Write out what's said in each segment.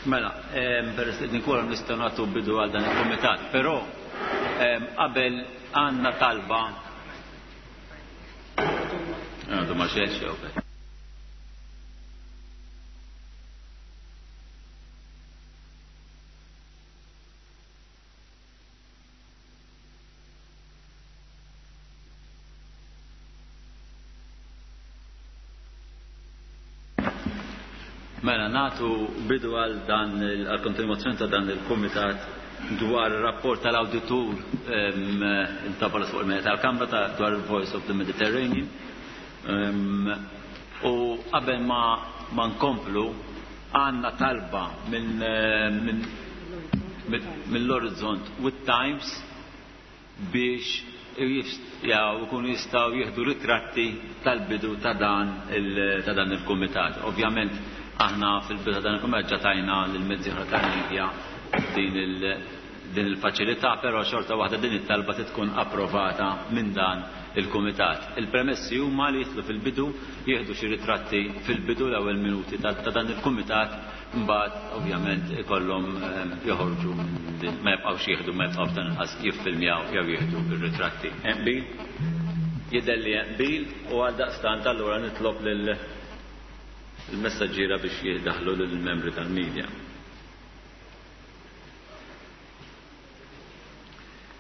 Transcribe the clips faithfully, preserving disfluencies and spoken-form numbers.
Mela, peress li nkunu nistgħu nagħtu bidu għal dan il-kumitat, però qabel għandna talba. Għandu ma xejn jew. Mela, natu bidu għal dan għal kontinuazzjoni ta' dan il-komitat dwar rapport tal-awditur intabala fuq il-mena tal-Kamra ta' dwar il-Voice of the Mediterranean. U qabel ma ma nkomplu għandna talba minn mill-Horizont with Times biex jaw ikunu jistgħu jieħdu ritratti tal-bidu ta' dan ta' dan il-kumitat. Ovvjament aħna fil-bidu ta' dan il-kumitat ġatajna lill-mezzi oħra tal-media din il din il-faċilità, però xorta waħda din it-talba tkun approvata minn dan il-kumitat. Il-premessi huma li jitlu fil-bidu, jieħdu xi ritratti fil-bidu l-ewwel minuti ta' dan il-kumitat, mbagħad ovvjament ikollhom joħorġu ma jibqgħux jieħdu, ma jibqgħux dan inqas jiffilmjaw jew jieħdu ir-ritratti. Qbil? Jidher li qbil u għaldaqstant allura nitlob lil il-messaġġiera biex jiddaħlu lill-membri tal-media.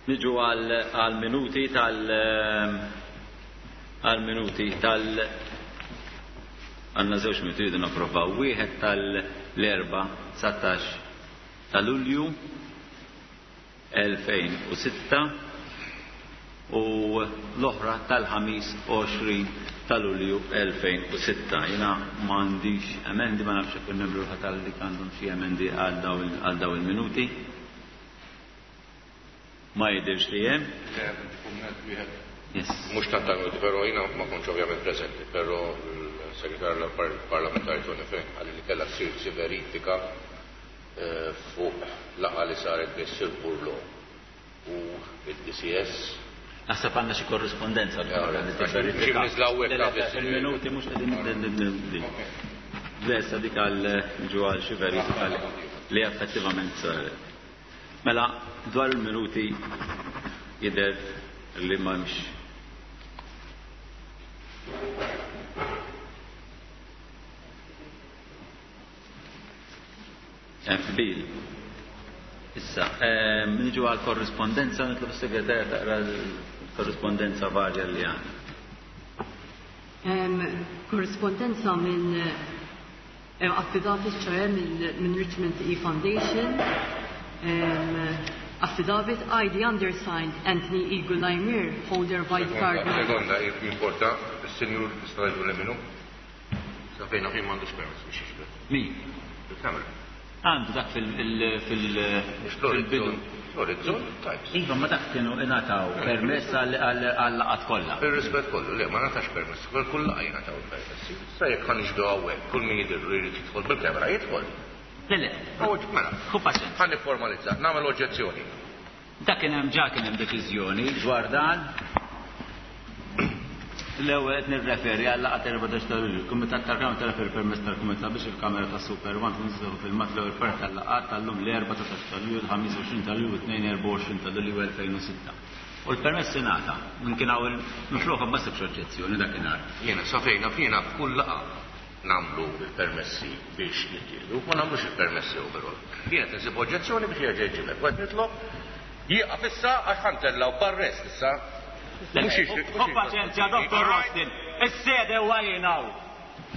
Niġu għal minuti tal għal minuti tal għandna żewġ minuti rridu napprovaw. Wieħed tal-erba' dsatax ta' Lulju elfejn u sitta u l-oħra tal-ħamis għoxrin ta' Lulju elfejn u sitta. Jiena m'għandix emendi, ma nafx jekk il-membru tal-li għandhom xi emendi għal daw il-minuti. Ma jidhirx li hemm. Yes. Mhux tant tal-minuti, però jiena ma kontx ovvjament preżenti, però l-segretarju parlamentari Tony Fenech qal li kellha ssir xi verifika fuq laqgħa li saret bejn Sir Burlo u il-D C S. Naħseb għandna xi korrispondenza dwar li tivverifika. Il-minuti mhux qegħdin lesta dik għal ġu għal xi verifika li effettivament saret. Mela dwar il-minuti jidher li m'hemmx. Qbil. Issa, niġu għal korrispondenza, nitlob is-segretarja taqra l-korrispondenza varja li għandna. Korrispondenza minn affidavit ċoħe minn Richmond E Foundation, affidavit I D undersigned Anthony E. Gulaimir, holder white card. Sekonda, importa, il-senjur tista' li minnu? Sa fejna fejn m'għandux permess biex jixbet. Min? Il-kamera. Għandu dak fil-bidu. L-orizzont types. Iva, ma dak kienu ingħataw permess għal-laqat kollha. Ir-rispett kollu, le, ma ngħatax permess, kull laqgħa jingħataw il-permessi. Sa jekk ħa nixbdu hawnhekk, kull min jidhirlu jrid jidħol bil-kamera jidħol. Le, le. Mela. Hu paċenzja. Ħa nifformalizza, nagħmel oġġezzjoni. Dak kien hemm ġa kien hemm deċiżjoni dwar dan. L-ewwel qed nirreferi għal laqgħa erbatax ta' Lulju. Il-Kumitat tal-Kamra tal-Affarijiet permess tal-Kumitat biex il-Kamera ta' Super One tkun tista' filmat l-ewwel parti tal-laqgħat tal-lum l-erba' ta' ta' Lulju, il-ħamis għoxrin ta' Lulju, it-tnejn erba' għoxrin ta' Lulju elfejn u sitta. U l-permess ingħata minn kien hawn il-mifluħa ma sibx oġġezzjoni dakinhar. Jiena sa fejna jiena f'kull laqgħa nagħmlu il-permessi biex jittieħdu, ma nagħmlux il-permessi overall. Jiena qed insib oġġezzjoni biex jerġa' jġibek. Qed nitlob jieqaf issa għax ħantellaw barrest issa. Hu paċenzja, Dottor Rostin, is-sede huwa jien hawn.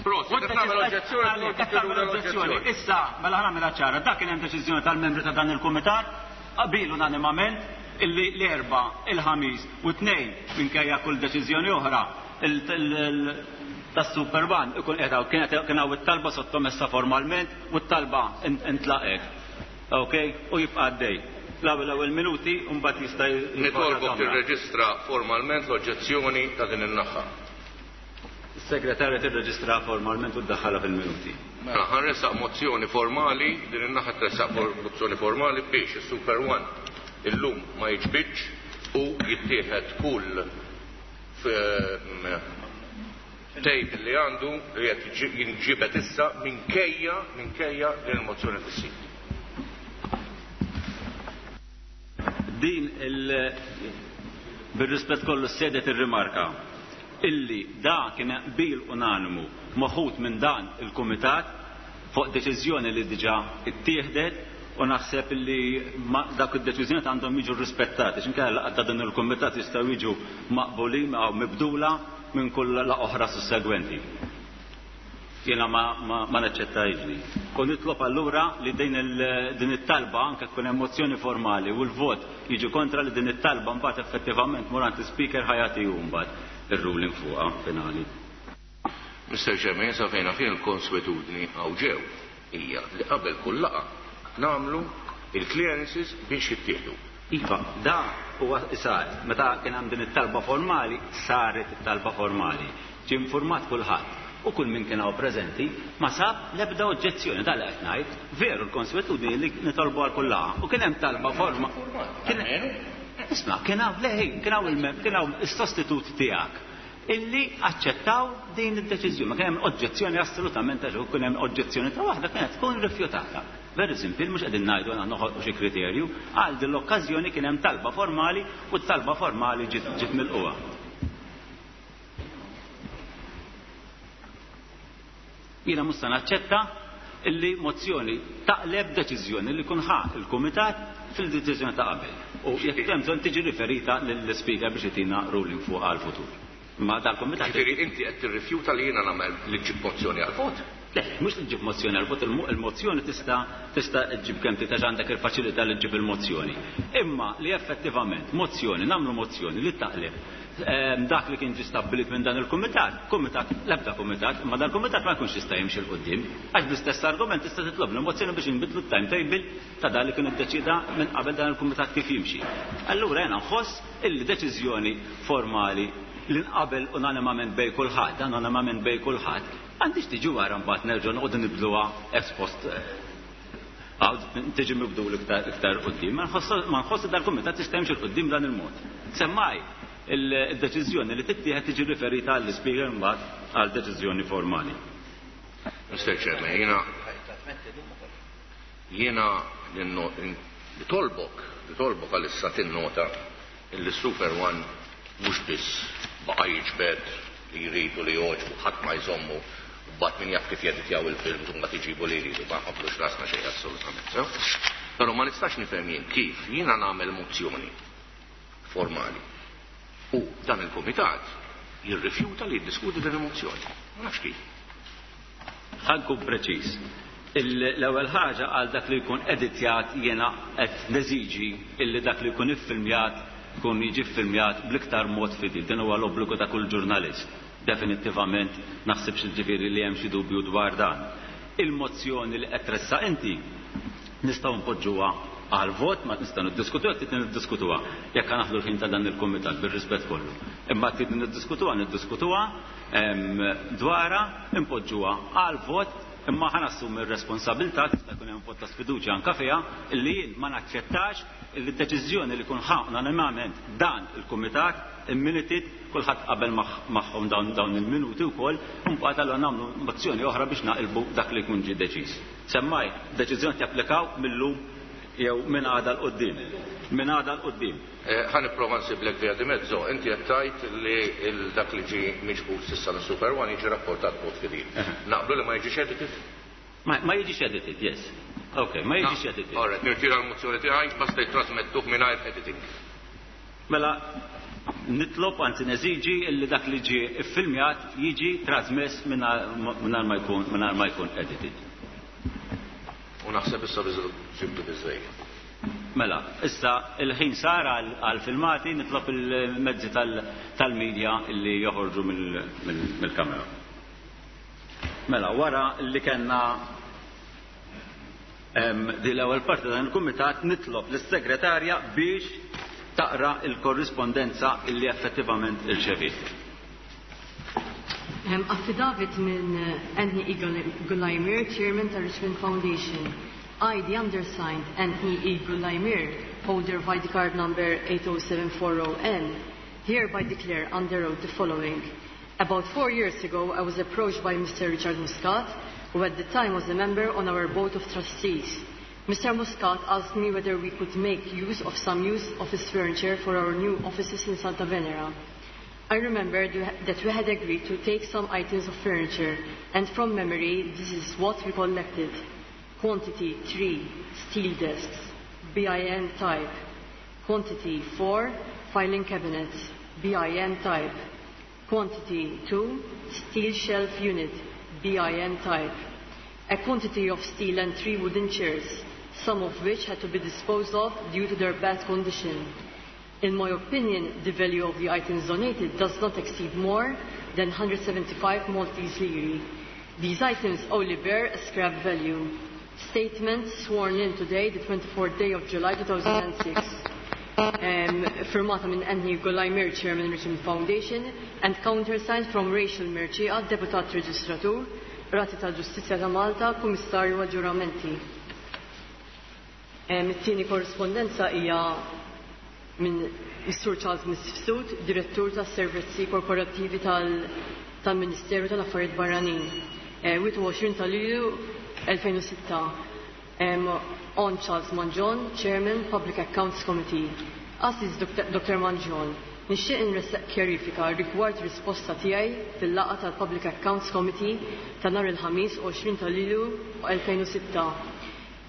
Prosit, qed nagħmel oġġezzjoni, qed tagħmel oġġezzjoni. Issa, mela ħa nagħmilha ċara, dak kien hemm deċiżjoni tal-membri ta' dan il-kumitat, qabil unanimament illi l-erba', il-ħamis u tnejn minkejja kull deċiżjoni oħra tas-Super One ikun qed hawn, kienet kien hawn it-talba sottomessa formalment u t-talba intlaqet. Ok, u jibqa' għaddej. L-ewwel ewwel minuti u mbagħad jista' jibqa' Nitolbok kamra. tirreġistra formalment l-oġġezzjoni ta' din in-naħa. Is-segretarja tirreġistra formalment u ddaħħalha fil-minuti. Mela ħanresaq mozzjoni formali, din in-naħa tressaq mozzjoni formali biex is-Super One illum ma jiġbidx u jittieħed kull tape li għandu li qed jinġibed issa minkejja, minkejja din il-mozzjoni fis-sit. Din il- bir-rispett kollu s-sede tirrimarka illi da kien qbil unanimu moħut minn dan il-kumitat fuq deċiżjoni li diġà ittieħdet u naħseb illi dak id-deċiżjoni għandhom jiġu rispettati, x'inkella laqgħat ta' dan il-kumitat jistgħu jiġu maqbulin jew mibdula minn kull laqgħa oħra sussegwenti. Jiena ma, ma, ma naċċettajx li. U nitlob allura li din il-, din it-talba anke tkun hemm mozzjoni formali u l-vot jiġi kontra li din it-talba mbagħad effettivament mur għand l-speaker ħajati hu mbagħad ir-ruling fuqha finali. Mister Chairman, sa fejna fejn il-konswetudni hawn ġew hija li qabel kull laqgħa nagħmlu il-clearances biex jittieħdu. Iva, da huwa sar, meta kien hemm din it-talba formali, saret it-talba formali. Ġie informat kulħadd u kull min kien hawn preżenti ma sab l-ebda oġġezzjoni dan li qed ngħid. Veru l-konswetudni li nitolbu għal kull laqgħa. U kien hemm talba forma. Kien Isma', kien hawn le, kien hawn il-mem, kien hawn is-sostitut tiegħek illi aċċettaw din id-deċiżjoni. Ma kien hemm oġġezzjoni assolutament għax kien hemm oġġezzjoni ta' waħda kienet tkun rifjutata. Very simple, mhux qegħdin ngħidu għandna noħolqu xi kriterju, għal din l-okkażjoni kien hemm talba formali u t-talba formali ġiet, ġiet milquha. Jiena mhux se naċċetta illi mozzjoni taqleb deċiżjoni li kun ħa il-kumitat fil-deċiżjoni ta' qabel. U jekk hemm bżonn tiġi riferita lill-speaker biex itina ruling fuq għall-futur. Ma dal-kumitat Ġifieri inti qed tirrifjuta li jiena nagħmel li ġib mozzjoni għall-vot? Le, mhux li ġib mozzjoni għal vot, il-mozzjoni tista' tista' ġib kemm trid għax għandek il-faċilità li ġib il-mozzjoni. Imma li effettivament mozzjoni, nagħmlu mozzjoni li taqleb ehm, dak li kien ġi stabbilit minn dan il-kumitat, kumitat, l-ebda kumitat, imma dan il-kumitat ma jkunx jista' jimxi 'l quddiem. Għax bl-istess argument tista' titlob mozzjoni biex inbidlu t-timetable ta' dan li kien iddeċida minn qabel dan il-kumitat kif jimxi. Allura jiena nħoss illi deċiżjoni formali li nqabel unanimament bejn kulħadd, dan unanimament bejn kulħadd, għandix tiġi wara mbagħad nerġgħu noqogħdu nibdluha ex post tiġi mibdul iktar iktar quddiem. Ma nħoss dal-kumitat tista' jimxi 'l quddiem dan il-mod. Semmai il-deċiżjoni li tittieħed tiġi riferita għall-ispeaker mbagħad għal deċiżjoni formali. Mister Chairman, jiena jiena nitolbok, nitolbok għalissa tinnota illi Super One mhux biss baqa' jiġbed li jridu li jogħġbu, ħadd ma jżommu, u mbagħad min jaf kif jeditjaw il-film u mbagħad iġibu li jridu, ma nħobblux rasna xejn assolutament. Sew? Però ma nistax nifhem jien kif jiena nagħmel mozzjoni formali u dan il-kumitat jirrifjuta li jiddiskuti din il-mozzjoni. Ma nafx kif. Ħa nkun preċiż. L-ewwel ħaġa, għal dak li jkun editjat, jiena qed neżiġi illi dak li jkun iffilmjat jkun jiġi ffilmjat bl-iktar mod fidil. Din huwa l-obbligu ta' kull ġurnalist. Definitivament naħsibx ġifieri li hemm xi dubju dwar dan. Il-mozzjoni li qed tressaq inti nistgħu npoġġuha għal vot, ma nistgħu niddiskutuha, trid niddiskutuha. Jekk naħdu l-ħin ta' dan il-kumitat bir-rispett kollu. Imma trid niddiskutuha, niddiskutuha dwarha, impoġġuha għal vot, imma ħa nassumi r-responsabilità, tista' jkun hemm vot ta' sfiduċja anke fiha, illi jien ma naċċettax illi d-deċiżjoni li kun ħa unanimament dan il-kumitat immunitit kulħadd qabel magħhom dawn dawn il-minuti wkoll, u mbagħad allura nagħmlu mozzjoni oħra biex naqilbu dak li jkun ġie deċiż. Semmai, deċiżjoni japplikaw millum jew minn għada 'l quddiem. Minn għada 'l quddiem. Eh, ħa nipprova nsiblek via di mezzo, inti qed tgħid li dak li ġi miġbud s'issa minn Super One jiġi rapportat b'mod fidil. Naqblu li ma jiġix edited? Ma, ma jiġix edited, yes. Ok, ma jiġix edited. All right, nirtira l-mozzjoni tiegħi, basta jitrasmettuh mingħajr editing. Mela, nitlob, anzi neżiġi illi dak li ġie iffilmjat jiġi trasmess mingħajr ma jkun mingħajr ma jkun edited. U naħseb issa ġibtu biżejjed. Mela, issa il-ħin sar għal-filmati, nitlob il-mezzi tal-medja illi joħorġu mill-kamera. Mela, wara li kellna di l-ewwel parti dan il-kumitat, nitlob lis-segretarja biex taqra il-korrispondenza illi effettivament irċeviet. Affidavit minn Anthony E. Gulaimir, Chairman ta' Richmond Foundation. I, the undersigned, Anthony E. Gulaimir, holder of I D card number eight oh seven four oh N, hereby declare under oath the following. About four years ago, I was approached by Mister Richard Muscat, who at the time was a member on our board of trustees. Mister Muscat asked me whether we could make use of some use office furniture for our new offices in Santa Venera. I remember that we had agreed to take some items of furniture, and from memory, this is what we collected. Quantity three, steel desks, B I N type. Quantity four, filing cabinets, B I N type. Quantity two, steel shelf unit, B I N type. A quantity of steel and three wooden chairs, some of which had to be disposed of due to their bad condition. In my opinion, the value of the items donated does not exceed more than one hundred seventy-five Maltese lire. These items only bear a scrap value. Statement sworn in today, the twenty-fourth day of July two thousand six. Um, firmata minn Anthony Gulajmir, Chairman, Richmond Foundation, and countersigned from Rachel Mercieca, Deputat Reġistratur, Qrati tal-Ġustizzja ta' Malta, Kummissarju għal-Ġuramenti. Um, It-tieni korrispondenza hija minn Mr Charles Mifsud, Direttur tas-Servizzi Korporattivi tal-Ministeru tal-Affarijiet Barranin. wieħed u għoxrin ta' Lulju elfejn u sitta. Um, on Charles Mangion, Chairman, Public Accounts Committee. Għażiż Doctor Mangion, nixtieq inressaq kjarifika rigward risposta tiegħi fil-laqgħa tal-Public Accounts Committee ta' nhar il-Ħamis għoxrin ta' Lulju elfejn u sitta.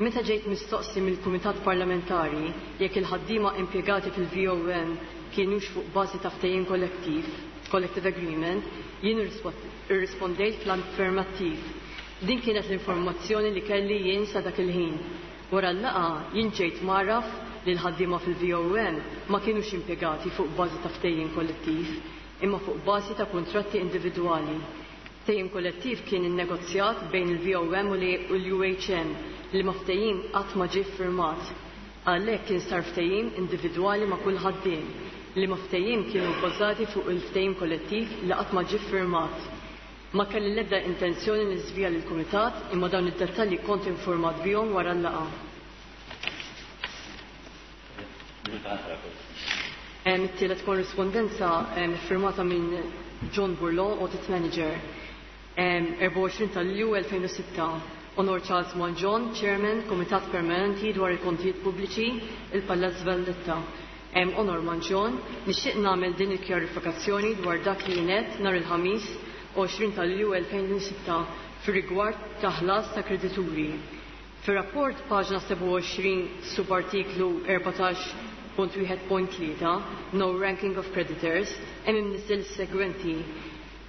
Meta ġejt mistoqsi mill-Kumitat Parlamentari jekk il-ħaddiema impjegati fil-V O M kienux fuq bażi ta' ftehim kollettiv, collective agreement, jien irrispondejt fl-affermattiv. Din kienet l-informazzjoni li kelli jien sa dak il-ħin. Wara l-laqgħa jien ġejt mgħarraf li l-ħaddiema fil-V O M ma kienux impjegati fuq bażi ta' ftehim kollettiv, imma fuq bażi ta' kuntratti individwali. Ftehim kollettiv kien innegozjat bejn il-V O M u l-U H M li ma ftehim qatt ma ġie firmat. Għalhekk kien sar ftehim individwali ma' kull ħaddiem li ma ftehim kienu bbażati fuq il-ftehim kollettiv li qatt ma ġie firmat. Ma kelli l-ebda intenzjoni niżvija lill-kumitat, imma dawn id-dettalji kont informat bihom wara l-laqgħa. It-tielet korrispondenza firmata minn John Burlon, Audit Manager. erbgħa u għoxrin ta' Lulju elfejn u sitta. Onor Charles Mangion, Chairman, Komitat Permanenti dwar il-Kontijiet Pubbliċi, il-Palazz Valletta. Onor Mangion, nixtieq nagħmel din il-kjarifikazzjoni dwar dak li jien għedt nhar il-Ħamis għoxrin ta' Lulju elfejn u sitta fir-rigward ta' ħlas ta' kredituri. Fir-rapport paġna sebgħa u għoxrin subartiklu erbatax punt wieħed punt tlieta, No Ranking of Creditors, hemm imniżżel segwenti: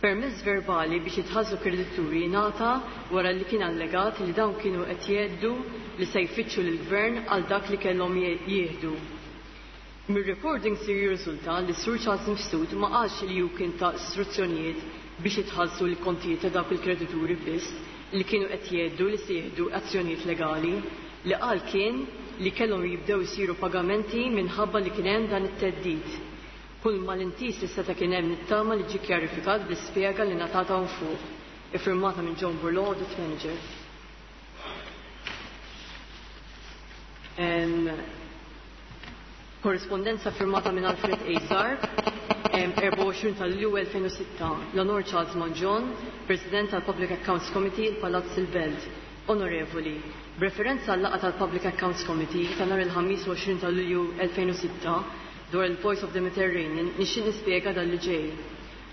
Permess verbali biex jitħallsu kredituri ngħata wara li kien allegat li dawn kienu qed jgħidu li se jfittxu lill-gvern għal dak li kellhom jieħdu. Mir-recording sir jirriżulta li Sur Charles Mifsud ma qalx li hu kien ta istruzzjonijiet biex jitħallsu l-kontijiet ta' dawk il-kredituri biss li kienu qed jgħidu li se jieħdu azzjonijiet legali. Li qal kien li kellhom jibdew isiru pagamenti minħabba li kien hemm dan it-theddid. Kull malintiż li seta' kien hemm nittama li ġie kjarifikat bl-ispjega li ngħatat hawn fuq. Iffirmata minn John Burlon, Audit Manager. Em, Korrispondenza firmata minn Alfred A. Zarb, erbgħa u għoxrin ta' Lulju elfejn u sitta. L-Onor Charles Mangion, President tal-Public Accounts Committee, il-Palazz il-Belt. Onorevoli, b'referenza għal laqgħa tal-Public Accounts Committee ta' nhar il-Ħamis għoxrin ta' Lulju elfejn u sitta dwar il-Voice of the Mediterranean, nixtieq nispjega dan li ġej.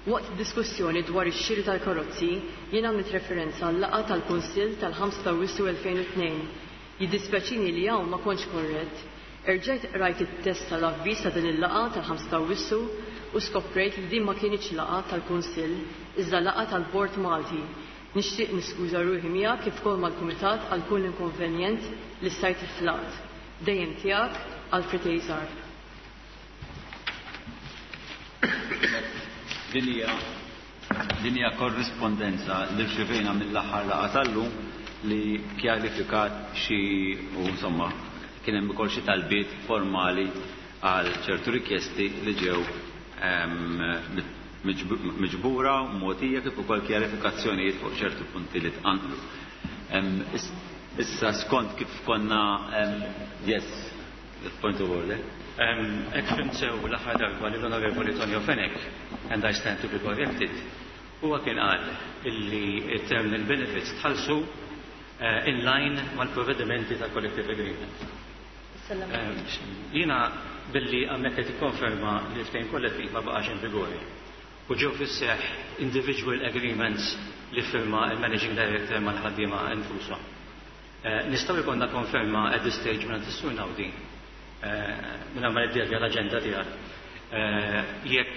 Waqt diskussjoni dwar ix-xiri tal-karozzi, jien għamilt referenza għal laqgħa tal-Kunsill tal-ħamsa ta' Awwissu elfejn u tnejn. Jiddispjaċini li hawn ma kontx korrett. Erġajt rajt it-test tal-avviż ta' din il-laqgħa tal-ħamsa ta' Awwissu u skoprejt li din ma kienx laqgħa tal-Kunsill, iżda laqgħa tal-Bord Malti. Nixtieq niskuża ruħi miegħek kif ukoll mal-Kumitat għal kull inkonvenjent li stajt ħlaqt. Dejjem tiegħek, Alfred A. Zarb. Din hija din hija korrispondenza li rċevejna mill-aħħar laqgħa tal-lum li kjarifikat xi u insomma kien hemm ukoll xi talbiet formali għal ċertu rikjesti li ġew miġbura u mogħtija, kif ukoll kjarifikazzjonijiet fuq ċertu punti li tqanqlu. Issa skont kif konna, yes, point of order. Jekk fhimt sew l-aħħar darba li l-Onorevoli Tonio Fenech, and I stand to be corrected, huwa kien qal illi terminal benefits tħallsu eh, in line mal-provvedimenti ta' collective agreement. Jiena billi għammek qed ikkonferma li ftehim kollettiv ma baqax in vigori u ġew fis-seħħ individual agreements li firma il-Managing Director mal-ħaddiema infushom. Eh, nistgħu jkollna konferma at this stage minn is-Sur Naudi, minn ma niddevja l-aġenda tiegħek, jekk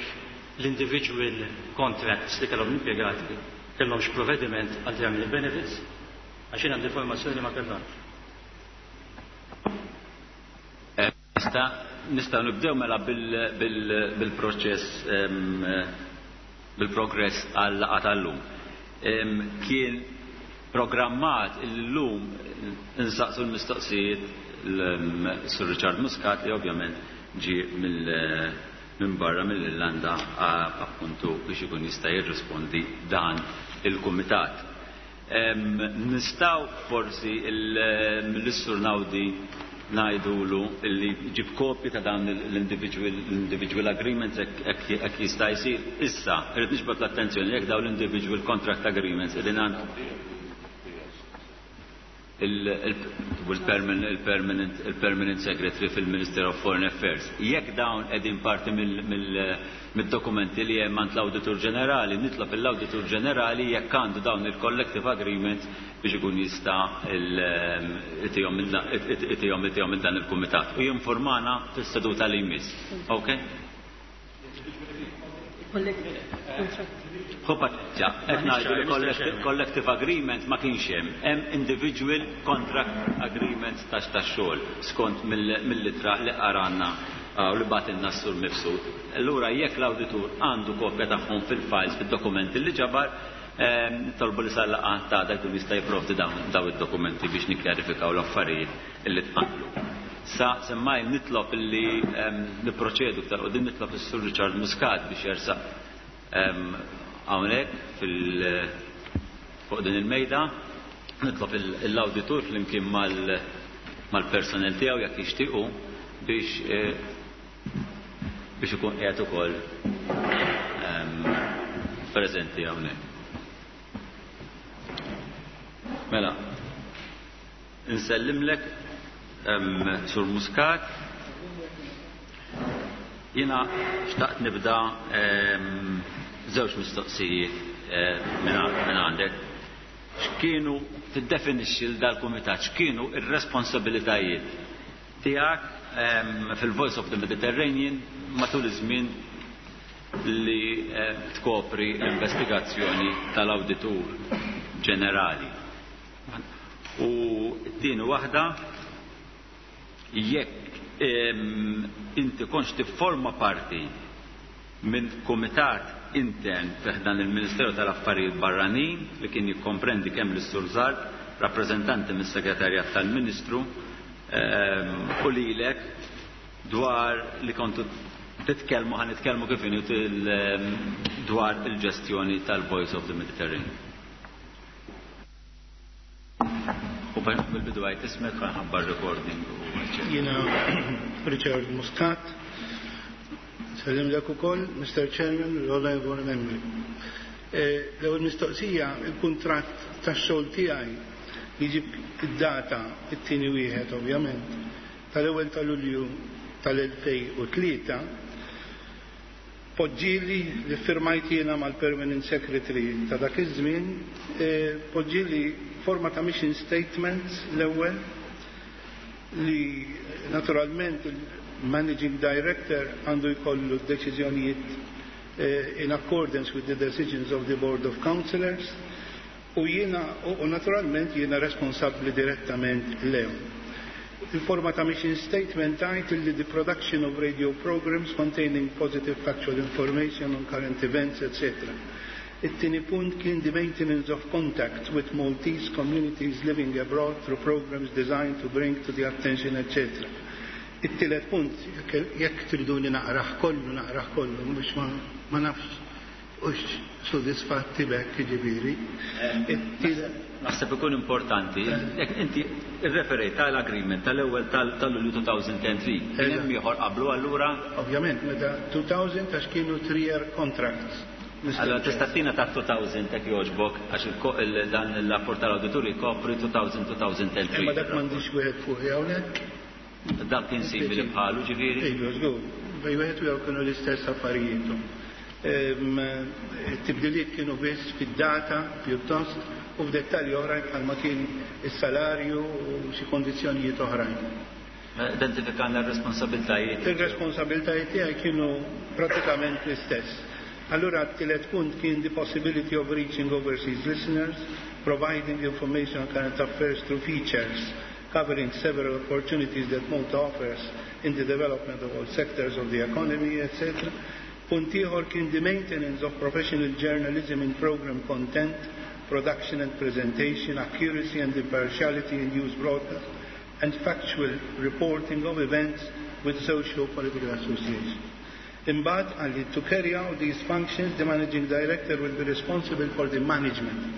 l-individual contracts li kellhom l-impjegati kellhomx provvediment għal terminal benefits, għax jien għandi informazzjoni li ma kellhomx. Nista' nistgħu nibdew mela bil-proċess, bil-progress għal laqgħa tal-lum. Kien programmat illum insaqsu l-mistoqsijiet l-Sur Richard Muscat li ovvjament ġi minn barra mill-Irlanda appuntu biex ikun jista' jirrispondi dan il-kumitat. Nistgħu forsi l-Sur Naudi ngħidulu li ġib kopji ta' dan l-individual agreements jekk jista' jsir. Issa, irrid niġbed l-attenzjoni jekk dawn l-individual contract agreements qegħdin għand il-permanent il-permanent secretary fil-Minister of Foreign Affairs. Jekk dawn qegħdin parti mid-dokumenti li hemm għand l-Awditur Ġenerali, nitlob l-Awditur Ġenerali jekk għandu dawn il-collective agreements biex ikun jista' itihom itihom dan il-kumitat u jinformana fis-seduta li jmiss. Okay? Qed ngħidu li collective agreement ma kienx hemm, hemm individual contract agreements ta' tax-xogħol skont mill-ittra li qaranna u li bagħtilna s-Sur Mifsud. Allura jekk l-awditur għandu kopja tagħhom fil-files, fid-dokumenti li ġabar, tolbu li sal-laqgħa ta' dak jkun jista' jipprovdi dawn id-dokumenti biex nikkjarifikaw l-affarijiet illi tqanqlu. Sa semmaj nitlob illi nipproċedu iktar quddiem, nitlob is-Sur Richard Muscat biex jersaq hawnhekk fil fuq din il-mejda, nitlob l-awditur flimkien mal-personel tiegħu jekk jixtiequ biex biex ikun qiegħed ukoll preżenti hawnhekk. Mela, insellimlek Sur Muscat. Jiena xtaqt nibda żewġ mistoqsijiet minn għandek. X'kienu tiddefinixxi l dal-kumitat, x'kienu ir-responsabilitajiet tiegħek fil-Voice of the Mediterranean matul iż-żmien li tkopri l-investigazzjoni tal-Awditur Ġenerali. U t-tieni waħda, jekk inti kontx tifforma parti minn kumitat intern fi ħdan il-Ministeru tal-Affarijiet Barranin li kien jikkomprendi kemm l-Sur Zarb, rappreżentanti mis-Segretarjat tal-Ministru, u lilek dwar li kontu titkellmu, ħa nitkellmu kif inhu dwar il-ġestjoni tal-Voice of the Mediterranean. U bil-bidu għajt ismek ħabbar recording. Jiena Richard Muscat, sellimlek ukoll, Mister Chairman, l-Honorable Membri. L-ewwel mistoqsija, il-kuntratt tax-xogħol tiegħi jiġib id-data it-tieni wieħed ovvjament tal-ewwel ta' Lulju tal-elfejn u tlieta, poġġili li firmajt jiena mal-Permanent Secretary ta' dak iż-żmien, poġġili forma ta' mission statements l-ewwel li naturalment il-Managing Director għandu jkollu d-deċiżjonijiet in accordance with the decisions of the Board of Councillors, u jiena u naturalment jiena responsabbli direttament lehom. Il-forma ta' mission statement tgħid li the production of radio programs containing positive factual information on current events, et cetera. It-tieni punt kien the maintenance of contact with Maltese communities living abroad through programs designed to bring to the attention, et cetera. It-tielet punt, jekk triduni naqrah kollu, naqrah kollu, mhux ma nafx hux sodisfatti b'hekk ġifieri. Naħseb ikun importanti, jekk inti irreferejt tal-agreement tal-ewwel tal-Lulju elfejn u tlieta, kien hemm ieħor qablu allura? Ovvjament, meta elfejn għax kienu three-year contracts. Allora tista' tina ta' elfejn jekk jogħġbok, għax dan il-rapport tal-awditur jkopri elfejn elfejn u tlieta. Imma dak m'għandix wieħed fuqi hawnhekk. Dak kien simili bħalu ġifieri? Iva, żgur. Bej wieħed u kienu l-istess affarijiet. Tibdiliet kienu biss fid-data pjuttost u f'dettalji oħrajn bħalma kien is-salarju u xi kondizzjonijiet oħrajn. Identifikana r-responsabiltajiet. Ir-responsabiltajiet tiegħi kienu pratikament l-istess. Allura t-tielet punt kien the possibility of reaching overseas listeners, providing information on current affairs through features, covering several opportunities that Malta offers in the development of all sectors of the economy, et cetera. Punt ieħor kien the maintenance of professional journalism in program content, production and presentation, accuracy and impartiality in news broadcast, and factual reporting of events with socio-political associations. Imbagħad għalli to carry out these functions, the managing director will be responsible for the management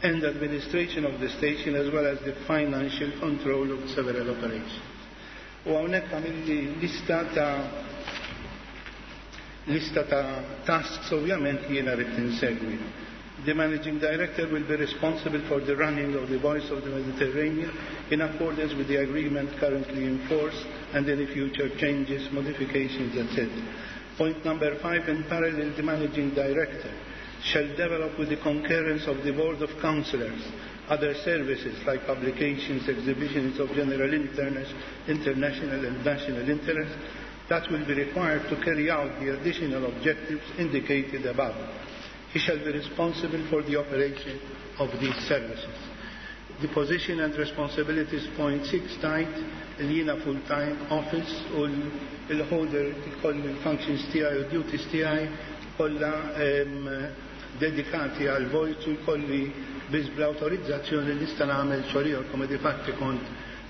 and administration of the station as well as the financial control of several operations. U hawnhekk għamilli lista ta' lista ta' tasks ovvjament li jiena rrid insegwi. The managing director will be responsible for the running of the Voice of the Mediterranean in accordance with the agreement currently in force and any future changes, modifications, et cetera. Point number five, in parallel, the managing director shall develop with the concurrence of the Board of Councillors other services like publications, exhibitions of general internet, international and national interest, that will be required to carry out the additional objectives indicated above. He shall be responsible for the operation of these services. The position and responsibilities point six tgħid li jiena full-time office u l-holder ikolli l-functions tiegħi u duties tiegħi kollha dedikati għal vojt u jkolli biss bl-autorizzazzjoni li nista' nagħmel xogħol ieħor come di fatti kont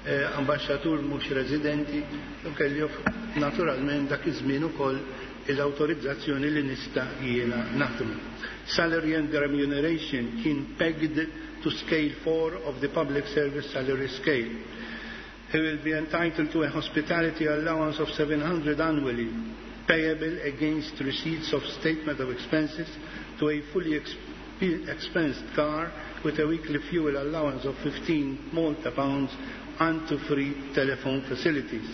eh, ambaxxatur mhux residenti u kelli naturalment dak iż-żmien ukoll l-autorizzazzjoni li nista' jiena naħdmu. Salary and remuneration kien pegged to scale four of the public service salary scale. He will be entitled to a hospitality allowance of seven hundred annually, payable against receipts of statement of expenses, to a fully expensed car with a weekly fuel allowance of fifteen Malta pounds and to free telephone facilities.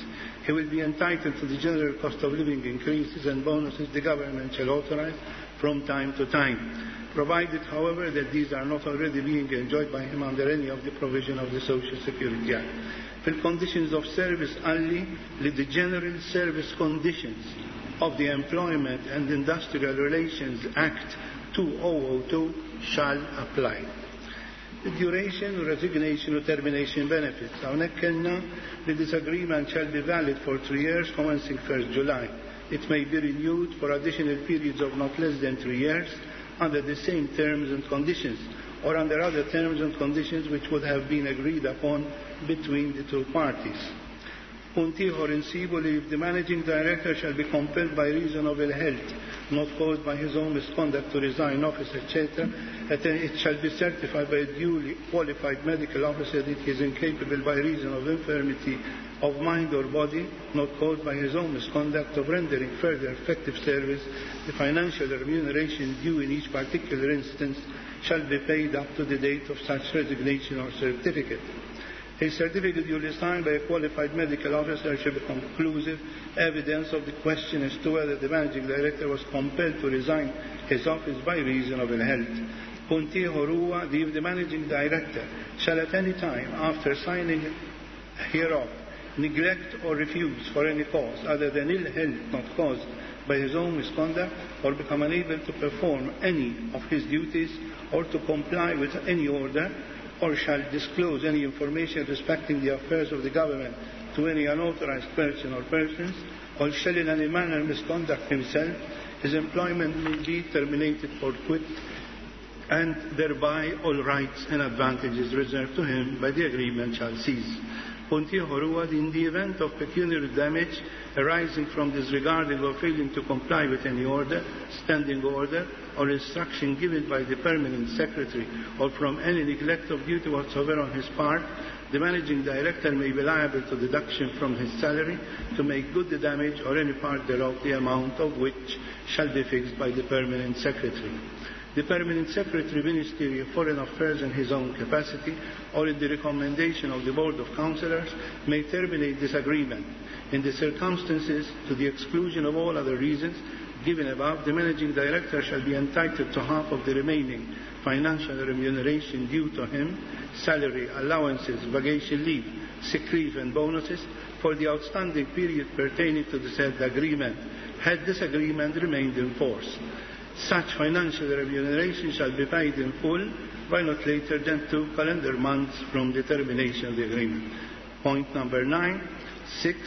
He will be entitled to the general cost of living increases and bonuses the government shall authorize from time to time, provided, however, that these are not already being enjoyed by him under any of the provision of the Social Security Act. Fil-conditions of service qalli li the general service conditions of the Employment and Industrial Relations Act two thousand two shall apply. The duration, resignation u termination benefits. Hawnhekk kellna li this agreement shall be valid for three years commencing first July. It may be renewed for additional periods of not less than three years under the same terms and conditions or under other terms and conditions which would have been agreed upon between the two parties. Punt ieħor insibu li if the managing director shall be compelled by reason of ill health not caused by his own misconduct to resign office, et cetera, it shall be certified by a duly qualified medical officer that he is incapable by reason of infirmity of mind or body not caused by his own misconduct of rendering further effective service, the financial remuneration due in each particular instance shall be paid up to the date of such resignation or certificate. A certificate duly signed by a qualified medical officer shall be conclusive evidence of the question as to whether the managing director was compelled to resign his office by reason of ill health. Punt ieħor huwa li if the managing director shall at any time after signing hereof neglect or refuse for any cause other than ill health not caused by his own misconduct or become unable to perform any of his duties or to comply with any order or shall disclose any information respecting the affairs of the government to any unauthorized person or persons, or shall in any manner misconduct himself, his employment may be terminated forthwith, and thereby all rights and advantages reserved to him by the agreement shall cease. Punt ieħor huwa in the event of pecuniary damage arising from disregarding or failing to comply with any order, standing order, or instruction given by the permanent secretary or from any neglect of duty whatsoever on his part, the managing director may be liable to deduction from his salary to make good the damage or any part thereof, the amount of which shall be fixed by the permanent secretary. The Permanent Secretary, Ministry of Foreign Affairs, in his own capacity or in the recommendation of the Board of Councillors may terminate this agreement. In the circumstances, to the exclusion of all other reasons given above, the Managing Director shall be entitled to half of the remaining financial remuneration due to him, salary, allowances, vacation leave, sick leave and bonuses for the outstanding period pertaining to the said agreement, had this agreement remained in force. Such financial remuneration shall be paid in full by not later than two calendar months from the termination of the agreement. Point number nine, six,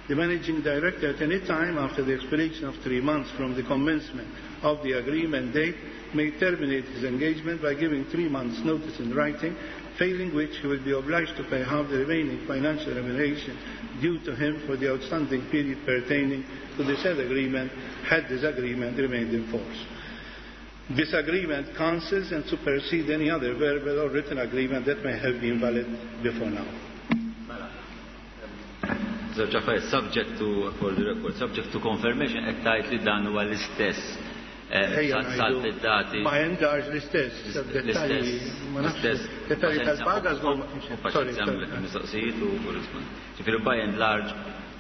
the managing director at any time after the expiration of three months from the commencement of the agreement date may terminate his engagement by giving three months' notice in writing, failing which he will be obliged to pay half the remaining financial remuneration due to him for the outstanding period pertaining to the said agreement, had this agreement remained in force. This agreement cancels and supersedes any other verbal or written agreement that may have been valid before now. Żewġ affarijiet, subject to, for the record, subject to confirmation, qed tgħid li dan huwa l-istess eh, Ejja sal ngħidu, dati by and large l-istess, dettalji, ma nafx, l-istess. Dettalji tal-paga żgur ma kienx hemm. Sorry, sorry. Mistoqsijiet u u rispond. Ġifieri by and large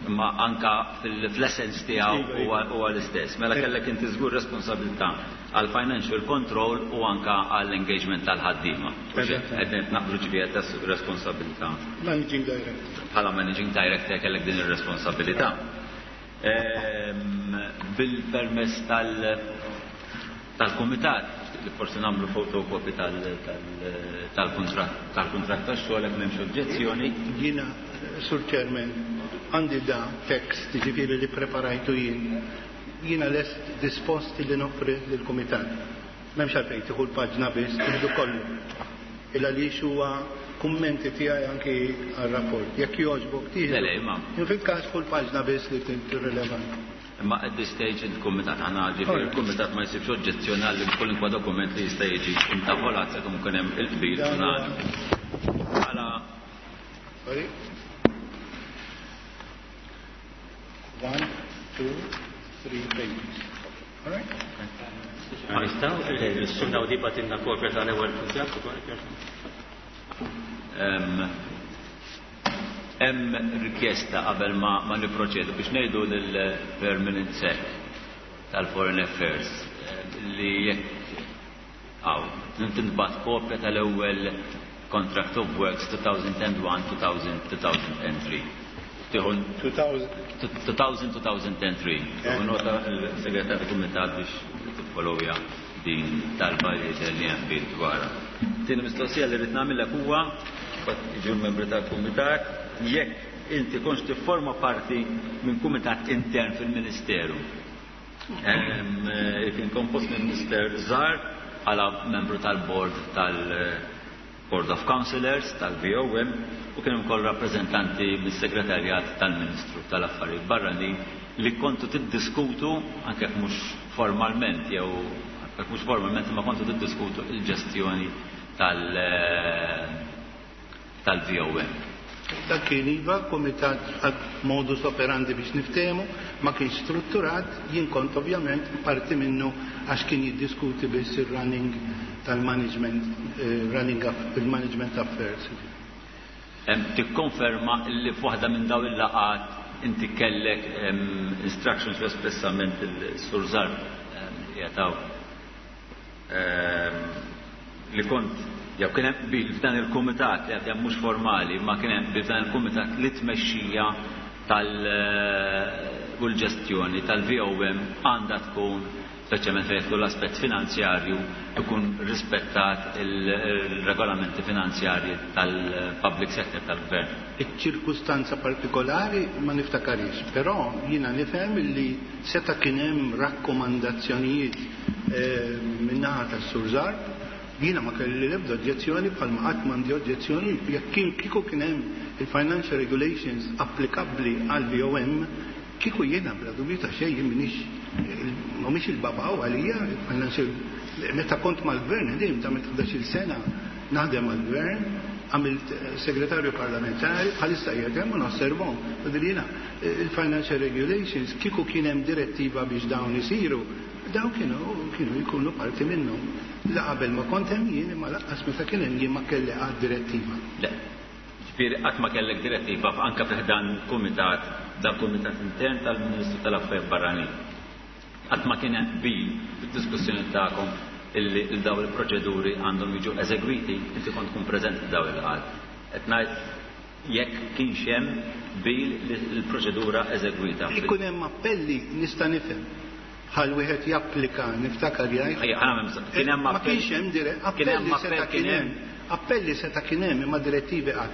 imma anka fil-essence tiegħu Iva, iva. huwa huwa l-istess. Mela kellek inti żgur responsabilità għal financial control u anka għall engagement tal-ħaddiema. Eżatt. Qed naqblu ġifieri qed responsabilità Managing Director. Bħala managing director kellek din ir-responsabilità. Bil-permess tal-kumitat, li forsi nagħmlu fotokopi tal-kuntratt tal-kuntratt tax-xogħol jekk m'hemmx oġġezzjoni. Jiena, Sur Chairman, għandi da tekst, ġifieri li preparajtu jien. Jiena lest dispost li noffri lill-kumitat. M'hemmx għalfejn tieħu l-paġna biss, tieħdu kollu. Il għaliex huwa kummenti tiegħi anki għar-rapport. Jekk jogħġbok tieħdu. Le, le, imma. Fil-każ kull paġna biss li tirrilevanti. Imma at this stage il-kumitat aħna ġifieri il-kumitat ma jsibx oġġezzjoni għal kwalunkwe dokument li jista' jiġi intavolat sakemm ikun hemm il-qbil unanimu. Bħala Sorry. One, two, three pages. All right? Ma nistgħu nissunnaw di batinna kopja tal-ewwel kuntratt ukoll. Hemm rikjesta qabel ma, ma niproċedu biex ngħidu lill-Permanent Sec tal-Foreign Affairs li jekk għaw tintbagħat kopja tal-ewwel Contract of Works two thousand one two thousand three. Tieħu two thousand two thousand three. Tieħu nota l-segretarju kumitat biex tiffollowja din talba li jidher li hemm bil dwarha. Tieni mistoqsija li rrid nagħmilek huwa jiġu l-membri tal-kumitat jekk inti kontx tifforma parti minn kumitat intern fil-Ministeru. Kien kompost minn Mister Zarb bħala membru tal-board tal-Board of Councillors tal-V O M u kien ukoll rappreżentanti mis-segretarjat tal-Ministru tal-Affarijiet Barranin li kontu tiddiskutu anke jekk mhux formalment jew jekk mhux formalment imma kontu tiddiskutu il-ġestjoni tal-V O M. Dak kien iva, kumitat għad modus operandi biex niftehmu, ma kienx strutturat, jien kont ovvjament parti minnu għax kien jiddiskuti biss il-running tal-management, eh, running of, il-management affairs. Em, tikkonferma li f'waħda minn daw il-laqat inti kellek, em, instructions espressament il-Sur Zarb, em, jataw, em, li kont jew kien hemm qbil f'dan il-kumitat li għad hemm mhux formali, ma kien hemm qbil f'dan il-kumitat li tmexxija tal-, u l-ġestjoni tal-V O M għandha tkun, speċjalment fejn jidħlu l-aspett finanzjarju, ikun rispettat il-regolamenti finanzjarji tal-public sector tal-gvern. Iċ-ċirkustanza partikolari ma niftakarix, però jiena nifhem li seta' kien hemm rakkomandazzjonijiet, eh, min-naħa tas-Sur Zarb. Jiena ma kelli l-ebda oġġezzjoni bħalma qatt m'għandi oġġezzjoni jekk kien kieku kien hemm il-financial regulations applikabbli għal V O M, kieku jiena bla dubju ta' xejn jien m'iniex, mhumiex il-babaw għalija, il-financial, meta kont mal-gvern ħdimt, għamilt ħdax-il sena naħdem mal-gvern, għamilt segretarju parlamentari, bħalissa qiegħed hemm u nosservhom. Vuol jiena il-financial regulations kieku kien hemm direttiva biex dawn isiru, dawn kienu, kienu jkunu parti minnhom. La qabel ma kont hemm jien, imma lanqas meta kien hemm jien ma kelli qatt direttiva. Le, ġifieri qatt ma kellek direttiva anke fi ħdan kumitat, dan kumitat intern tal-Ministru tal-Affarijiet Barranin. Qatt ma kien hemm qbil fid-diskussjoni tagħkom illi daw il-proċeduri għandhom jiġu eżegwiti, inti kont tkun preżenti f'daw il-qgħad. Qed ngħid jekk kienx hemm qbil li l-proċedura eżegwita. Ikun hemm appelli nista' nifhem. Bħal wieħed japplika, niftakar jgħid. Ejja, ħana m'hemm bżonn. Kien hemm Ma appell. kienx hemm dire-, Kien hemm appelli seta' appell, kien kien hemm. hemm. Appelli seta' kien hemm, imma direttivi qatt.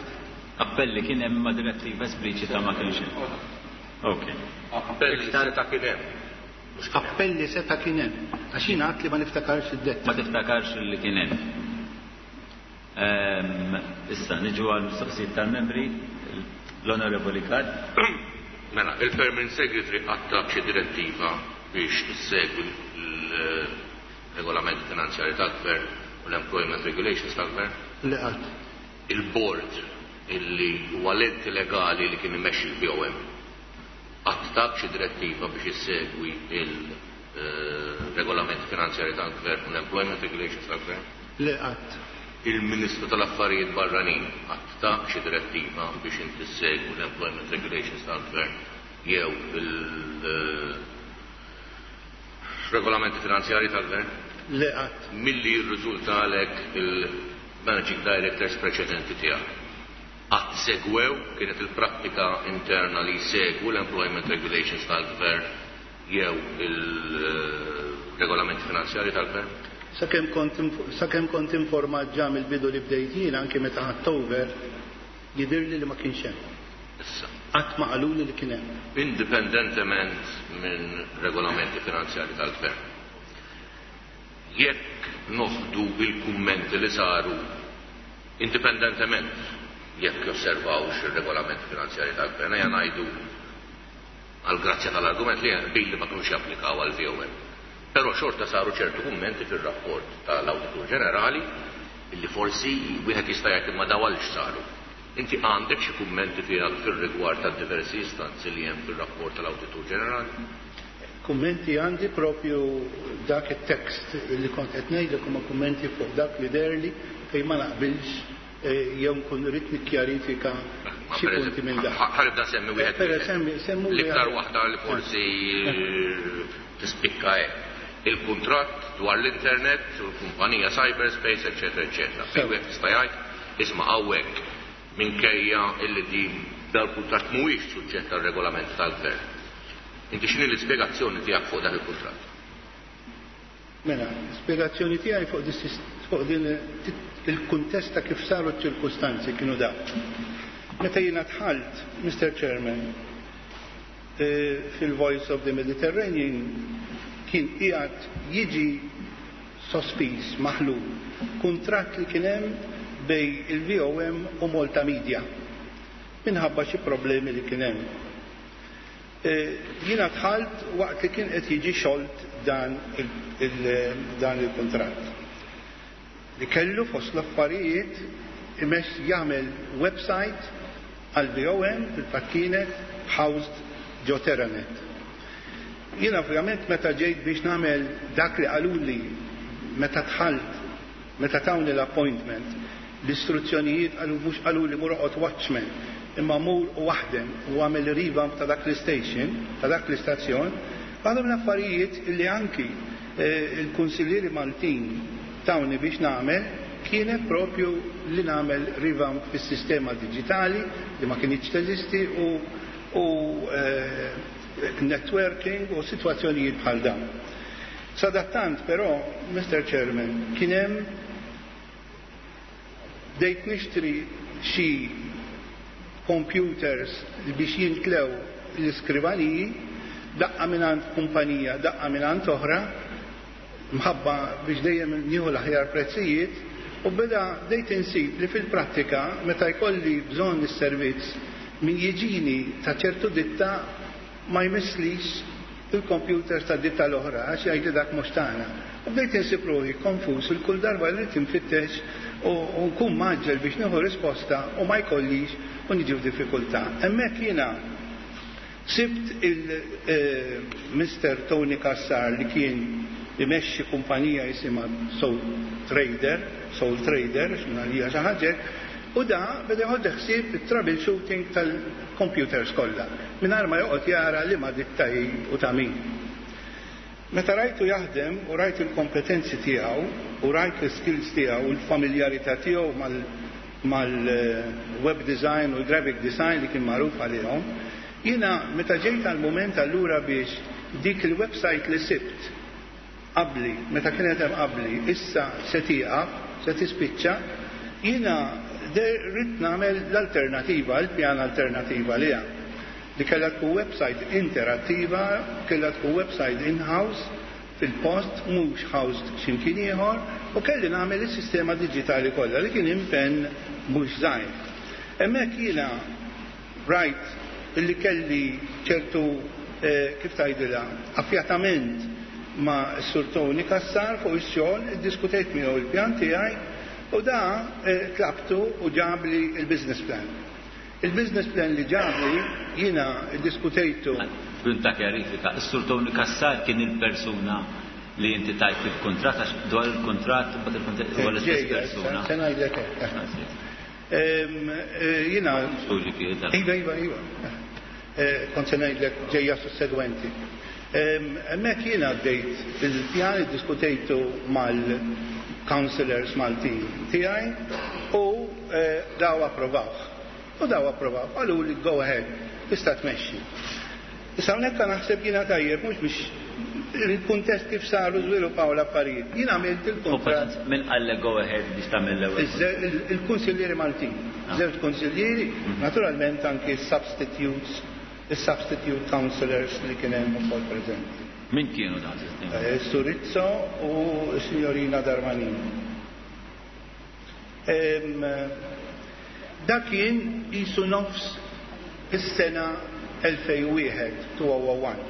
Appelli kien hemm imma direttiva espliċita ma kienx hemm. Ok. Appelli seta' kien hemm. Mhux kien hemm. Appelli seta' kien hemm. Għax jien għad li ma niftakarx id-detta. Ma tiftakarx li kien hemm. Ehm, issa niġu għal mistoqsijiet tal-membri, l-Onorevoli Gatt. Mela, il-Permanent Secretary għatta xi direttiva biex issegwi l-regolamenti finanzjari tal-Gvern u l-Employment Regulations tal-Gvern? Le qatt. Il-board illi huwa l-enti legali li kien imexxi l-V O M għatta xi direttiva biex issegwi il-regolamenti finanzjari tal-Gvern u l-Employment Regulations tal-Gvern? Le qatt. Il-Ministru tal-Affarijiet Barranin għatta xi direttiva biex inti ssegwi l-Employment Regulations tal-Gvern jew il-regolamenti finanzjari tal-Gvern? Le qatt. Milli jirriżulta għalhekk il-Managing Directors preċedenti tiegħek Qatt segwew, kienet il-prattika interna li jsegwu l-employment regulations tal-gvern jew il-regolamenti finanzjari tal-gvern? Sakemm kont sakemm kont informat ġa mill-bidu li bdejt jien, anke meta ħadt over, jidhirli li ma kienx hemm. Issa. Qatt ma qaluli li kien hemm. Indipendentement minn regolamenti finanzjari tal-gvern, jekk noħdu il-kummenti li saru, indipendentement jekk josservawx ir-regolamenti finanzjari tal-gvern, ejja ngħidu għal grazzja tal-argument li billi ma kinux japplikaw għal V O M. Però xorta saru ċertu kummenti fir-rapport tal-Awditur Ġenerali illi forsi wieħed jista' jgħid, imma daw għaliex saru? Inti għandek xi kummenti tiegħek fir-rigward tad-diversi istanzi li hemm fir-rapport tal-Awditur Ġenerali? Kummenti għandi, propju dak it-tekst li kont qed ngħidlek huma kummenti fuq dak li deherli fejn ma naqbilx eh, jew nkun rrid nikkjarifika xi punti minn dak. Ħa nibda nsemmi wieħed. Per semmi semmu L-iktar waħda li forsi tispikka hekk. Il-kuntratt dwar l-internet u l-kumpanija Cyberspace, eċetera, eċetera. Fejn wieħed jista' jgħid, isma', hawnhekk minkejja illi di dal-kuntratt mhuwiex suġġett għal regolament tal-gvern. Inti x'inhi l-ispjegazzjoni tiegħek fuq dak il-kuntratt? Mela, spiegazzjoni tiegħi fuq dis- fuq din il-kuntest ta' kif saru ċ-ċirkustanzi kienu da. Meta jiena dħalt, Mister Chairman, eh, fil-Voice of the Mediterranean kien qiegħed jiġi sospiż, maħlul, kuntratt li kien hemm bejn il-V O M u Malta Media minħabba xi problemi li kien hemm. Eh, Jiena dħalt waqt li kien qed jiġi xolt dan il- il- dan il-kuntratt. Li kellu fost l-affarijiet imess jagħmel website għal V O M, fil-fatt kienet housed ġo Teranet. Jiena ovvjament meta ġejt biex nagħmel dak li qaluli meta dħalt, meta tawni l-appointment, l-istruzzjonijiet qalu, mhux qaluli mur oqgħod watchman, imma mur u waħdem u għamel revamp ta' dak l-station, ta' dak l-istazzjon, għadhom l-affarijiet illi anki eh, il-kunsillieri Maltin tawni biex nagħmel kienet propju li nagħmel revamp fis-sistema digitali li ma kienx teżisti u, u eh, networking u situazzjonijiet bħal dawn. Sadattant però, Mister Chairman, kien hemm bdejt nixtri xi computers biex jintlew l-iskrivaniji, daqqa mingħand kumpanija, daqqa mingħand oħra, mħabba biex dejjem nieħu l-aħjar prezzijiet, u beda bdejt insib li fil-prattika meta jkolli bżonn is-servizz min jiġini ta' ċertu ditta ma jmisslix il-computer ta' ditta l-oħra għax jgħid dak mhux tagħna. U bdejt insib ruħi konfus il kull darba li tinfittex u u nkun mgħaġġel biex nieħu risposta u ma jkollix u niġi f'diffikultà. Hemmhekk jiena sibt il-Mister Tony Cassar li kien imexxi kumpanija jisimha Soul Trader, Soul Trader, x'minna li xi ħaġa, u da beda jħod ħsieb it-troubleshooting tal-computers kollha, mingħajr ma joqgħod jara li ma ditta hi u ta' min. Meta rajtu jaħdem u rajt il-kompetenzi tiegħu u rajt l-skills tiegħu u l-familjarità tiegħu mal mal-web design u l-graphic design li kien magħruf għalihom, jiena meta ġejt għal-moment allura biex dik il-website li sibt qabli, meta kienet hemm qabli, issa se tieqaf, se tispiċċa, jiena rrid nagħmel l-alternativa, il-pjan alternativa li hemm li kellha tkun website interattiva, kellha tkun website in-house, fil-post, mhux housed x'imkien ieħor, u kelli nagħmel is-sistema diġitali kollha li kien impenn mhux żgħir. Hemmhekk jiena rajt illi kelli ċertu eh, kif tgħidilha, affjatament ma' Sur Tony Cassar fuq ix-xogħol, iddiskutejt miegħu il-pjan tiegħi u da eh, tlabtu u ġabli il-business plan. Il-business plan li ġabli jiena iddiskutejtu. Punt ta' kjarifika, is-Sur Tony Cassar kien il-persuna li inti tajt il-kontrat, għax dwar il-kontrat, bat il-kontrat, huwa l-istess Ġejja, persuna. se ngħidlek hekk. Em, eh, Jiena Skużi kien Iva, iva, iva. Eh, Kont se ngħidlek ġejja sussegwenti. Em, Hemmhekk jiena għaddejt il-pjan, iddiskutejtu mal-councillors Maltin tiegħi u eh, daw approvawh. U daw approvaw, qalu li go ahead, tista' tmexxi. Issa hawnhekk naħseb jiena tajjeb mhux biex il-kuntest kif saru żviluppaw l-affarijiet. Jien għamilt il-kuntratt. Min qallek go ahead biex tagħmel l-ewwel? Il-kunsillieri Maltin. Żewġ kunsillieri, naturalment anki substitutes, il-substitute councillors li kien hemm ukoll preżenti. Min kienu dan? Sur Rizzo u s-signorina Darmanin. Dak kien jisu nofs is-sena elfejn u wieħed, elfejn u wieħed.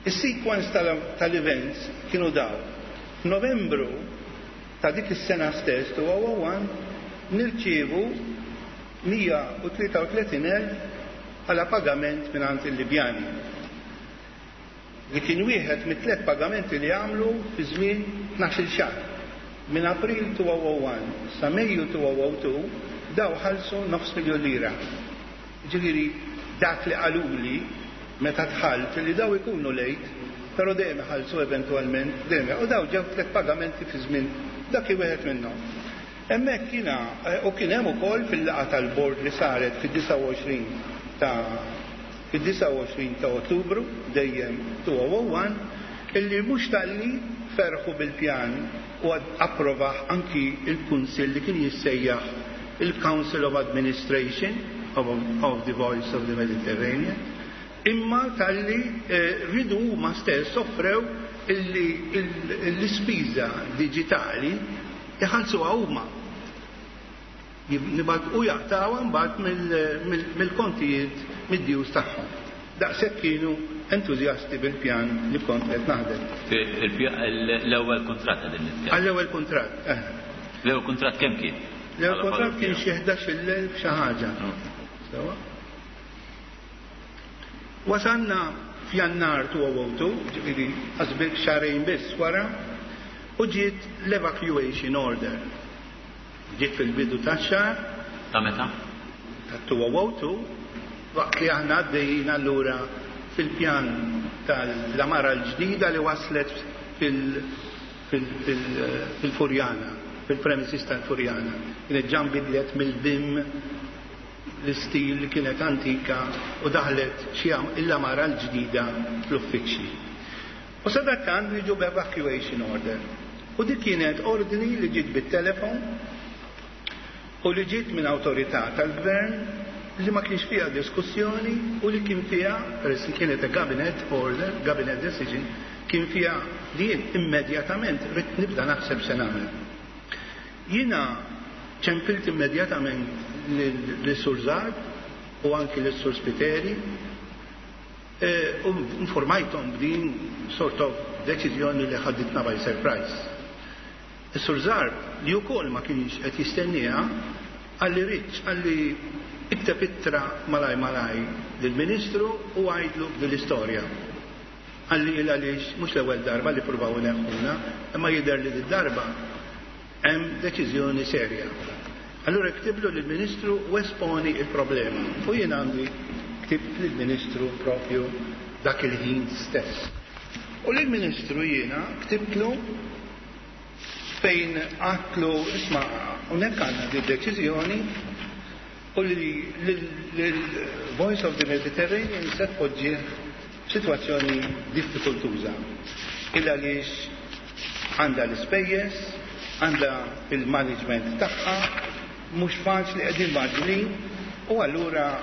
Is-sequence tal-events kienu daw. F'Novembru ta' dik is-sena stess, elfejn u wieħed, nirċievu mija u tlieta u tletin elf għala pagament minn il-Libjani. Li kien wieħed mit-tliet pagamenti li għamlu fi żmien tnax-il xahar. Minn April elfejn u wieħed sa Mejju elfejn u tnejn daw ħalsu nofs miljon lira. Ġifieri dak li qaluli meta dħalt li daw ikunu late, però dejjem ħalsu eventualment, dejjem. U daw ġew tliet pagamenti fi żmien dak wieħed minnhom. Hemmhekk kiena u kien hemm ukoll fil-laqgħa tal-bord li saret fid-disgħa u għoxrin ta' fid-disgħa u għoxrin ta' Ottubru dejjem elfejn u wieħed illi mhux talli ferħu bil-pjan u approvaħ anki il-Kunsill li kien jissejjaħ il-Council of Administration of, of the Voice of the Mediterranean, imma talli eh, ridu huma stess offrew illi l-ispiża digitali iħallsuha huma. U jaqtawha mbagħad mill-kontijiet mid-dues tagħhom. Daqshekk kienu entużjasti bil-pjan li kont qed naħdem. L-ewwel kuntratt qegħdin nitkellem. Għall-ewwel kuntratt. Eh. L-ewwel kuntratt kemm kien? L-ewwel kuntratt kien xi ħdax-il elf xi ħaġa. Sewa? Wasanna f'Jannar elfejn u tnejn, ġifieri qasbik xahrejn biss wara, u ġiet l-evacuation order. Ġiet fil-bidu tax-xahar. Ta' meta? Ta' elfejn u tnejn, waqt li aħna għaddejjin allura fil-pjan tal-għamara l-ġdida li waslet fil-Furjana, fil-premises tal-Furjana. Kienet ġa nbidlet mill-B I M l-istil li kienet antika u daħlet xi l-għamara l-ġdida fl-uffiċċji. U sadattant niġu b'evacuation order. U dik kienet ordni li ġiet bit-telefon u li ġiet minn awtorità tal-gvern li ma kienx fiha diskussjoni u li kien fiha, peress li kienet a cabinet order, cabinet decision, kien fiha li jien immedjatament ridt nibda naħseb se nagħmel. Jiena ċempilt immedjatament lis-Sur Zarb u anki lis-Sur Spiteri u informajthom b'din sort of deċiżjoni li ħaditna by surprise. Is-Sur Zarb, li wkoll ma kienx qed jistenniha, qalli, "Rich," qalli, "ikteb ittra malaj malaj lill-Ministru u għajdlu dil-istorja." Qalli il għaliex mhux l-ewwel darba li pruvaw ineħħuna, imma jidher li d-darba hemm deċiżjoni serja. Allura ktiblu lill-Ministru u esponi il-problema. U jien għandi ktibt lill-Ministru propju dak il-ħin stess. U lill-Ministru jiena ktibtlu fejn għedtlu, "Isma', hawnhekk għandna di deċiżjoni u li l-Voice of the Mediterranean se tpoġġih f'sitwazzjoni diffikultuża. Illa għaliex għandha l-ispejjeż, għandha il-management tagħha, mhux faċli, qegħdin mgħaġġlin u allura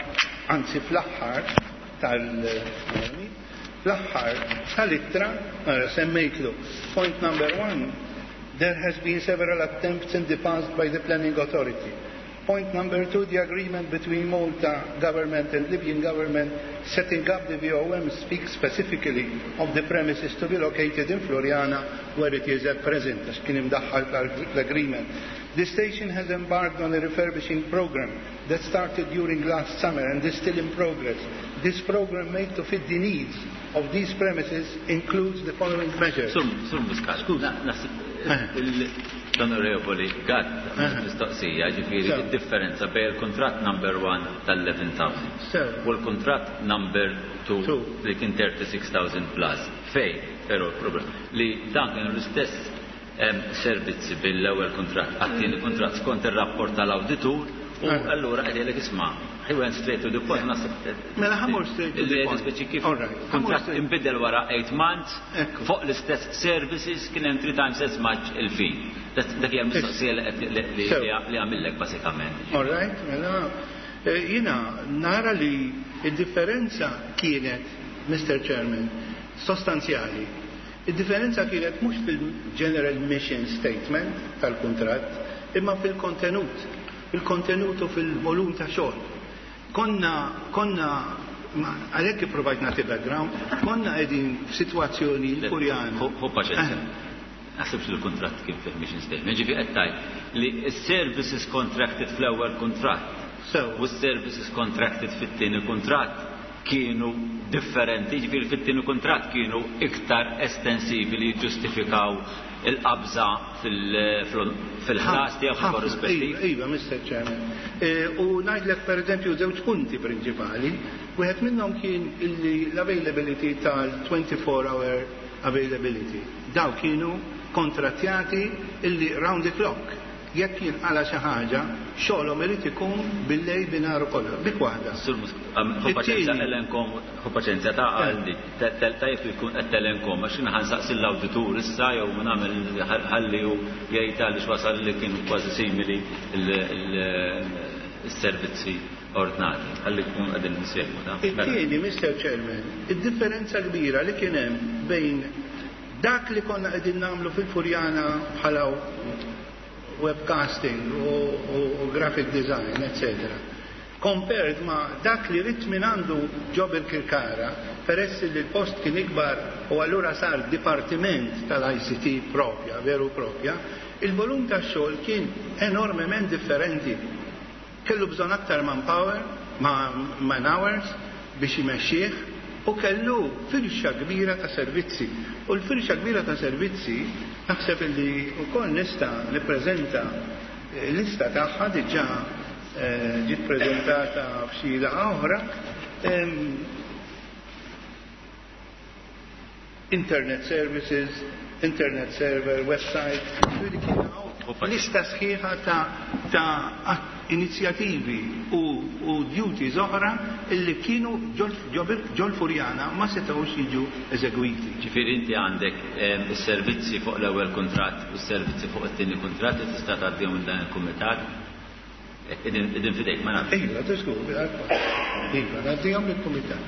anzi fl-aħħar tal fl-aħħar tal-ittra semmejtlu point number one, there has been several attempts in the past by the planning authority. Point number two, the agreement between Malta government and Libyan government setting up the V O M speaks specifically of the premises to be located in Floriana, where it is at present." Għax kien imdaħħal l-agreement. "The station has embarked on a refurbishing program that started during last summer and is still in progress. This program, made to fit the needs of these premises, includes the following measures." Sur, Sur Muscat, l-Onorevoli Gatt mistoqsija, ġifieri il-differenza bejn il-kontrat number one tal-eleven thousand u l-kontrat number two li kien thirty-six thousand plus. Fej, però problem li dan kienu l-istess servizzi bil-ewwel kontrat għat-tieni kontrat skont ir-rapport tal-awditur. U allura qed jgħidlek isma', he went straight to the point, naħseb. Mela ħa mmur straight to the point. Speċi kif kuntratt inbidel wara eight months fuq l-istess services kien hemm three times as much il-fee. Dak hija l-mistoqsija li għamillek basikament. All right, mela jiena nara li id-differenza kienet, Mister Chairman, sostanzjali. Id-differenza kienet mhux fil-General Mission Statement tal-kuntratt, imma fil-kontenut, fil-kontenut u fil-volum ta' xogħol. Konna, konna, għalhekk ipprovajt nagħti background, konna qegħdin f'sitwazzjoni l-Furjana. Hu paċenzja. Naħsibx li l-kuntratt kien fih mission statement. Ġifieri qed tgħid li s-services contracted fl-ewwel kuntratt u s-services contracted fit-tieni kuntratt kienu differenti, ġifieri fit-tieni kuntratt kienu iktar estensivi li jiġġustifikaw il-qabża fil-ħlas tiegħu fil-korrispettiv. Iva, Mister Chairman. U ngħidlek pereżempju żewġ punti prinċipali. Wieħed minnhom kien l-availability tal-twenty-four hour availability. Daw kienu kontrattjati illi round the clock. Jekk jinqala xi ħaġa, xogħolhom irid ikun bil-lejl binaru kollha, bik waħda. Hu paċenzja elenkom, hu paċenzja ta' għandi, tajjeb li jkun qed telenkom, għax jiena ħansaqsi l-awditur issa jew nagħmel ħalli hu jgħid għaliex wasal li kienu kważi simili s-servizzi ordnati, ħalli jkun qegħdin insegwu ta'. It-tieni, Mister Chairman, id-differenza kbira li kien hemm bejn dak li konna qegħdin nagħmlu fil-Furjana bħala webcasting u, u, u graphic design, eccetera. Compared ma dak li rit minn għandu ġo Birkirkara, peress li l-post kien ikbar u allura sar dipartiment tal-I C T propja, veru propja, il-volum ta' xogħol kien enormement differenti. Kellu bżonn aktar manpower, ma man hours biex imexxih, u kellu firxa kbira ta' servizzi. U l-firxa kbira ta' servizzi naħseb li wkoll nista' nippreżenta lista tagħha diġà ġiet preżentata f'xi laqgħa oħra. Internet services, internet server, website, ġifieri kien hawn lista sħiħa ta' ta' inizjattivi u, u duties oħra illi kienu ġol Furjana ma setgħux jiġu eżegwiti. Ġifieri inti għandek is-servizzi fuq l-ewwel kuntratt u s-servizzi fuq it-tieni kuntratt li tista' tgħaddihom minn dan il-kumitat. Idin fidejk ma nafx. Iva, tiżgur, iva, ngħaddihom lill-kumitat.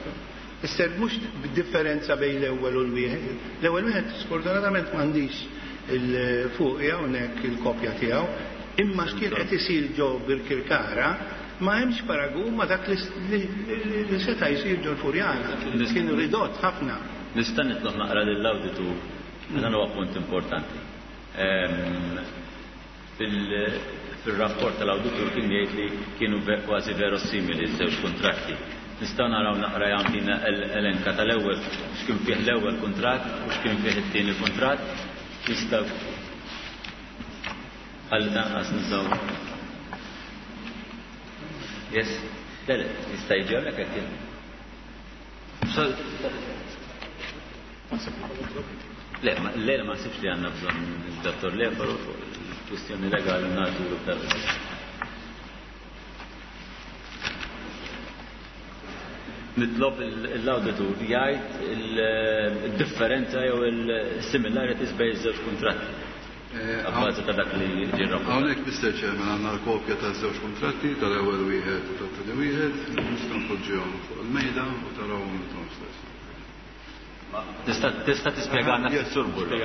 Isser mhux b'differenza bejn l-ewwel u l-wieħed. L-ewwel wieħed sfortunatament m'għandix il-fuq hawnhekk il-kopja tiegħu, imma x'kien qed isir ġo Birkirkara ma hemmx paragun ma dak li seta' jsir ġo l-Furjana. Kienu ridott ħafna. Nista' nitlob naqra lill-awditur, dan huwa punt importanti. Fil-rapport tal-awditur kien jgħid li kienu kważi verosimili ż-żewġ kuntratti. Nistgħu naraw naqra jagħtina elenka tal-ewwel x'kien fih l-ewwel kuntratt u x'kien fih it-tieni kuntratt. Nistgħu ħalli tanqas nistgħu. Yes, le, le, jista' jiġi hawnhekk qed jien. Le, le, ma nsibx li għandna bżonn il-dottor Lefaro fuq il-kwistjoni legali nagħtu l Nitlob l-awditur jgħid il-differenza jew il-similarities bejn iż-żewġ kuntratti. Abbażi ta' dak li ġie rrapportat. Hawnhekk, Mister Chairman, għandna l-kopja taż-żewġ kuntratti, tal-ewwel wieħed u tat-tieni wieħed, nistgħu npoġġihom fuq il-mejda u tarawhom intom stess. Tista' tista' tispjegana fis-sur Burro.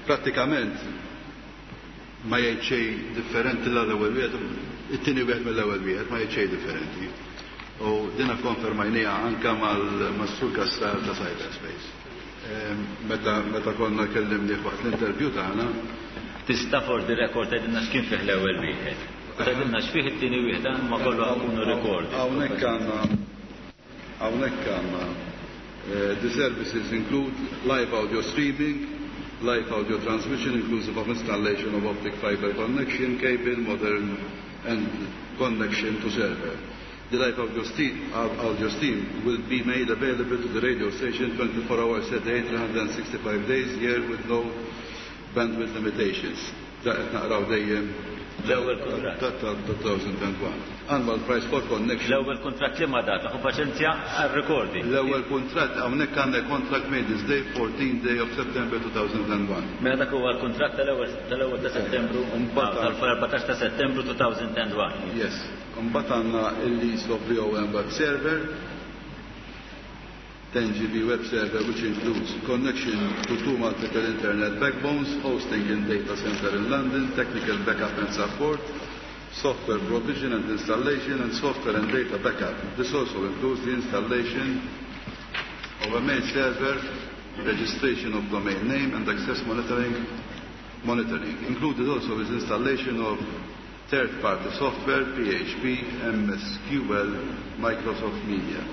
Prattikament ma jgħid xejn differenti l-ewwel wieħed, it-tieni wieħed mill-ewwel wieħed ma jgħid xejn differenti. U dina konfermajnija anka mal-Sur Kassar ta' Cyberspace. Meta, meta konna kellimni waqt l-interview tagħna. Tista' for the record tgħidilna x'kien fih l-ewwel wieħed. Tgħidilna x'fih it-tieni wieħed, ma kollu jkunu record. Hawnhekk għandna hawnhekk għandna the services include live audio streaming, live audio transmission inclusive of installation of optic fiber connection, cable, modern and connection to server. The live audio stream, audio stream will be made available to the radio station twenty-four hours a day, three hundred sixty-five days a year with no bandwidth limitations. Da qed naqraw dejjem L-ewwel kuntratt. Ta' two thousand one. Annual price for connection. L-ewwel kuntratt li ma data, ħu paċenzja għal-recording. L-ewwel kuntratt hawnhekk għandek contract made this day, fourteen day of September two thousand one. Mela dak huwa l-kuntratt tal-ewwel tal-ewwel ta' Settembru, tal-erbatax ta' Settembru elfejn u wieħed. Yes. Mbagħad għandna il-lease of B O M web server, ten G B web server, which includes connection to two multiple internet backbones, hosting in data center in London, technical backup and support, software provision and installation, and software and data backup. This also includes the installation of a mail server, registration of domain name, and access monitoring. monitoring. Included also is installation of third-party software, P H P, M S Q L, Microsoft Media.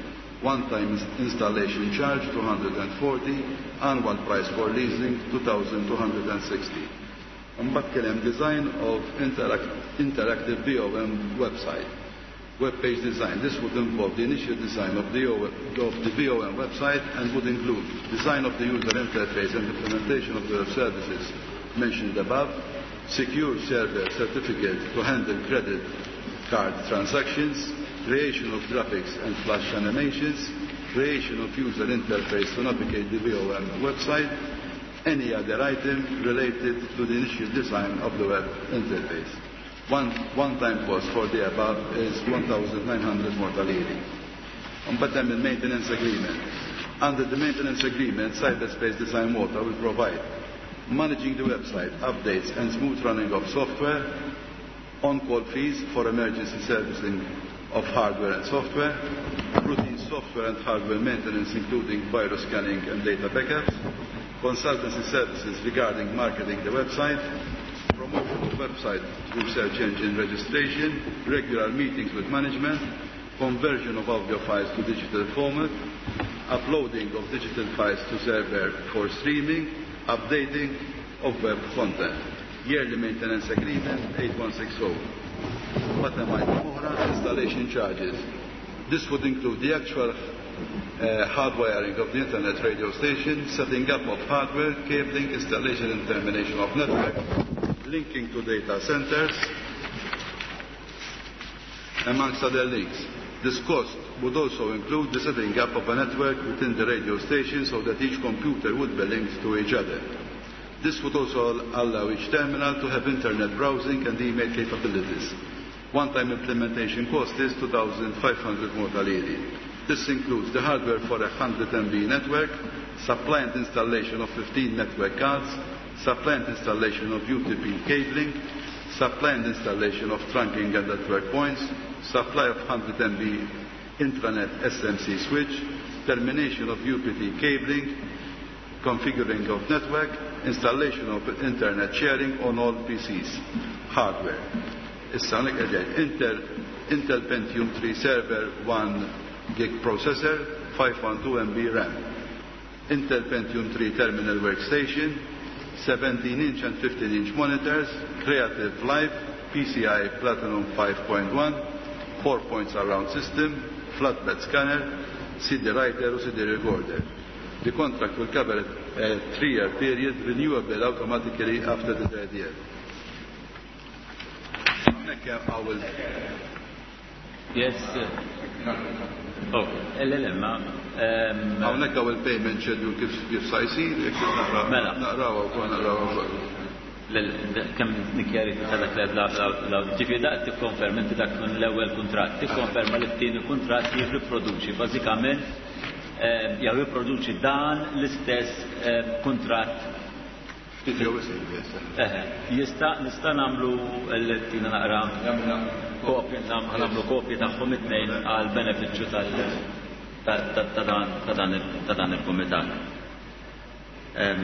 One-time installation charge two hundred forty, annual price for leasing two thousand two hundred sixty. Mbagħad kien hemm design of interact interactive B O M website. Web page design. This would involve the initial design of the, O of the B O M website and would include design of the user interface and implementation of the web services mentioned above, secure server certificate to handle credit card transactions, creation of graphics and flash animations, creation of user interface to navigate the B O M website, any other item related to the initial design of the web interface. One, one-time cost for the above is one thousand nine hundred Malta Liri. Mbagħad hemm il-maintenance agreement. Under the maintenance agreement, Cyberspace Design Malta will provide managing the website, updates and smooth running of software, on-call fees for emergency servicing of hardware and software, routine software and hardware maintenance including virus scanning and data backups, consultancy services regarding marketing the website, promotion of website through search engine registration, regular meetings with management, conversion of audio files to digital format, uploading of digital files to server for streaming, updating of web content. Yearly maintenance agreement eight one six zero. Bottom item oħra, installation charges. This would include the actual uh, hardwiring of the internet radio station, setting up of hardware, cabling, installation and termination of network, linking to data centers, amongst other links. This cost would also include the setting up of a network within the radio station so that each computer would be linked to each other. This would also allow each terminal to have internet browsing and email capabilities. One-time implementation cost is two thousand five hundred Malta Liri. This includes the hardware for a one hundred M B network, supply and installation of fifteen network cards, supply and installation of U T P cabling, supply and installation of trunking and network points, supply of one hundred M B intranet S M C switch, termination of U P T cabling, configuring of network, installation of internet sharing on all P Cs, hardware. Issa hawnhekk qegħdin Intel, Intel Pentium three server one gig processor, five hundred twelve M B RAM. Intel Pentium three terminal workstation, seventeen inch and fifteen inch monitors, Creative Live, P C I Platinum five point one, four point surround system, flatbed scanner, C D writer u C D recorder. The contract will cover a three-year period, renewable automatically after the third year. Hawnhekk hawn Yes. Oh, L L M. Hawnhekk hawn il-payment schedule kif kif sa jsir, jekk naqra Mela. Naqrawha wkoll naqrawha wkoll. Kemm nikkjarifika dak li la ġifieri dak tikkonferma inti dak kun l-ewwel kuntratt, tikkonferma li t-tieni kuntratt jirriproduċi bażikament eh, jew jirproduċi dan l-istess eh, kuntratt. Ftit jew isir, yes. Eħe, jista' nista' nagħmlu l-tina naqra kopji, nagħmlu kopji tagħhom it-tnejn għal benefiċċju tal ta' ta- ta' dan ta' dan il- ta' dan il-kumitat. Em,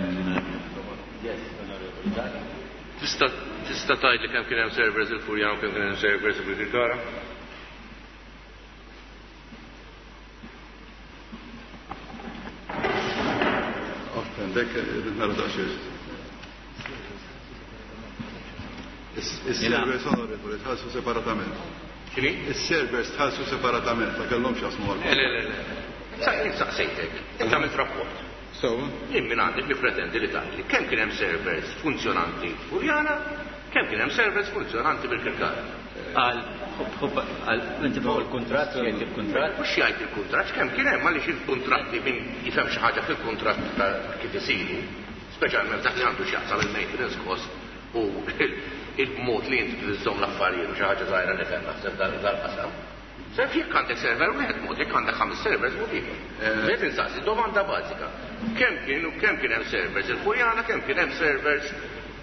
Yes, Onorevoli Zak. Tista' tista' tgħid li kemm kien hemm servers il-Furjana u kemm kien hemm servers il-Birkirkara? Often, dak irrid nara daqsxejn. Is-servers, onorevoli, tħallsu separatament. X'inhi? Is-servers tħallsu separatament, ma kellhomx jasmu Le, le, le, le. Sa- jien saqsejtek, inti għamilt rapport. So, Jien minn għandek li pretendi li tgħidli kemm kien hemm servers funzjonanti Furjana Kemm kien hemm servers funzjonanti Birkirkara? Għal, għal, inti fuq il-kuntratt, jgħid il-kuntratt? Mhux jgħid il-kuntratt, kemm kien hemm għaliex il-kuntratti min jifhem xi ħaġa fil-kuntratt ta' kif isiru, speċjalment dak li għandu x'jaqsam il-maintenance cost u il-mod li inti tiżżomm l-affarijiet u xi ħaġa żgħira nifhem naħseb dal-qasam. Sef jekk għandek server wieħed mod, jekk għandek ħames servers mod ieħor. Qed insaqsi domanda bażika. Kemm kien u kemm kien hemm servers il-Furjana, kemm kien hemm servers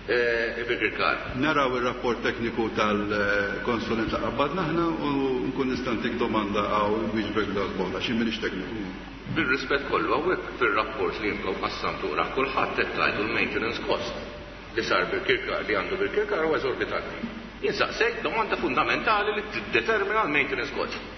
Birkirkara? Naraw ir-rapport tekniku tal-konsulent li qabbadna aħna u nkun nista' ntik domanda għaw wieġbek dal-boħla, xi m'iniex tekniku. Bir-rispett kollu hawnhekk fir-rapport li intom qassamtu ra kulħadd qed tgħidu l-maintenance cost li sar Birkirkara, li għandu Birkirkara huwa eżorbitanti. Jien saqsejt domanda fundamentali li tiddetermina l-maintenance cost.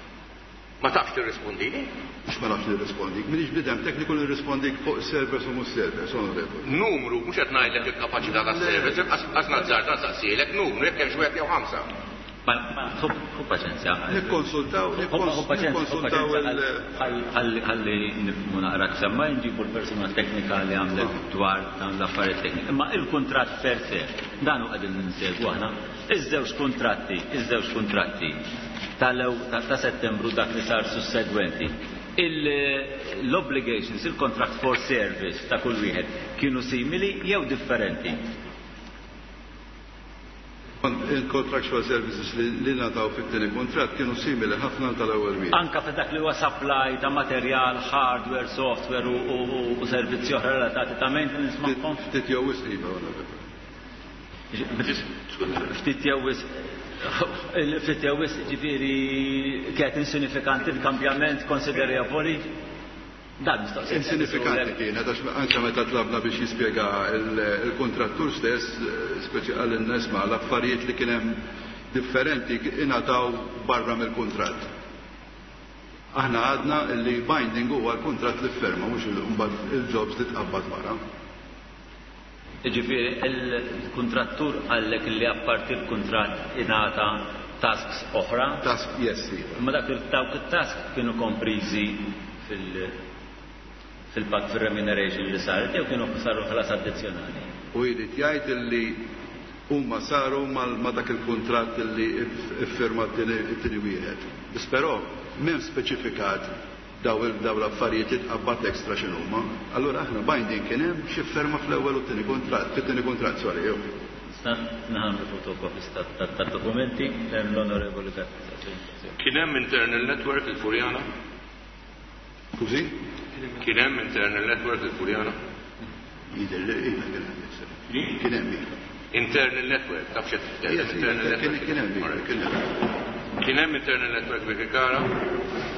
Ma tafx tirrispondini? Mhux ma nafx nirrispondik. M'iniex bniedem tekniku nirrispondik fuq servers u mhux servers, onorevoli. Numru, mhux qed ngħidlek il-kapaċità tas-servers, qas nazzar nsaqsilek numru jekk hemmx wieħed jew ħamsa. Ħu paċenzja. Nikkonsultaw, nikkonsultaw il- Ħalli nifhmu naqra semma nġibu l-persuna teknika li għamlet dwar dawn l-affarijiet teknika. Imma il-kuntratt per se, dan hu qegħdin ninsegwu aħna. Iż-żewġ kuntratti, iż-żewġ kuntratti tal-ew ta' Settembru dak li sar sussegwenti. L-obligations, il-contract for service ta' kull wieħed kienu simili jew differenti? Il-contractual services li ngħataw fit-tieni kuntratt kienu simili ħafna tal-ewwel wieħed. Anka fi dak li huwa supply ta' materjal, hardware, software u servizzi oħra relatati ta' maintenance magħhom? Ftit jew wisq iva, Ftit jew wisq ftit jew wisq ġifieri kienet insinifikanti l-kambjament konsiderevoli. Dan mistoqsija. Insinifikanti kienet, għax anke meta tlabna biex jispjega il-kontrattur stess, speċi għal nisma' l-affarijiet li kien hemm differenti ingħataw barra mill-kuntratt. Aħna għadna li binding huwa l-kuntratt li ferma, mhux mbagħad il-jobs li tqabbad wara. Ġifieri il-kontrattur qallek li apparti l-kuntratt ingħata tasks oħra? Task, yes, iva. Ma dak dawk it-task kienu kompriżi fil- fil-pak fil-remuneration li saret jew kienu saru ħlas addizzjonali? U jrid jgħid li huma saru ma dak il-kuntratt li iffirma t-tieni wieħed. Biss però m'hemm speċifikat daw l-affarijiet li tqabbad extra x'inhuma. Allura aħna binding kien hemm xi ferma fl-ewwel u t-tieni kuntratt, fit-tieni kuntratt, sorry, jew. Nagħmlu fotokopies tad-dokumenti l-Onorevoli Gatt. Kien hemm internal network il-Furjana? Skużi? Kien hemm internal network il-Furjana? Jidher li iva kien hemm. Kien hemm iva. Internal network, taf x'qed Internal network. Kien hemm iva, kien hemm. Kien hemm internal network Birkirkara?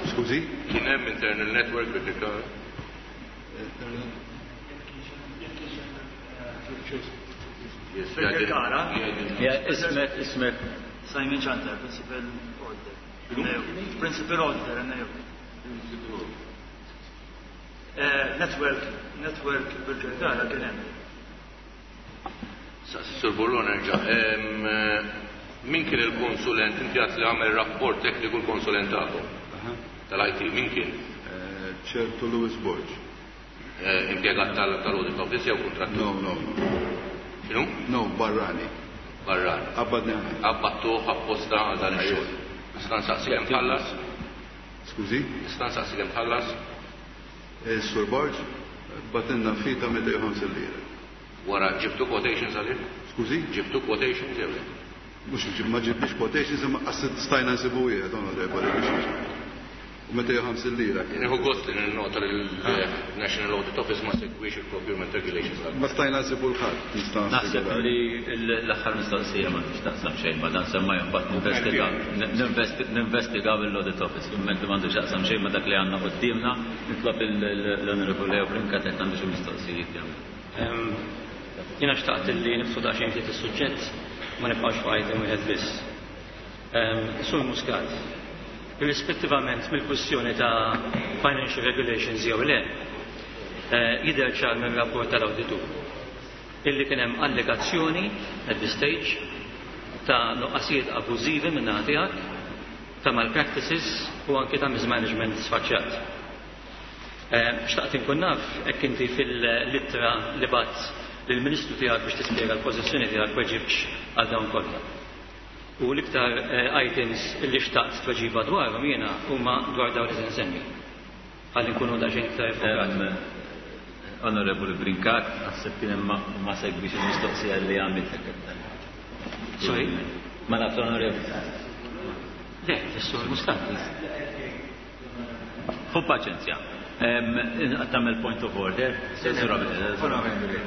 Skużi? Kien hemm internal network Birkirkara? Birkirkara? Ismek, ismek. Simon Chanter, Principal Auditor. Principal Auditor, N A O. Network, network Birkirkara kien hemm. Sur Burlon nerġa'. Min kien il-konsulent? Inti għat li għamel rapport tekniku l-konsulent tagħkom tal-I T, min kien? Ċertu Louis Borg. Impjegat tal-Audit Office jew kontrattur? No, no, no. X'inhu? No, barrani. Barrani. Qabbadni. Qabbadtuh apposta għal dan ix-xogħol. Nista' nsaqsi kemm tħallas? Skużi? Nista' nsaqsi kemm tħallas? Sur Borg, bagħtilna fee ta' mitejn u ħamsin lira. Wara ġibtu quotations għalih? Skużi? Ġibtu quotations jew le? Mhux ma ġibniex quotations imma qas stajna nsibu wieħed, onorevoli, biex. U mitejn u ħamsin lira. Nieħu gost li nota li l-National Audit Office ma segwix il-procurement regulations. Ma stajna nsibu l-ħadd. Naħseb li l-aħħar mistoqsija ma tix taqsam xejn ma dan semma mbagħad ninvestigaw l-Audit Office. Kumment li m'għandu x'jaqsam xejn ma dak li għandna quddiemna, nitlob l-Onorevoli Leo Brincat qed għandu xi mistoqsijiet jagħmel. Jiena xtaqt li nifsu daqsxejn ftit is-suġġett, ma nibqgħux fuq item wieħed biss. Sur Muscat, irrispettivament mill-kwistjoni ta' financial regulations jew le, jidher ċar minn rapport tal-awditur illi kien hemm allegazzjoni at this stage ta' nuqqasijiet abużivi minn naħa tiegħek, ta' malpractices u anke ta' mismanagement sfaċċat. Xtaqt inkun naf hekk inti fil-littra li bgħatt Lill-Ministru tiegħek biex tispjega l-pożizzjoni tiegħek weġibx għal dawn kollha. U l-iktar items li xtaqt tweġiba dwarhom jiena huma dwar dawn li se nsemmi. Ħalli nkunu daqsxejn iktar iffokati. Onorevoli Brincat, naħseb kien hemm ma segwix il-mistoqsija li għamilt. Sorry? Ma nafx, Onorevoli. Le, is-Sur Muscat. Ħu paċenzja. Tagħmel point of order. Onorevoli.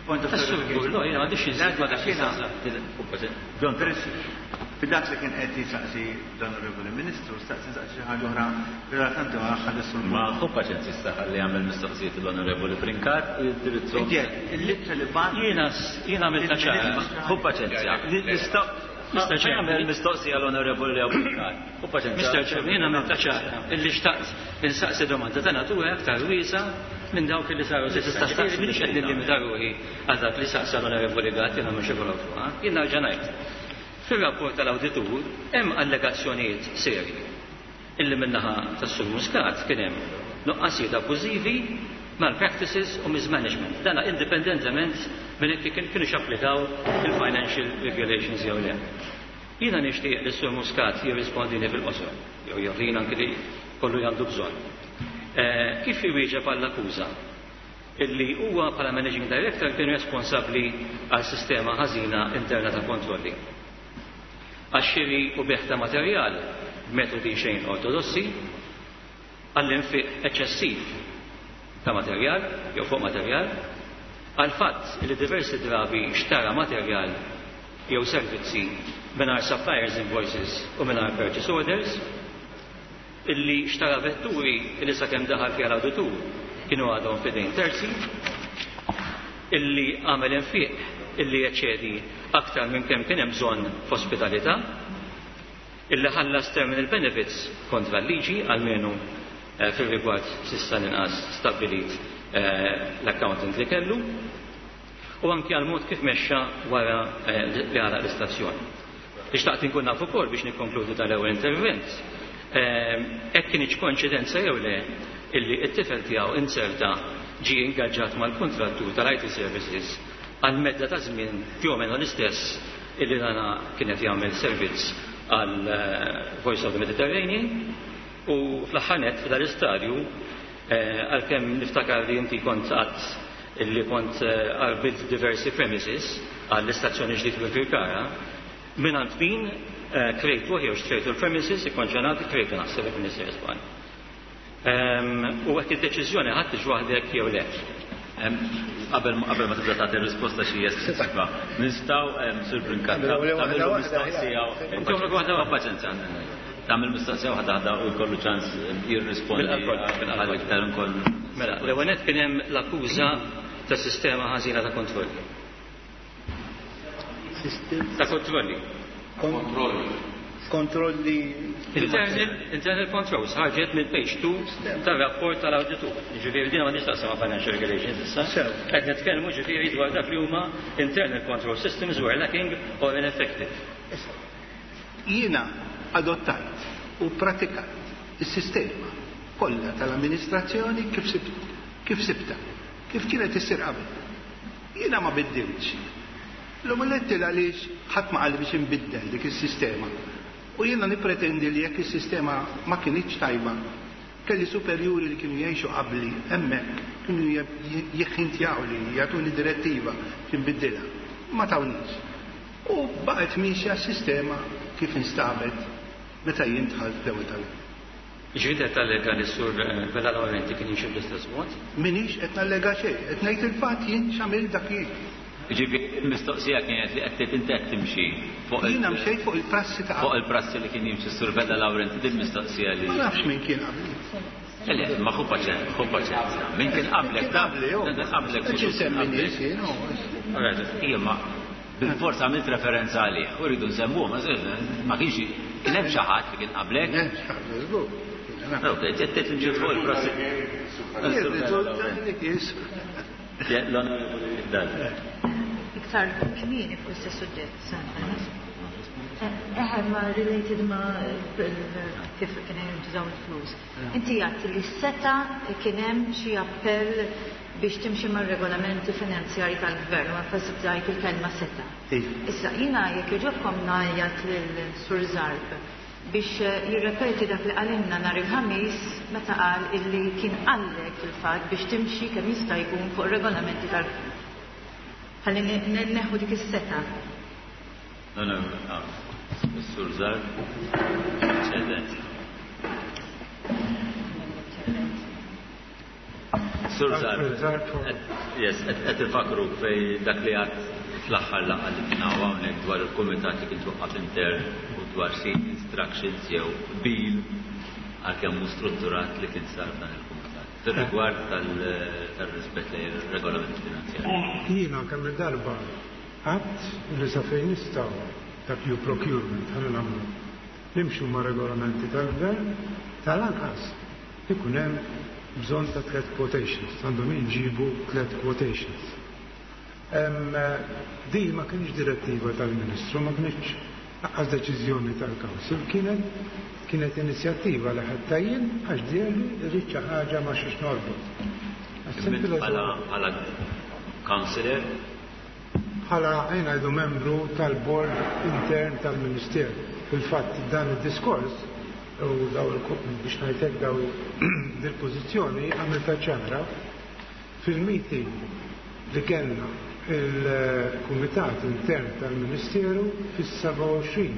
Point of Is-Sur Burlo, jiena m'għandix inżid ma dak li saqsa. John, Fid-dak li kien qed jisaqsi l-Onorevoli Ministru, staqsi saqsi xi ħaġa oħra relatanti ma' aħħar is-Sur Ma ħu paċenzja issa ħalli jagħmel mistoqsijiet l-Onorevoli Brincat u jindirizzu. Inti il-littra li bagħat Jiena jiena għamilta ċara. Ħu paċenzja. Nista' Mister Chairman. Jagħmel mistoqsija l-Onorevoli Leo Brincat. Ħu paċenzja. Mister Chairman, jiena għamilta ċara illi xtaqt insaqsi domanda ta' natura aktar wiesa minn dawk li saru s'issa. Tista' staqsi Minix qed nillimita ruħi għal dak li saqsa l-Onorevoli Gatt, jiena mhux ikollu fuqha. Jien nerġa' ngħid. Fir-rapport tal-awditur hemm allegazzjonijiet serji illi min-naħa tas-Sur Muscat kien hemm nuqqasijiet abbużivi, malpractices u mismanagement. Dana indipendentement minn jekk kien kienu xapplikaw il-financial regulations jew le. Jiena nixtieq li s-Sur Muscat jirrispondini fil-qosor, jew jagħtina anke li kollu għandu bżonn. Eh, kif iwieġeb għall-akkuża illi huwa bħala managing director kien responsabbli għal sistema ħażina interna ta' kontrolli? Għax-xiri u bejgħ ta' materjal b'metodi xejn ortodossi, għall-infiq eċċessiv ta' materjal jew fuq materjal, għal fatt li diversi drabi xtara materjal jew servizzi mingħajr suppliers invoices u mingħajr purchase orders, illi xtara vetturi illi sakemm daħal fiha l-awditur kienu għadhom f'idejn terzi, illi għamel infiq illi jeċċedi aktar minn kemm kien hemm bżonn f'ospitalità, illi ħallas terminal benefits kontra l-liġi, almenu, eh, fil-rigward s'issa l-inqas stabbilit, eh, l-accountant li kellu, u anki għal mod kif mexxa wara, eh, li għalaq l-istazzjon. Ixtaqt inkun naf ukoll biex nikkonkludi tal-ewwel intervent, eh, hekk kienx koinċidenza jew le illi t-tifel tiegħu inserta ġie ingaġġat mal-kontrattur tal-I T Services għal medda ta' żmien più o meno l-istess illi dana kienet jagħmel servizz għal, eh, Voice of the Mediterranean, u fl-aħħar nett f'dal-istadju, eh, għalkemm niftakar li inti kont qatt illi kont, eh, arbilt diversi premises għall-istazzjoni ġdid fil-Birkara, minn għand min, eh, krejtu jew xtrejtu l-premises ikkonċernati, krejtu naħseb jekk nisir żball. Ehm, u hekk id-deċiżjoni ħadtix waħdek jew le. Em, Qabel ma, qabel ma tibda tagħti risposta xi jessenza, nistgħu, em, Sur Brincat, Nagħmlu waħda tagħmel waħda, mistoqsija. Nagħmlu waħda waħda. Paċenzja. Tagħmel mistoqsija waħda waħda u jkollu ċans jirrispondi Bil-qalb, bil-qalb. għal iktar ukoll. Mela, l-ewwel nett kien hemm l-akkuża ta' sistema ħażina ta' kontrolli. Sistem Ta' kontrolli. Kontrolli. Kontrolli. Internal, internal controls ħarġet mill page two tar-rapport tal-awditur. Ġifieri din ma nistaqsam ma' financial regulations issa. Sew. Qed nitkellmu ġifieri dwar dak li huma internal control systems were lacking or ineffective. Issa, jiena adottajt u pratikajt is-sistema kollha tal-amministrazzjoni kif sibt, kif sibta, kif kienet issir qabel. Jiena ma biddilx. L-omuletti għaliex ħadd ma qal biex inbiddel dik is-sistema. U jiena nippretendi li jekk is-sistema ma kinitx tajba, kelli superjuri li kienu jgħixu qabli hemmhekk kienu jħintjaw li jagħtuni direttiva biex inbiddilha. Ma tawnix. U baqgħet miexja s-sistema kif instabet meta jien dħalt fl-ewwel tal. Ġifieri qed tallega li s-Sur, eh, Vella Laurenti kien jimxi bl-istess mod? Minix qed nallega xejn, qed ngħid il-fatt jien x'għamil dak jien. Ġifieri il-mistoqsija kienet li qed tgħid inti qed timxi fuq il- Jiena mxejt fuq il-prassi ta' fuq il-prassi li kien jimxi s-Sur Vella Laurenti, din mistoqsija li Ma nafx min kien qabli. Le, ma ħu paċenzja, ħu paċenzja. Min kien qablek, Kien qabli, jo. Min kien qablek, Qed insemmi nies jien, jo. Alright, ija, ma bil-forza għamilt referenza għalih, u rridu nsemmuh, ma ma kienx kien hemm xi ħadd li kien qablek. Hemm xi ħadd, żgur. Ok, qed tgħid timxi fuq il-prassi. Jirriżulta li kien. L-Onorevoli Dalli. Iktar kmieni fuq istess suġġett, Eħe, ma related ma kif kien hemm jintużaw il-flus. Inti għedt li seta' kien hemm xi appell biex timxi mar-regolamenti finanzjari tal-gvern u enfasizzajt il-kelma seta. Issa jiena jekk jogħġobkom ngħajjat lil Sur Zarb biex jirrepeti dak li qalilna nhar il-Ħamis meta qal illi kien qallek fil-fatt biex timxi kemm jista' jkun fuq regolamenti tal-gvern. Ħalli neħu dik is-seta. No, no, no. Sur Zarb, eccellent. Sur Zarb, yes, qed ifakru fej dak li għad fl-aħħar laqgħa li kien hawn hawnhekk dwar il-kumitat li kien twaqqaf intern u dwar xi instructions jew bil għalkemm mhu strutturat li kien sar dan il-kumitat. Fir-rigward tal-rispett lejn ir-regolamenti finanzjarji. Jiena kemm il-darba għadt li sa fejn nistgħu dak ju procurement ħalli nagħmlu. Nimxu ma' regolamenti tal-gvern tal-anqas ikun hemm bżonn ta' tliet quotations, għandhom inġibu tliet quotations. Di ma kienx direttiva tal-Ministru, ma kienx lanqas deċiżjoni tal-Council, kienet kienet inizjattiva li ħadd jien għax dierli rrid xi ħaġa ma xiex norbot. Bħala councillor? Bħala ngħidu membru tal-board intern tal-Ministeru. Fil-fatt dan id-diskors u daw biex ngħidlek daw dil-pożizzjoni għamilta ċara fil-meeting li kellna il-Kumitat Intern tal-Ministeru fis-sebgħa u għoxrin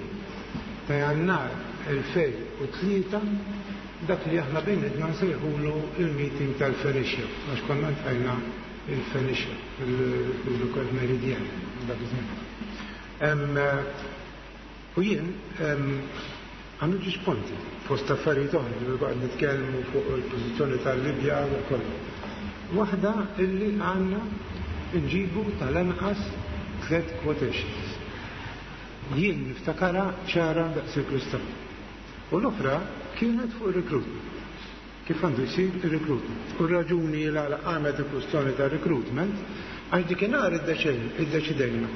ta' Jannar elfejn u tlieta, dak li aħna bejnietna nsejħulu il-meeting tal-Fenicia, għax konna ntajna il-Fenicia fil-Lokal Meridian dak iż-żmien. U jien għandu ġiex punti fost affarijiet oħra li baqgħet nitkellmu fuq il-pożizzjoni tal-Libja u kollu. Waħda illi għandna nġibu tal-anqas tliet quotations. Jien niftakara ċara daqs il-kristall. U l-oħra kienet fuq il-recruitment. Kif għandu jsir il-recruitment. U r-raġuni l għala qamet il-kwistjoni ta' recruitment għax dikinhar iddeċidejna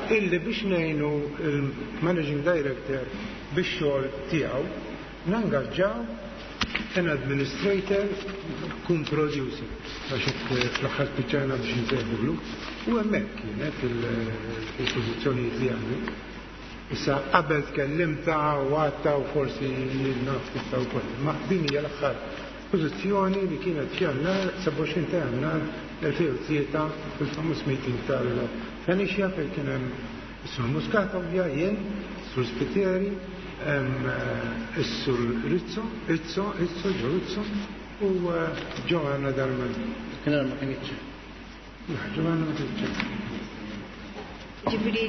illi biex ngħinu il-managing director biex xogħol tiegħu nangaġġaw an administrator kun producer għax fl-aħħar spiċċajna biex nsejħulu u hemmhekk kienet il-pożizzjonijiet li għandi. Issa qabel tkellimta u għadta u forsi naf tista' wkoll. Ma din hija l-aħħar pożizzjoni li kienet f'Jannar sebgħa u għoxrin ta' Jannar elfejn u tlieta fil-famuż meeting tal-Fenicia fejn kien hemm is-Sur Muscat ovvja, jien, is-Sur Spiteri, is-Sur Rizzo, Rizzo, Rizzo, Ġo Rizzo u Giovanna Darmanin. Kien ma kienx. Giovanna ma kienx. Ġifieri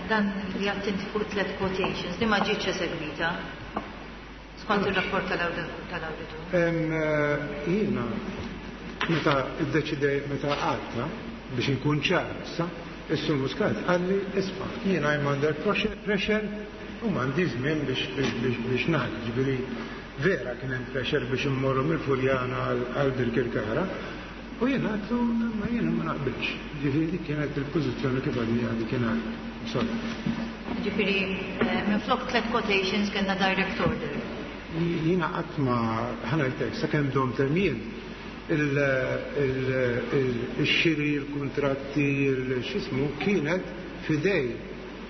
dan li għattinti fuq tliet quotations li ma ġietx esegwita skont ir-rapport tal-awditur. Jiena meta iddeċidej meta għadta biex inkun ċar issa, is-Sur Muscat qalli isma' jiena I'm under pressure u m'għandi żmien biex biex biex ngħid, ġifieri vera kien hemm pressure biex immorru mill-Furjana għal Birkirkara. U jiena għadtu ma jiena ma naqbilx. Ġifieri dik kienet il-pożizzjoni kif għadni għadi kien għad. Sorry. Ġifieri minflok tliet quotations kellna direct order. Jiena qatt ma ħanajtek sakemm dom termin il-xiri, il-kontratti, il-xismu kienet fidej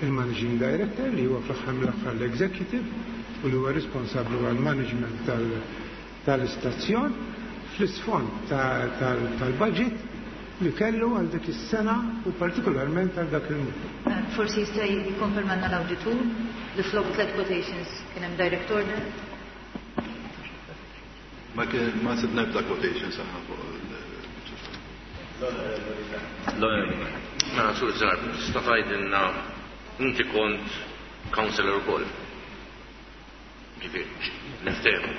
il-managing director li huwa fl-aħħar mill-aħħar l-executive u li huwa responsabbli għal-management tal-istazzjon fl-isfond tal-budget li kellu għal dik is-sena u partikolarment għal dak il-mut. Forsi jista' jikkonfermanna l-awditur li flok tliet quotations kien hemm direct order? Ma kien ma sibna ebda quotations aħna fuq l-Onorevoli. Mela Sur Zarb, tista' tgħidilna inti kont councillor ukoll. Ġifieri, niftehmu.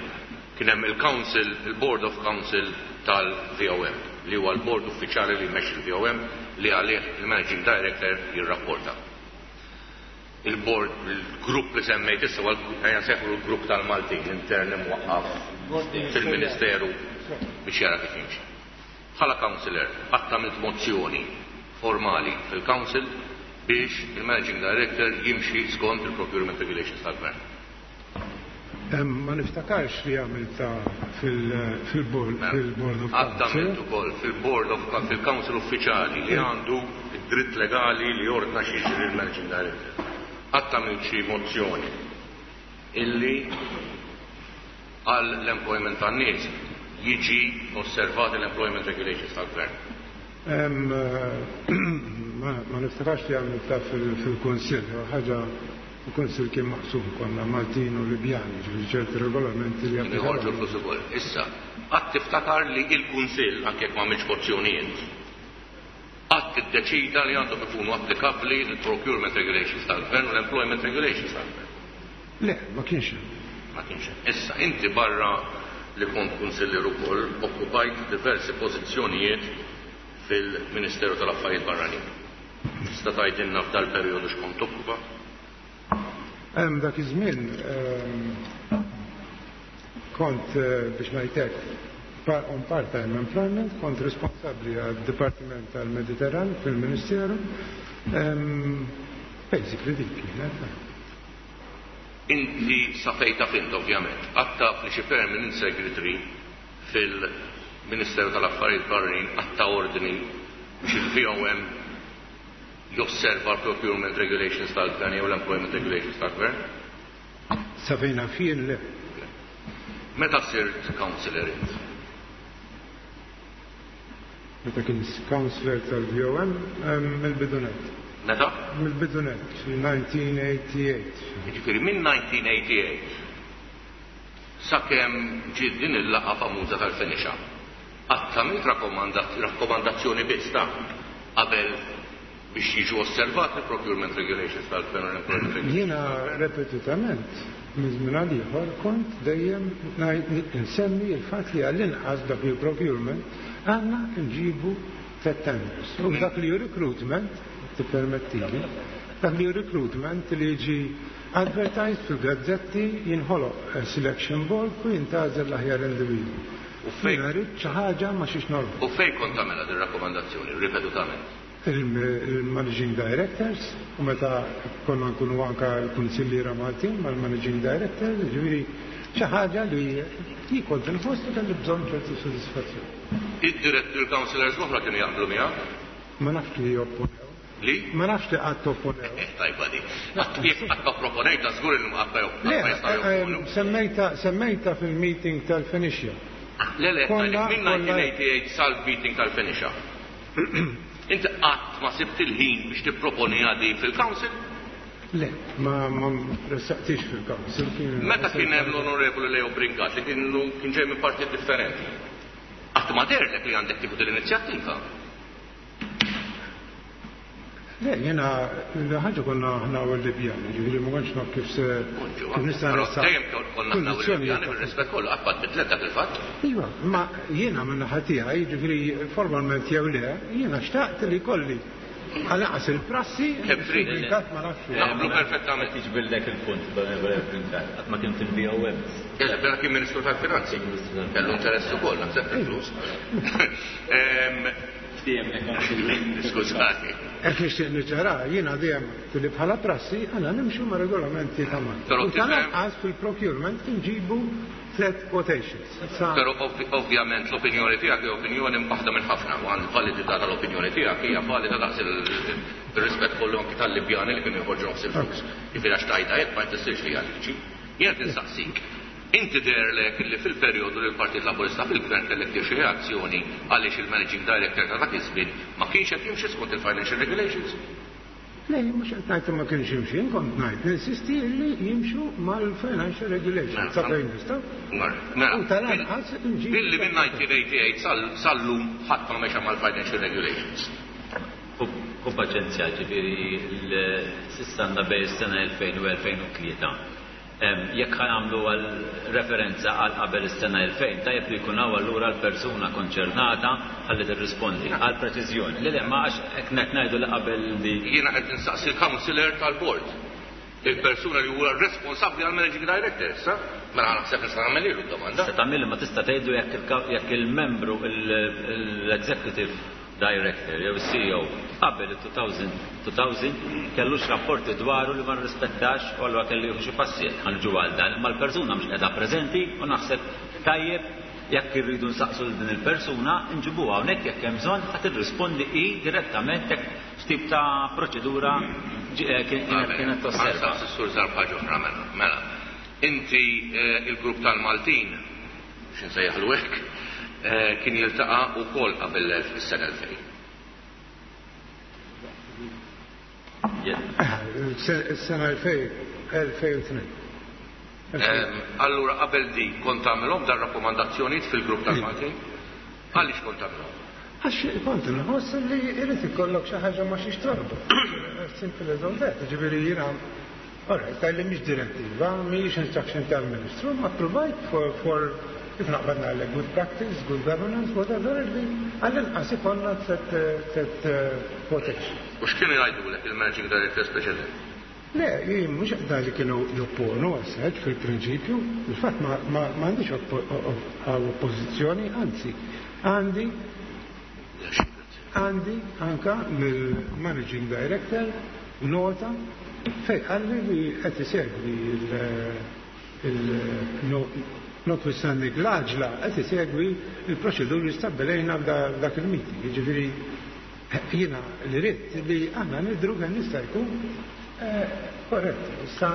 Kien hemm il-Council, il-Board of Council tal-V O M, li huwa l-board uffiċjali li jmexxi il-V O M li għalih il-Managing Director jirrapporta. Il-board, il-grupp li semmejt issa huwa ejja nsejħu l-grupp tal-Maltin intern imwaqqaf fil-Ministeru biex jara kif jimxi. Bħala councillor qatt għamilt mozzjoni formali fil-Council biex il-Managing Director jimxi skont il-Procurement Regulations tal-Gvern. Ma niftakarx li għamilta fil-Board of Għadd Council. għamilt ukoll fil-Board of fil-Council Uffiċjali li għandu id-dritt legali li jordna xi jiġri il-Managing Director. Qatt għamilt xi mozzjoni illi għal l-employment tan-nies jiġi osservat l-employment regulations tal-gvern. Em, eh, Ma ma niftakarx li għamilta fil-Kunsill, ħaġa il-Kunsill kien maqsum konna Maltin u Libjani, ġifieri ċerti regolamenti li Kienu joħorġu applikaw. l-flus ukoll. Issa, qatt tiftakar li il-Kunsill, anke jekk ma għamilx mozzjonijiet, qatt iddeċida li għandhom ikunu applikabbli il-procurement regulations tal-gvern u l-employment regulations tal-gvern. Le, ma kienx hemm. Ma kienx hemm. Issa, inti barra li kont kunsillier ukoll okkupajt diversi pożizzjonijiet fil-Ministeru tal-Affarijiet Barranin. Tista' tgħidilna f'dal-perjodu x'kont okkupa? Hemm dak iż-żmien ehm, kont eh, biex ngħidlek pa- on part-time employment, kont responsabbli għad-Dipartiment tal-Mediterran fil-Ministeru. Ehm, Basically dik kienet. Inti sa fejn taf int ovvjament, qatt taf li xi permanent secretary fil-Ministeru tal-Affarijiet Barranin qatt ta ordni biex il-V O M josserva l-procurement regulations tal-gvern jew l-employment regulations tal-gvern? Sa fejn naf jien le. Meta sirt councillor int? Meta kien councillor tal-V O M ehm, mill-bidu nett. Meta? Mill-bidu nett, mil-elf disa' mija u tmienja u disgħin. Jiġifieri minn elf disa' mija u tmienja u disgħin sakemm ġiet din il-laqgħa famuża tal-Phoenicia. Qatt għamilt rakkomandazzjoni biss ta' qabel biex jiġu osservati procurement regulations tal-gvern u l-employment regulations? Jiena repetutament minn żmien għal ieħor kont dejjem ngħid- nsemmi il-fatt li għall-inqas dak li procurement għandna nġibu tliet tenders. U dak li hu recruitment, tippermettili, dak li hu recruitment li jiġi advertised fil-gazzetti, jinħoloq selection board u jintgħażel l-aħjar individwu. U fejn Jiena rrid xi ħaġa ma xiex norbot. U fejn kont tagħmilha din rakkomandazzjoni ripetutament? Il-managing directors, u meta konna nkunu anka l-kunsilliera Maltin mal-managing directors, ġifieri xi ħaġa li jien kont inħoss li kelli bżonn ċertu sodisfazzjon. Id-direttur councillors l-oħra kienu jaqblu miegħek? Ma nafx li jopponew. Li? Ma nafx li qatt opponew. Eh, tajba di. Qatt jekk qatt ma proponejta żgur li qatt ma Le, jistgħu jopponu. eh, semmejta semmejta fil-meeting tal-Phoenicia. Le, le, Konna- minn elf disa' mija u tmienja u disgħin sal-meeting tal-Phoenicia. Inti qatt ma sibt il-ħin biex tipproponi għadi fil-council? Le, ma ma ressaqtix fil-council. kien- Meta kien hemm l-Onorevoli Leo Brincat li kien kien ġej minn partit differenti? Qatt ma deherlek li għandek tieħu l-inizjattiva? Le, jena, ħaġa konna aħna u l-Libjani, ġifieri ma kontx naf kif se kif nista' Però nressaq dejjem konna aħna u kundizzjonijiet l-Libjani bir-rispett kollu qatt ma tbidlet dak il-fatt. Iva, ma jiena minn naħa tiegħi, ġifieri formalment jew le, jiena xtaqt li kolli għal il-prassi, Kemm trid. Brincat ma nafx. Naqblu perfettament. Tiġbildek il-punt, Onorevoli Brincat. Qatt ma kien fil-V O M. Eżatt, mela kien Ministru tal-Finanzi. Kellu interess ukoll, naħseb fil-flus. Ehm, Skużani. Hekk nixtieq niċċara, jiena dejjem li bħala prassi għandna nimxu ma' regolamenti ta' Malta. Però U tifhem- tal-anqas fil-procurement nġibu tliet quotations. Sa- Però ovvi- ovvjament l-opinjoni tiegħek hija opinjoni waħda minn ħafna u għand validità tal-opinjoni tiegħek hija valida daqs il-rispett kollu anki tal-Libjani li kienu joħorġu nofs il-flus. Jiġifieri għax tajta hekk ma jfissirx li hija liġi. Jien qed insaqsik. Inti deherlek li fil-perjodu li l-Partit Laburista fil-Gvern kellek tieħu reazzjoni għaliex il-Managing Director ta' dak iż-żmien ma kienx qed jimxi skont il-Financial Regulations? Le, mhux qed ngħid ma kienx jimxi, jien kont ngħid ninsisti li jimxu mal-financial regulations. Sa fejn nistgħu? Mela, U tal-anqas nġibu. Billi minn elf disa' mija u tmienja u disgħin sal- sal-lum ħadd ma mexa mal-Financial Regulations. U paċenzja, ġifieri s'issa għandna bejn is-sena elfejn u elfejn u tlieta. Em, Jekk ħa nagħmlu għal referenza għal qabel is-sena elfejn, tajjeb li jkun hawn allura l-persuna konċernata ħalli tirrispondi għal preċiżjoni. Le, le, ma għax hekk qed ngħidu li qabel li Jiena qed insaqsi il-counselor tal-board. Il-persuna li huwa responsabbli għal managing director, issa? Mela naħseb nista' nagħmel ilu d-domanda. Se tagħmel ma tista' tgħidu jekk il- jekk il-membru l-executive Director jew C E O qabel il-two thousand kellux rapporti dwaru li ma rrispettax u allura kellu jieħu xi passi. Ħa niġu għal dan, imma l-persuna mhux qiegħda preżenti u naħseb tajjeb jekk irridu nsaqsu lil din il-persuna nġibuha hawnhekk jekk hemm bżonn ħa tirrispondi hi direttament jekk x'tip ta' proċedura eh, kienet tosserva. Sur Zarb ħaġa oħra mela. Mela, inti eh, il-grupp tal-Maltin, x'insejjaħlu hekk, eh, kien jiltaqa' wkoll qabel is-sena elfejn. Is-sena elfejn u tnejn. Allura qabel di kont tagħmilhom dar rakkomandazzjonijiet fil-grupp tal-Maltin? Għaliex kont tagħmilhom? Għax kont nħoss li jrid ikollok xi ħaġa ma xiex torbu. Simple as all that. Ġifieri jiena. Alright, tal-li mhix direttiva, mhix instruction tal-Ministru, ma provide for, for if naqbad ngħidlek good practice, good governance, whatever, li għall-inqas ikollna tliet tliet quotation. U x'kienu jgħidulek il-Managing Director preċedenti? Le, jien mhux qed li kienu jopponu għas fil-prinċipju, il-fatt ma m'għandix oppożizzjoni, anzi, għandi għandi anka mill-Managing Director nota fej qalli li qed isegwi il notwithstanding l-għaġla qed isegwi il-proċeduri stabbilejna f'dak il-meeting. Jiġifieri jiena li ridt li aħna nidru kemm jista' jkun korrett. Issa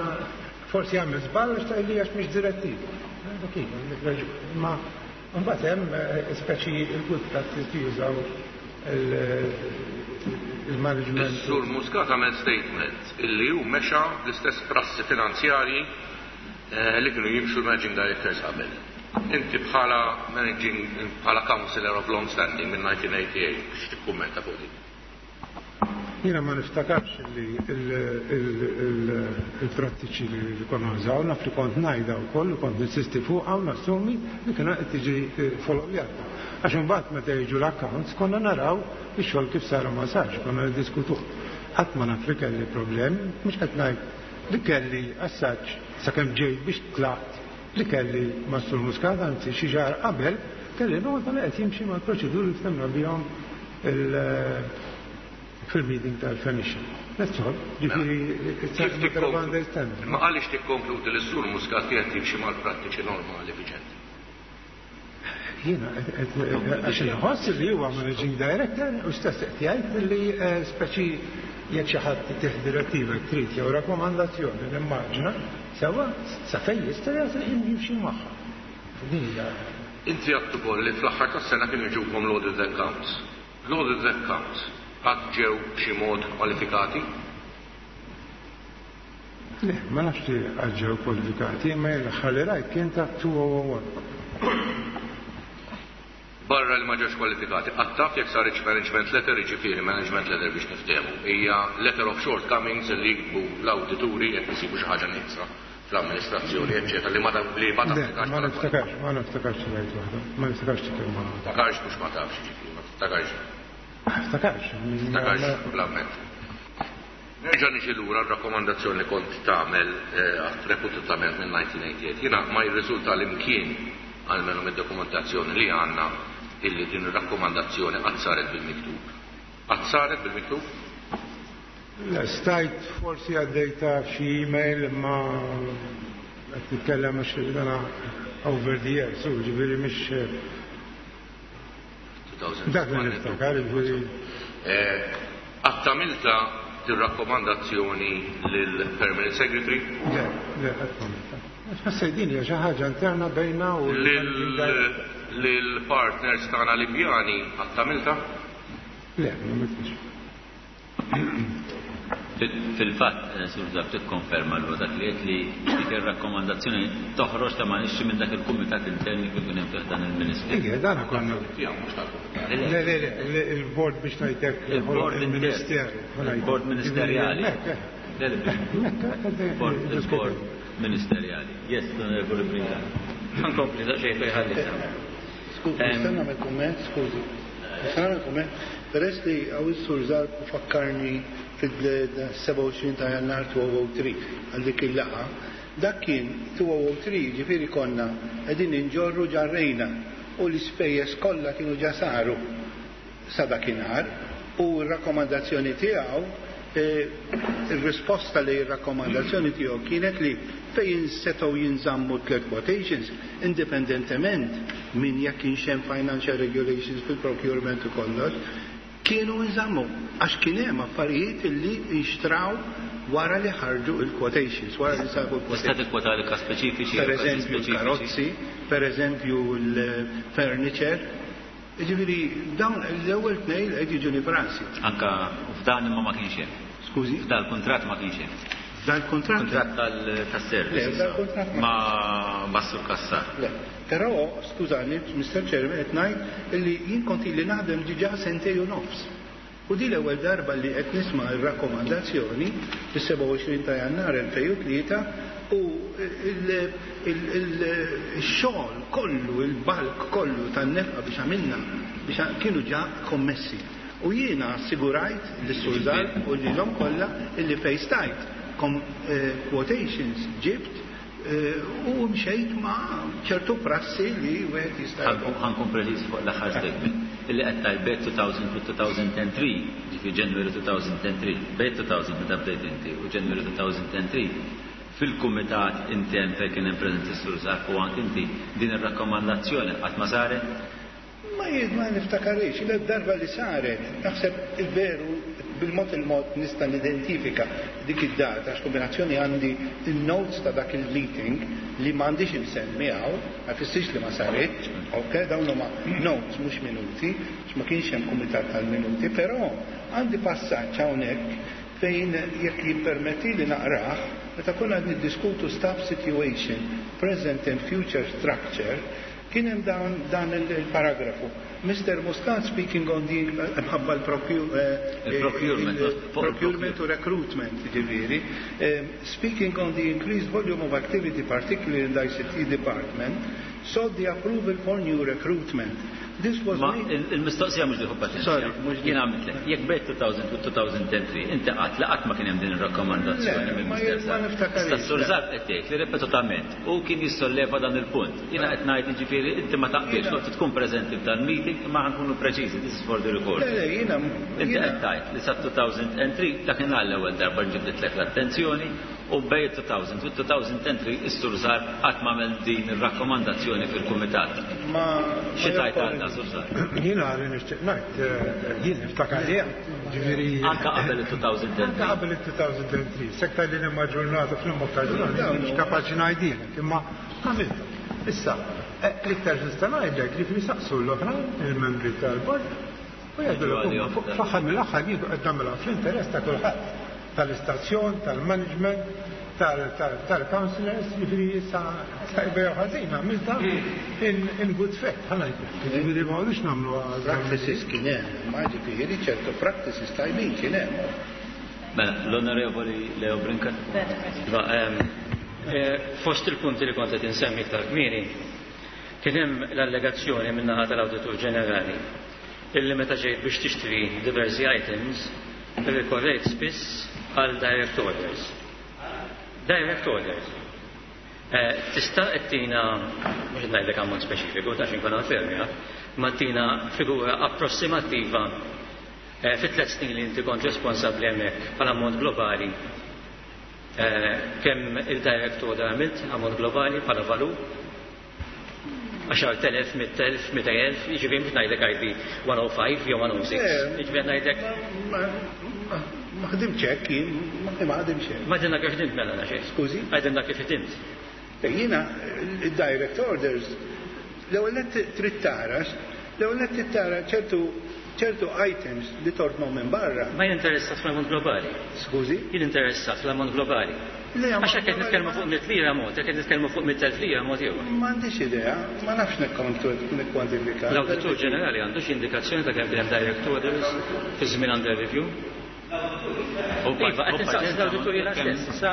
forsi għamel żball għax li għax mhix direttiva. Dak kif, għandek raġun. Ma mbagħad hemm speċi il-good practice li jużaw il-management. Is-Sur Muscat għamel statement illi hu mexa l-istess prassi finanzjarji li kienu jimxu l-Managing Directors qabel. Inti bħala managing, bħala counselor of long standing minn elf disa' mija u tmienja u tmenin, biex tikkummenta fuq din? Jiena ma niftakarx li il-prattiċi li konna nżaw, naf li kont ngħidha u koll, kont ninsisti fuq u nassumi li kienu qed tiġi followjata. Għax imbagħad meta jiġu l-accounts konna naraw ix-xogħol kif sar u ma sarx, konna niddiskutuh. Ħadd ma naf li kelli problemi, mhux qed ngħid li kelli assaġġ sakemm ġejt biex tlaqt li kelli ma' Sur Muscat, anzi xi xahar qabel kelli nota li qed jimxi mal-proċeduri li ftehemna bihom fil-meeting tal-Commission. That's all. Ġifieri, it's a matter of understanding. Ma għaliex tikkonkludi li s-Sur Muscat kienet jimxi mal-prattiċi normali viġenti? Jiena, għax inħoss li huwa managing director u stess qed jgħid li speċi jekk xi ħadd tih direttiva trid jew rakkomandazzjoni nimmaġina sewwa sa fejn jista' jasal jimxi magħha. Din hija. Inti għedt ukoll li fl-aħħar tas-sena kienu jiġukom l-audit accounts. L-audit accounts qatt ġew b'xi mod kwalifikati? Le, ma nafx li qatt ġew kwalifikati, ma l-aħħar li rajt kien ta' elfejn u wieħed. Barra li ma ġewx kwalifikati, qatt taf jekk saritx management letter? Jiġifieri management letter, biex niftehmu, hija letter of shortcomings li jiktbu l-awdituri jekk isibu xi ħaġa nieqsa fl-amministrazzjoni, eċċetera, li ma li ma tapplikax. Ma niftakarx, ma niftakarx rajt waħda, ma niftakarx kien ma. Niftakarx mhux ma tafx, jiġifieri, ma tiftakarx. Niftakarx. Niftakarx bl-amment. Nerġa' niġi lura r-rakkomandazzjoni li kont tagħmel reputament minn elf disa' mija u tmienja u tmenin. Jiena ma jirriżulta li mkien, almenu mid-dokumentazzjoni li għandna, illi din ir-rakkomandazzjoni qatt saret bil-miktub. Qatt saret bil-miktub? Le, stajt forsi għaddejta f'xi email, imma qed nitkellem għax dana over the years, u ġifieri mhix dak li niftakar, ġifieri. Qatt għamiltha dir-rakkomandazzjoni lill-Permanent Secretary? Le, le, qatt m'għamiltha. Ħassej din hija xi ħaġa interna bejna u Lill-partners tagħna Libjani qatt għamiltha? Le, ma għamiltx. Fil-fatt, Sur Zarb, tikkonferma l dak li qed li dik ir-rakkomandazzjoni toħroġ ta' ma nixxi minn dak il-kumitat interni kif kien hemm dan il-Ministru. Ija, dan konna. Le, le, le, il-board biex ngħidlek Il-board il-ministeru. Il-board ministerjali. Il-board ministerjali. Yes, Onorevole Brincat. Ħa nkompli daqsxejn fejn ħallejt. Skużi, nista' nagħmel kumment, skużi. Nista' nagħmel kumment. Peress li hawn is-Sur Zarb fakkarni fil-sebgħa u għoxrin ta' Jannar elfejn u tlieta għal dik il-laqgħa, dak kien elfejn u tlieta, ġifieri konna qegħdin inġorru ġarrejna u l-ispejjeż kollha kienu ġa saru. sa dakinhar u r-rakkomandazzjoni tiegħu, il-risposta li r-rakkomandazzjoni tiegħu kienet li fejn setgħu jinżammu tliet quotations indipendentement minn jekk kienx hemm financial regulations fil-procurement u kollox, kienu nżammu għax kien hemm affarijiet illi nxtraw wara li ħarġu il-quotations, wara li sabu Tista' l-quotations. tikkwota li każ speċifiċi? Per jew każi eżempju speċifiċi? l-karozzi, per eżempju l-furniture, ġifieri dawn l-ewwel tnejn qed jiġuni f'rasi. Anka f'dan imma ma kienx hemm. Skużi? F'dan il-kuntratt ma kienx hemm. Dan il-kuntratt? Kuntratt tal-service. Le, f'dan il-kuntratt ma Ma ma' Sur Cassar. Le, però, skużani, Mister Chairman, qed ngħid illi jien kont ili naħdem diġà sentejn u nofs. U di l-ewwel darba li qed nisma' r-rakkomandazzjoni fis-sebgħa u għoxrin ta' Jannar elfejn u tlieta u il-xogħol kollu, il-balk kollu tan-nefqa biex għamilna biex kienu ġa kommessi. U jiena assigurajt lis-Sur Zarb u lilhom kollha illi fejn stajt kom, eh, quotations ġibt eh, u mxejt ma' ċertu prassi li wieħed jista' Ħa nkun preċiż fuq l-aħħar statement. Illi qed tgħid bejn two thousand u two thousand and three, ġifieri January two thousand and three, bejn two thousand meta bdejt inti u January two thousand and three, fil-kumitat intern fejn kien hemm preżenti s-Sur Zarb u anke inti, din ir-rakkomandazzjoni qatt ma saret? Ma jien ma niftakarix, il darba li saret, naħseb il-veru bil-mod il-mod nista' nidentifika dik id-data, għax kombinazzjoni għandi il-notes ta' dak il-meeting li m'għandix imsemmi hawn, ma jfissirx li ma saret, ok, dawn huma notes mhux minuti, għax ma kienx hemm kumitat tal-minuti, però għandi passaġġ hawnhekk fejn jekk jippermetti li naqrah, meta konna qed niddiskutu staff situation, present and future structure, kien hemm dan, dan il-paragrafu. Mister Muscat speaking on the mħabba Il-procurement, l-procurement u recruitment, ġifieri, speaking on the increased volume of activity, particularly in the I C T department, sought the approval for new recruitment. This was Ma made il-mistoqsija mhux diħu paċenzja. Sorry, mhux Jien għamilt lek, jekk bejn two thousand u two thousand and three, inti qatt li qatt ma kien hemm din ir-rakkomandazzjoni Le, minn ma Mister jien ma Zarb. niftakarix, Issa Sur le. Zarb qed tgħid li ripetutament u kien jissolleva dan il-punt. Jiena qed ngħid jiġifieri inti ma taqbilx, kont tkun preżenti f'dan meeting, imma ħa nkunu preċiżi, this is for the record. Le, le, jiena Inti jiena- qed tgħid li sa two thousand and three dakinhar l-ewwel darba ġibditlek l-attenzjoni u bejn two thousand u two thousand and three is-Sur Zarb qatt ma għamel din ir-rakkomandazzjoni fil-kumitat. Ma Xi tgħid għal dan, Sur Zarb? Jiena li nixtieq ngħid, eh, jien niftakar li ġifieri. Anka qabel il-two thousand and three. Anka qabel il-two thousand and three, sekta li nimma ġurnata fl-imma ġurnata, mhux kapaċi ngħidilek, imma għamilta. Issa, eh, l-iktar nista' ngħidlek li fil-saqsu l-oħrajn, il-membri tal-bord, u jgħidu fl-aħħar mill-aħħar jien qed nagħmilha fl-interess ta' kulħadd, tal-istazzjon, tal-management, tal-councillors, ġifieri issa tajba jew ħażin għamilta in good faith, ħa ngħidlek. Ġifieri ma għodux nagħmlu Practices kien hemm, ma ġifieri ċertu practices tajbin kien hemm. Mela, l-Onorevoli Leo Brincat. Iva, ehm, eh, fost il-punti li kont qed insemmi iktar kmieni, kien hemm l-allegazzjoni min-naħa tal-Awditur Ġenerali illi meta ġejt biex tixtri diversi items, irrikorrejt spiss għal direct orders. Direct orders. Eh, Tista' ttina, mhux ngħidlek ammont speċifiku, ta' inkun fermja, ma tina figura approssimattiva eh, fit tliet snin li inti kont responsabbli hemmhekk bħala ammont globali, eh, kemm il-direct order għamilt ammont globali bħala valur? għaxart elef, mitt elf, mitejn elf, jiġifieri mhux ngħidlek I B one oh five jew one oh six, jiġifieri ngħidlek. Ma ħdimx hekk jien, ma ħdimx hekk. Ma għidilna kif ħdimt mela xejn. Skużi? Għidilna kif ħdimt. Jiena il-direct orders, l-ewwel nett trid tara, l-ewwel nett trid tara ċertu ċertu items li tortnu minn barra. Ma jien interessat fl-ammont globali. Skużi? Jien interessat fl-ammont globali. Le, Għax hekk qed nitkellmu fuq mitt lira mod, jekk qed nitkellmu fuq mitt elf lira mod ieħor. M'għandix idea, ma nafx nikkontu nikkwantifika. L-Awditur Ġenerali għandu xi indikazzjoni ta' kemm kien hemm direct orders fi żmien under review? Iva, qed insaqsi l-awditur jiena stess. Issa,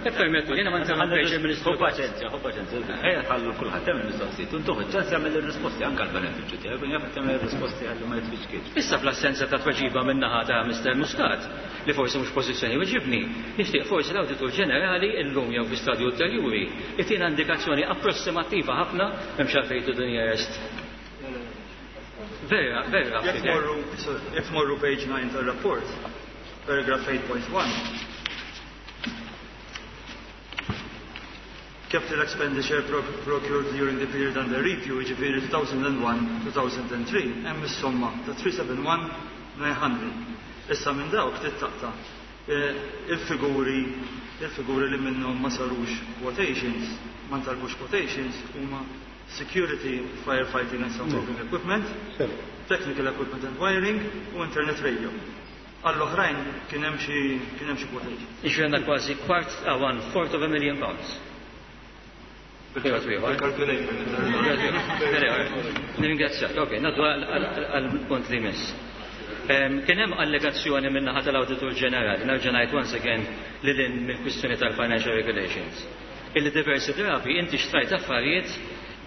ippermettu, jiena ma interrompejx il-Ministru. Hu paċenzja, hu paċenzja. Ejja ħallu kulħadd hemm il-mistoqsijiet. Intuħ iċ-ċans jagħmel ir-risposti anke għall-benefiċċju tiegħek, kun jaf jagħmel ir-risposti ħalli ma jitfiċkiex. Issa fl-assenza ta' tweġiba min-naħa ta' Mister Muscat, li forsi mhux pożizzjoni weġibni, nixtieq forsi l-Awditur Ġenerali illum jew fi stadju ulterjuri itina indikazzjoni approssimattiva ħafna, m'hemmx għalfejn to the nearest Vera, vera. Jekk tmorru page nine tar-rapport, paragraph eight point one, capital expenditure procured during the period under review, jiġifieri two thousand and one two thousand and three, hemm is-somma ta' three seven one nine hundred. Issa minn dawk tittaqta' il-figuri il-figuri li minnhom ma sarux quotations, ma ntalbux quotations, huma security, firefighting and soundproofing equipment, technical equipment and wiring u internet radio. Għall-oħrajn kien hemm xi kien hemm xi quotations. Jiġifieri għandna kważi kwart one fourth of a million pounds. Nirringrazzjak. Ok, ngħaddu għall-punt li jmiss. Kien hemm allegazzjoni minn naħa tal-Awditur Ġenerali, nerġa' ngħid once again lil hinn mill-kwistjoni tal-financial regulations, illi diversi drabi inti xtrajt affarijiet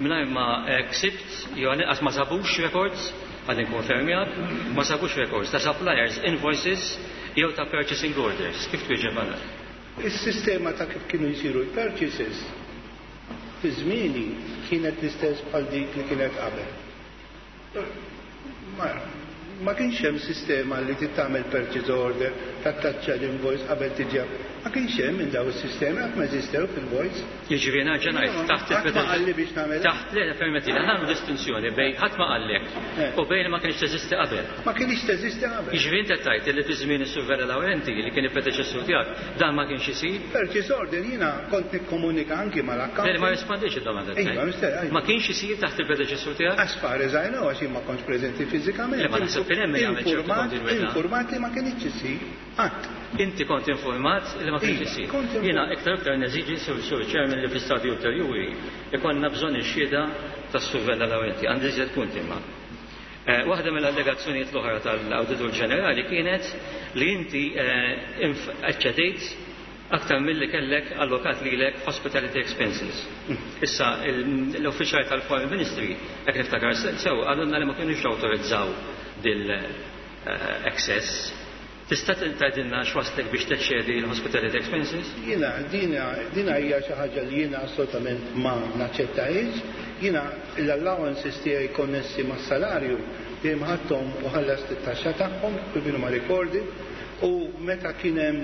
mingħajr ma ksibt jew inqas ma sabux records, għad inkonfermjak, ma sabux records ta' suppliers, invoices jew ta' purchasing orders. Kif twieġeb għal dan? Is-sistema ta' kif kienu jsiru l-purchases fi żmieni kienet l-istess bħal dik li kienet qabel. Ma, ma kienx hemm sistema li titgħamel purchase order, tattaċċa l-invoice qabel tiġi. Ma kienx hemm minn daw is-sistemi, qatt ma eżistew fil-voice. Jiġifieri nerġa' ngħid taħt Ħadd ma qalli biex nagħmel. Taħt le permetti, nagħmlu distinzjoni bejn ħadd ma qallek u bejn ma kienx teżisti qabel. Ma kienx teżisti qabel. Jiġifieri inti tgħid li fi żmien is-Sur Vella Laurenti li kien il-predeċessur tiegħek dan ma kienx isir. Purchase order jiena kont nikkomunika anki mal-account. Le, ma rispondix id-domanda Iva, tiegħek. mister, ajma. Ma kienx isir taħt il-predeċessur tiegħek? As far as I know, għax jien ma kontx preżenti fiżikament. Le, ma naħseb kien hemm min jagħmel ċertu Informat, kontinwità. informat li ma kienx isir qatt. Inti kont informat li ma kienx Iva, isir. kont informat. Jiena iktar iktar neżiġi sur sur chairman li fl-istadju ulterjuri ikollna bżonn ix-xhieda tas-Sur Vella Laurenti. Għandi iżjed punti imma. Eh, waħda mill-allegazzjonijiet l-oħra tal-Awditur Ġenerali kienet li inti, eh, inf-, eċċedejt aktar milli kellek allokat lilek hospitality expenses. Issa il-, l-uffiċjali tal-Foreign Ministry, jekk niftakar se-, sew, għalunna li ma kienux awtorizzaw dil, eh, excess. Tista' tgħidilna x'waslek biex teċċedi l-hospitality expenses? Jiena, dina, dina hija xi ħaġa li jiena assolutament ma naċċettajx. Jiena l-allowances tiegħi konnessi mas-salarju dejjem ħadthom u ħallast it-taxxa tagħhom kif kienu ma recorded, u meta kien hemm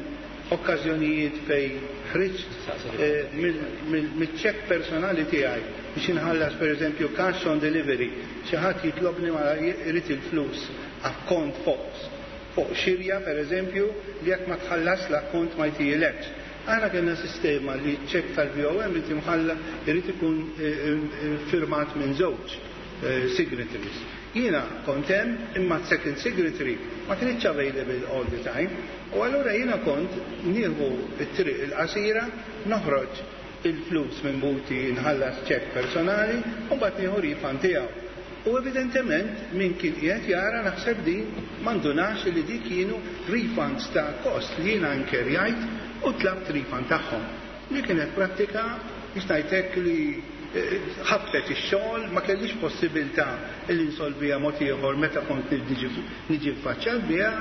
okkażjonijiet fejn ħriġt, eh, mill-, mill-, mill-ċekk personali tiegħi biex inħallas pereżempju cash on delivery, xi ħadd jitlobni ma jrid il-flus akkont fuq fuq xirja pereżempju li jekk ma tħallas l-akkont ma jtijilekx. Aħna kellna sistema li ċekk tal-V O M irid imħalla irid ikun, eh, eh, firmat minn żewġ, eh, signatories. Jiena kont hemm imma second signatory ma kienx available all the time, u allura jiena kont nieħu t-triq il-qasira, noħroġ il-flus minn buti nħallas ċekk personali u mbagħad nieħu refund tiegħu. U evidentement min kien qiegħed jara naħseb din m'għandunax li dik kienu refunds ta' kost li jiena nkerjajt u tlabt refund tagħhom. Li kienet prattika biex ngħidlek li, eh, ħabtet ix-xogħol, ma kellix possibilità li nsolviha mod ieħor meta kont niġi, niġi ffaċċjat biha.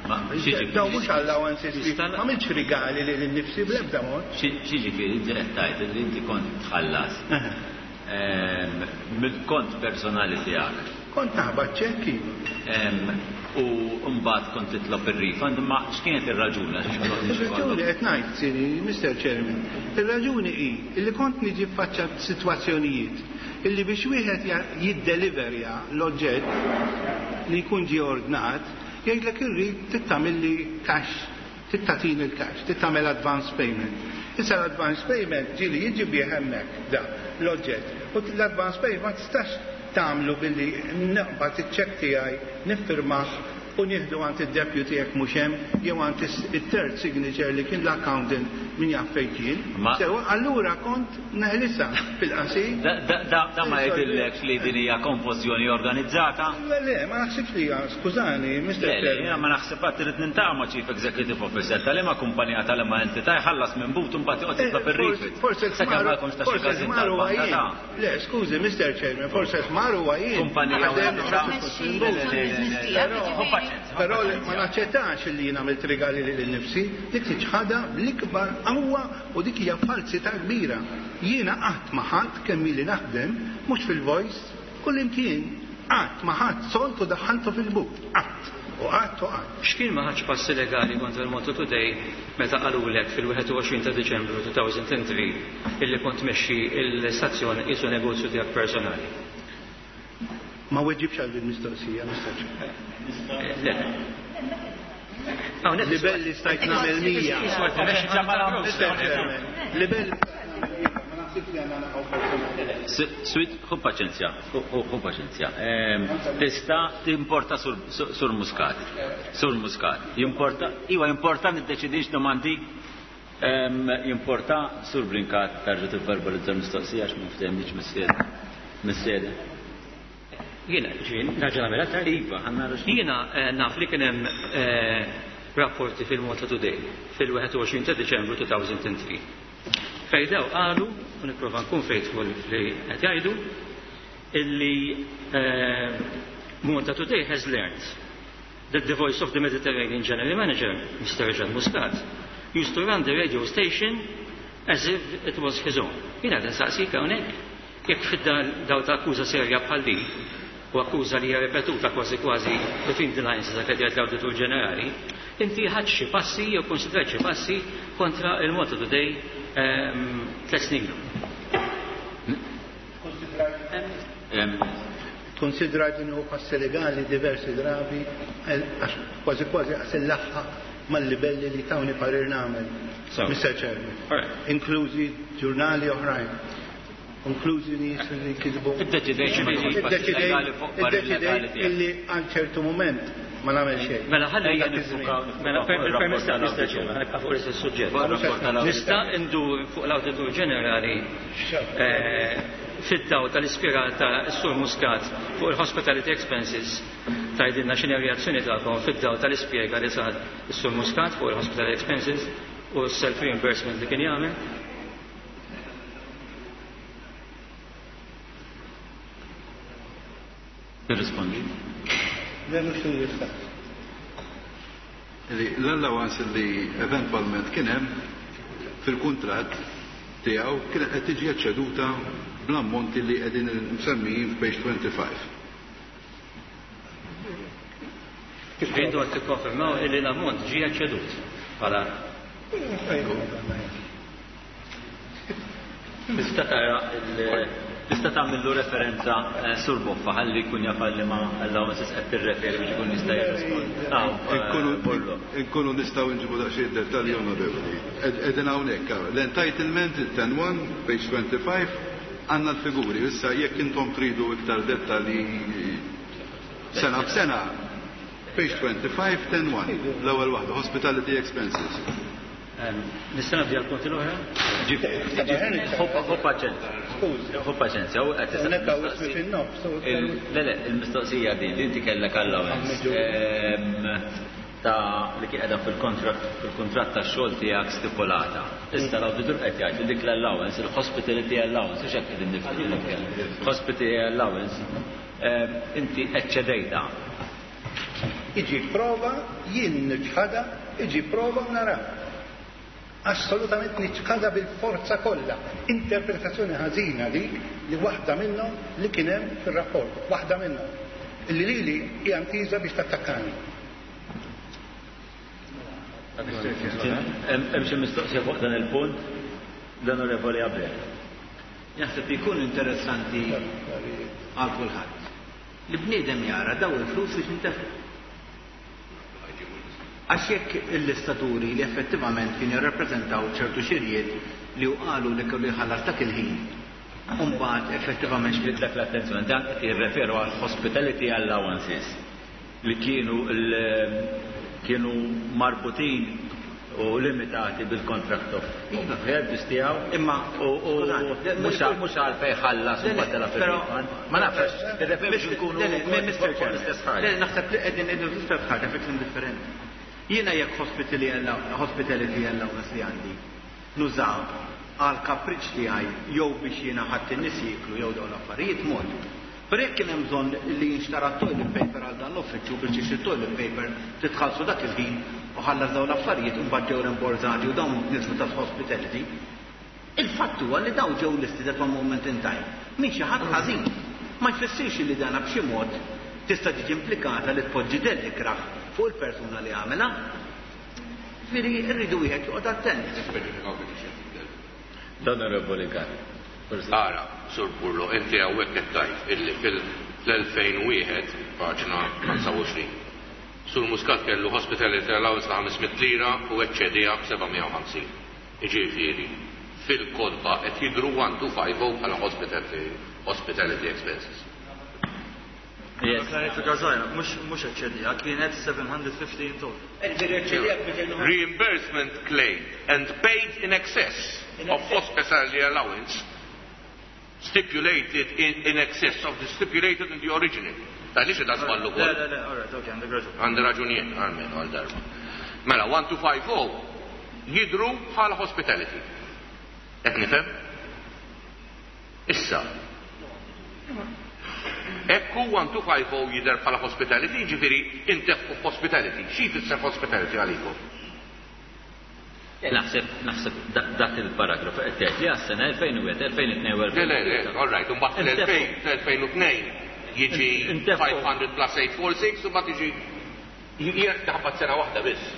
Ma, xi Daw mhux allowances li Tista' ma għamilx rigali lil innifsi bl-ebda mod. Xi-, xiġifieri inti qed tgħid li inti kont tħallas Aha. ehm, mill-kont personali tiegħek. Kont naħbat ċekki. Ehm, u mbagħad kont titlob ir-refund, imma x'kienet ir-raġuni għax ma kontx Ir-raġuni ikollok? qed ngħid, sini, Mister Chairman, ir-raġuni hi li kont niġi ffaċċat sitwazzjonijiet illi biex wieħed ja-, jiddeliverja l-oġġett li jkun ġie ordnat, jgħidlek irrid tittamilli cash, tittatini l-cash, tittamel advance payment. Issa l-advance payment ġieli jiġi bih hemmhekk da l-oġġett. U l-advance payment ma tistax tagħmlu billi naqbad iċ-ċekk tiegħi, niffirmah u nieħdu għand id-deputy jekk mhux hemm jew għand is-, it-third signature li kien l-accountant min jaf fejn kien. Ma- Sewa, allura kont neħlisa fil-qasir. Da, da, da, da ma jgħidillekx li din hija konfużjoni organizzata? Le, le, ma naħsibx li hija, skużani, Mister Le, le, Chairman. jiena ma naħseb qatt irid nintaqa' ma' Chief Executive Officer tal-liema kumpanija tal-liema entità jħallas minn but u mbagħad joqgħod jitlob Eh, ir-refund. Forse Sakemm ma jkunx ta' xi forse każin ħmar huwa tal-banka jien. ta' Le, skużi, Mister Chairman, forse ħmar huwa jien. Kumpanija Għadem u entità. noħroġ minn but. Però, paċenzja, Però paċenzja. ma naċċettax li jien għamilt rigali lil nifsi, dik tiċħadha bl-ikbar qawwa u dik hija falsità kbira. Jiena qatt ma ħadd kemm ili naħdem, mhux fil-voice, kullimkien Qatt ma ħadd sold u daħħaltu fil-but. Qatt. U qatt u qatt. X'kien ma ħadx passi legali kontra l-Malta Today meta qalulek fil-wieħed u għoxrin ta' Diċembru two thousand and three illi kont tmexxi l-istazzjon qisu negozju tiegħek personali? Ma weġibx għal din mistoqsija, Mister Le. Libelli stajt nagħmel mija. Mister Chairman, libelli ma naħsibx li għandna naqgħu personali. Swit, ħu paċenzja, ħu paċenzja. Tista timporta sur Muscat. Sur Muscat. Jimporta, iwa jimporta niddeċidix domandi, jimporta Sur Brincat tarġa tivverbalizza mistoqsija għax ma ftehmniex mis-sede. Jiena, ġin, nerġa' nagħmilha tard? Iva, ħanna. Jiena naf li kien hemm rapporti fil-Malta Today fil-wieħed u għoxrin ta' Diċembru two thousand and three. Fejn daw qalu, u nipprova nkun faithful li qed jgħidu, illi Malta Today has learned that the voice of the Mediterranean General Manager, Mister Jean Muscat, used to run the radio station as if it was his own. Jiena qed nsaqsik hawnhekk, jekk fid-dawl ta' akkuża serja bħal din, u akkuża li hija ripetuta kważi kważi between the lines dak li l-Awditur Ġenerali, inti ħadt xi passi jew konsidrajt xi passi kontra il-Malta Today tliet snin ilu? Konsidrajt li nieħu passi legali diversi drabi, għax kważi kważi għas laħħa mal-libelli li tawni parir nagħmel. Mister Chairman. Inklużi ġurnali oħrajn. Inklużi nies li kisbu. Iddeċidejt illi għal ċertu moment ma nagħmel xejn. Mela ħalli mela permess ta' Mister Chairman, ħa nibqa' fuq l-istess suġġett. Nista' ndur fuq l-Awditur Ġenerali fid-dawl tal-ispjega ta' Sur Muscat fuq il-hospitality expenses, tgħidilna x'inhi reazzjoni tagħkom fid-dawl tal-ispjega li sar is-Sur Muscat fuq il-hospitality expenses u s-self-reimbursement li kien jagħmel? Tirrispondi. Le, mhux jista'. L-allowance li eventwalment kien hemm fil-kuntratt tiegħu kienet qed tiġi eċċeduta bl-ammonti li qegħdin msemmijin f'page twenty-five. Intu qed tikkonfermaw illi l-ammont ġie eċċedut bħala Tista' tara, tista' tagħmillu referenza, Sur Boffa, ħalli jkun jaf li ma allowances qed tirreferi biex ikun jista' jirrispondi. Inkunu nistgħu nġibu daqsxejn dettalji, onorevoli. Qegħdin hawnhekk l-entitlement ten one, page twenty-five, għandna l-figuri. Issa jekk intom tridu iktar dettalji sena b'sena, page twenty-five, ten one, l-ewwel waħda, hospitality expenses. Nista' nabdi għal-punti l-oħra? Ħu paċenzja. Ħu paċenzja, u qed Le, le, il-mistoqsija din, li inti kellek allowance ta' li kien qiegħda fil-kontratt fil-kuntratt tax-xogħol tiegħek stipulata. Issa l-awditur qed jgħid li dik l-allowance, il-hospitality allowance, hux hekk qegħdin nitkellmu. Hospitality allowance, inti eċċedejta. Iġi prova, jien niċħada, iġi prova u nara. Assolutament niċħada bil-forza kollha. Interpretazzjoni ħażina dik li waħda minnhom li kien hemm fir-rapport, waħda minnhom. Illi lili hija ntiża biex tattakkani. Hemm xi mistoqsija fuq dan il-punt? L-Onorevoli Abel. Jaħseb li jkun interessanti għal kulħadd li bniedem jara daw il-flus biex intefqu. Għax jekk il-lista turi li effettivament kien jirrappreżentaw ċertu xirjiet li u qalu li kellu jħallas dak il-ħin, Umbagħad effettivament Ġbidtlek l-attenzjoni, dan qed jirreferu għal hospitality allowances li kienu kienu marbutin u limitati bil-contract of service tiegħu. Imma u mhux mhux għalfejn ħallas u batela fil Ma nafx, tirreferi biex nkunu l-istess ħaġa. Naħseb li qegħdin qegħdin l-istess ħaġa fi kliem differenti. Jiena jekk hospitality allowance li għandi nużaw għal kapriċ tiegħi jew biex jiena ħadd in-nies jieklu jew dawn l-affarijiet mod. Però jekk kien hemm bżonn li jinxtara toilet paper għal dan l-uffiċċju biex tixtri toilet paper titħallsu dak il-ħin u ħallas dawn l-affarijiet u mbagħad ġew rimborzati u dawn niżlu ta' hospitality. Il-fatt huwa li dawn ġew listed at one moment in time. Min xi ħadd ħażin. Ma jfissirx li dana b'xi mod tista' tiġi implikata li tpoġġi dell ikrah fuq il-persuna li għamela. Ġifieri rridu wieħed joqgħod attent. Nispeċifikaw biex xejn. L-Onorevoli Gatt. Ara, Sur Burlo, inti hawnhekk qed tgħid illi fil-elfejn u wieħed, paġna ħamsa u għoxrin, Sur Muscat kellu hospitality allowance ta' ħames mitt lira u eċċediha b'seba' mija u ħamsin. Jiġifieri, fil-kotba qed jidhru one two five oh bħala hospitality, hospitality expenses. Yes. Klarifika żgħira, mhux, mhux eċċediha, kienet seven hundred fifty in total. Reimbursement claimed and paid in excess of hospitality allowance stipulated in, in excess of the stipulated in the original. Ta' li xi ta' żballu Le, wkoll. le, le, all right, okay, għandek raġun. Għandi raġunijiet, almenu għal darba. Mela, one two five oh jidru bħala hospitality. Qed nifhem? Issa. Ekku one two five oh jidher bħala hospitality, jiġifieri intefqu f'hospitality. Xi jfisser hospitality għalikom? Naħseb, naħseb da-, dak il-paragrafu qed tgħid li għas-sena elfejn u wieħed, elfejn u tnejn u Le, le, le, all right, u mbagħad Intefqu. fl-elfejn u tnejn jiġi Intefqu. five hundred plus eight four six u mbagħad jiġi jiena taħbat sena waħda biss.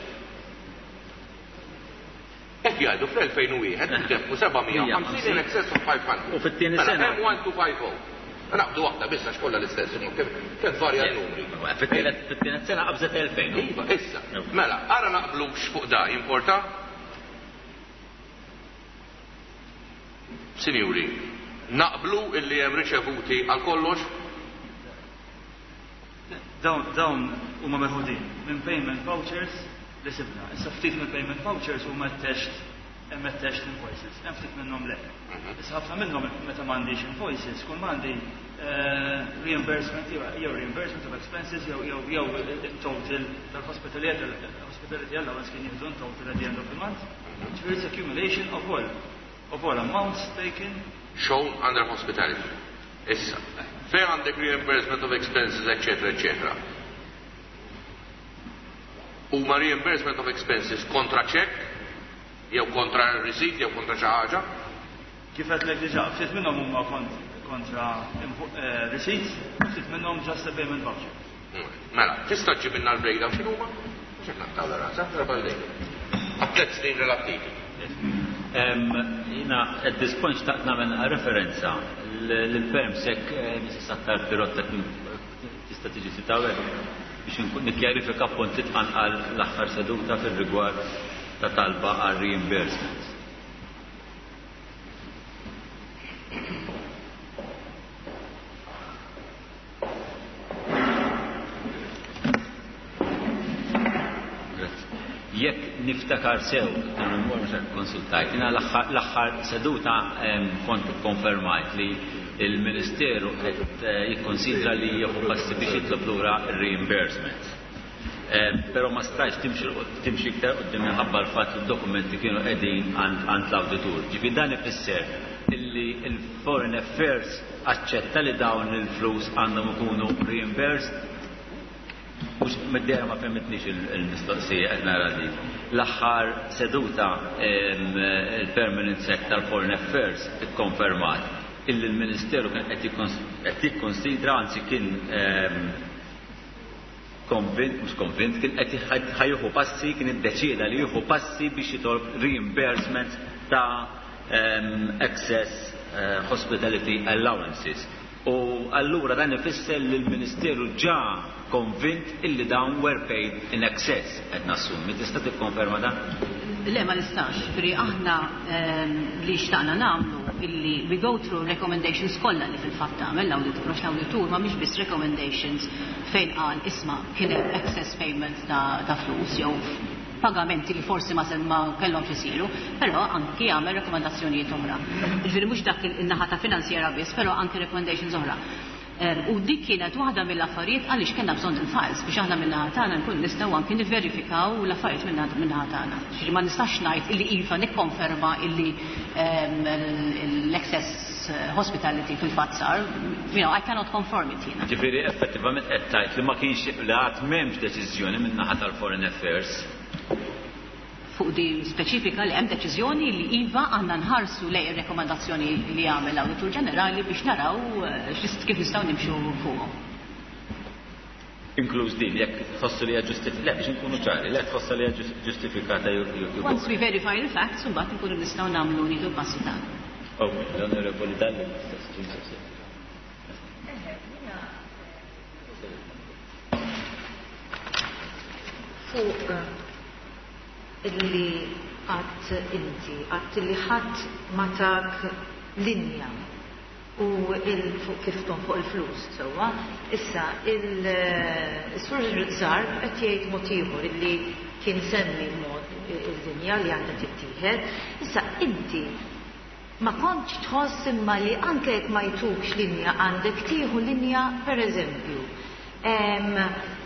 Qed jgħidu fl-elfejn u wieħed intefqu seba' mija u ħamsin in excess of five hundred. U fit-tieni Mela, sena. hemm one two five oh. Naqbdu waħda biss għax kollha l-istess, imma kemm, kemm varja n-numri. Fit-tielet sena qabżet elfejn. Iva, issa. Mela, ara naqblux fuq da, jimporta? Sinjuri, naqblu illi hemm riċevuti għal kollox? Dawn, dawn huma meħudin minn payment vouchers li sibna. Issa ftit minn payment vouchers huma attached, hemm attached invoices, hemm ftit minnhom le. Issa ħafna minnhom meta m'għandix invoices, kull m'għandi, eh, reimbursement jew, jew reimbursement of expenses jew, jew, jew il-total tal-hospitality, hospitality allowance kien jieħdu in total at the end of the month. Ġifieri it's accumulation of all, of all amounts taken shown under hospitality. Issa, fejn għandek reimbursement of expenses, eccetera, eccetera. Huma reimbursement of expenses kontra check, jew kontra receipt, jew kontra xi ħaġa? Kif għedtlek diġà, ftit minnhom huma kont-, kontra invo-, eh, receipts, ftit minnhom just a payment voucher. Mm. Mela, tista' ġġib minna l-breakdown x'inhuma? Mhux qed naqtaw l-rasa, darba l-dejjem. Għat tliet snin relattivi. Em, jina, at this point xtaqt nagħmel referenza l-permsek, eh, Missus Sattar Pirotta tista' tiġi titawel biex nkun nikkjarifika punt li tqanqal l-aħħar seduta fir-rigward ta' talba għal reimbursement. Jekk niftakar sew, konsultajt, jiena l-aħħar, l-aħħar seduta, em, kont ikkonfermajt li il-Ministeru qed, eh, jikkonsidra li jieħu passi biex jitlob lura r-reimbursement. Em, però ma stajtx timxi, timxi iktar quddiem minħabba l-fatt li d-dokumenti kienu qegħdin għand, għand l-awditur. Ġifieri dan ifisser illi il-Foreign Affairs aċċetta li dawn il-flus għandhom ikunu reimbursed. Mux mid-dera ma fehmitnix il-, il-mistoqsija qed nara li. L-aħħar seduta, em, il-Permanent Sec tal-Foreign Affairs ikkonfermat illi l-Ministeru kien qed jikkons-, qed jikkonsidra, anzi kien, em, konvint, mhux konvint, kien qed jħad-, ħajjuħu passi, kien iddeċieda li jieħu passi biex jitolb reimbursement ta', em, excess, eh, hospitality allowances. U allura dan ifisser li l-Ministeru ġa konvint illi dawn were paid in excess, qed nassumi. Tista' tikkonferma dan? Le, ma nistax. Ġifieri aħna, ehm, li xtaqna nagħmlu illi we go through recommendations kollha li fil-fatt tagħmel l-awditur, għax l-awditur ma mhix biss recommendations fejn qal isma' kien hemm excess payments ta', ta' flus jew pagamenti li forsi ma se-, ma kellhomx isiru, però anki jagħmel rekomendazzjonijiet oħra. Ġifieri mhux dak in-naħa ta' finanzjera biss, però anki recommendations oħra. Ehm, u dik kienet waħda mill-affarijiet għaliex kellna bżonn il-files biex aħna min-naħa tagħna nkun nistgħu anki nivverifikaw l-affarijiet min-naħa tagħna. Ġifieri ma nistax ngħid illi iva nikkonferma illi, ehm, l-excess hospitality fil-fatt sar, you know, I cannot confirm it jiena. Ġifieri effettivament qed tgħid li ma kienx li għad m'hemmx deċiżjoni min-naħa tal-Foreign Affairs Fuq di speċifika li hemm deċiżjoni li iva għandna nħarsu lej ir-rekomandazzjoni li għamel l-Awditur Ġenerali biex naraw kif nistgħu nimxu fuqhom. Inkluż din, jekk tħossu li hija ġustifikata, le biex inkunu ċari, le tħossu li hija ġustifikata. Once we verify the facts, imbagħad inkunu nistgħu nagħmlu nieħdu l-passi tagħna. Ok, l-Onorevoli Dalli l-istess mistoqsija. Fuq illi għat inti, għat li ħadd ma tak linja u fuq kif fuq il-flus, sewwa. Issa, il-Sur Zarb qed jgħid mod ieħor illi kien semmi mod il-linja li għandha tittieħed. Issa inti ma kontx tħoss imma li anke jekk ma jtukx linja għandek tieħu linja, per eżempju.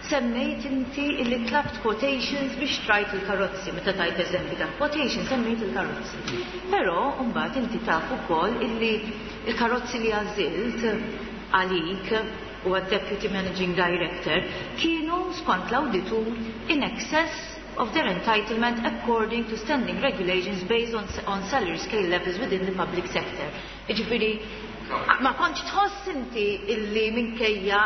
Semmejt inti illi tlabt quotations biex trajt il-karozzi, meta tajt eżempju ta' quotation semmejt il-karozzi. Però mbagħad inti taf ukoll illi il-karozzi li għażilt għalik u għad-Deputy Managing Director kienu skont l-awditur in excess of their entitlement according to standing regulations based on, on salary scale levels within the public sector. Jiġifieri, ma kontx tħoss inti illi minkejja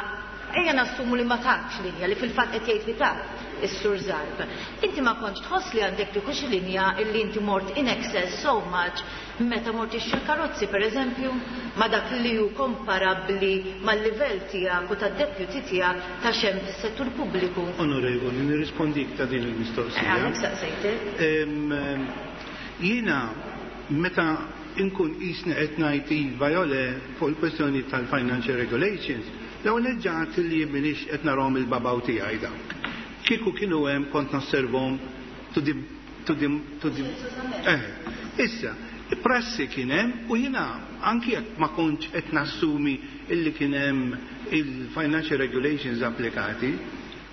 ejja nassumu li ma takx linja li fil-fatt qed jgħid li tak is-Sur Zarb. Inti ma kontx tħoss li għandek tieħu xi linja illi inti mort in excess so much meta mort ixtri karozzi pereżempju ma dak li hu komparabbli mal-livell tiegħek u tad-deputy tiegħek ta' xem fis-settur pubbliku. Onorevoli, nirrispondik ta' din il-mistoqsija. Għalhekk saqsejtek. Jiena meta inkun qisni qed ngħid iva jew le fuq il-kwestjoni tal-financial regulations, l-ewwel ġat li minix qed narahom il-babaw tiegħi dawk. Kieku kienu hemm kont nosservhom to the to the to the eh. Issa, prassi kien hemm u jiena anki jekk ma kontx qed nassumi illi kien hemm il-financial regulations applikati,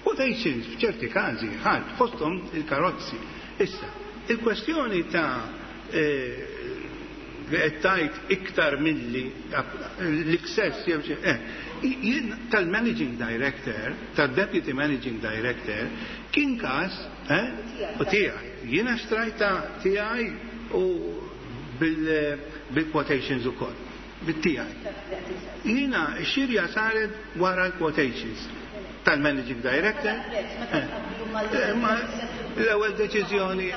quotations f'ċerti każi ħadd fosthom il-karozzi. Issa, il-kwestjoni ta' li qed tgħid iktar milli l-excess jew xi eh, jien tal-managing director, tal-deputy managing director, kien każ eh, u tiegħi. Jiena xtrajta tiegħi u bil-quotations ukoll, bit-tiegħi. Jiena x-xirja saret wara l-quotations tal-managing director. Ma l-ewwel deċiżjoni,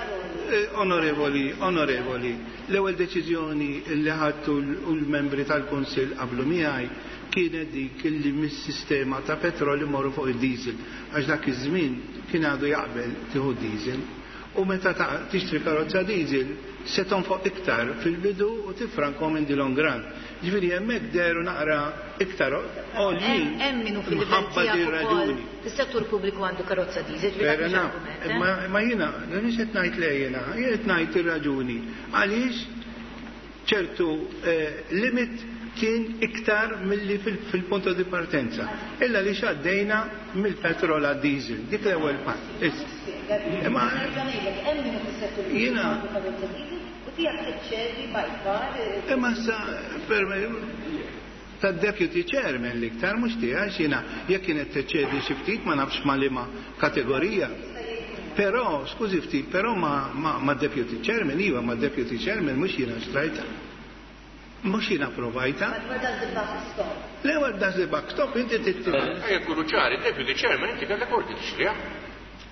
onorevoli, onorevoli, l-ewwel deċiżjoni li ħadtu l-membri tal-Kunsill qablu miegħi kienet dik illi mis-sistema ta' petrol imorru fuq id-diesel, għax dak iż-żmien kien għadu jaqbel tieħu diesel. U meta tixtri karozza diesel se tonfoq iktar fil-bidu u tifrankom in the long run. Ġifieri hemmhekk deru naqra iktar għoljin. Hemm min hu fil-livell tiegħek ukoll fis-settur pubbliku għandu karozza diesel, ġifieri dak mhux argument. Ma jiena, mhix qed ngħid le jiena, jien qed ngħid ir-raġuni. Għaliex ċertu limit kien iktar milli fil-punto di partenza. Illa li xaddejna mill-petrol għad diesel, dik l-ewwel pass. Imma jiena imma sa tad-deputy chairman l-iktar mhux tiegħi jiena jekk kienet teċċedi xi ftit ma nafx ma liema kategorija. Però, skużi ftit, però ma, ma, ma deputy chairman, iva ma deputy chairman mhux jiena xtrajta. Mhux jiena provajta. Le, where does the buck stop? Inti titti. Ejja nkunu ċari, deputy chairman inti kellek ordni tixtriha.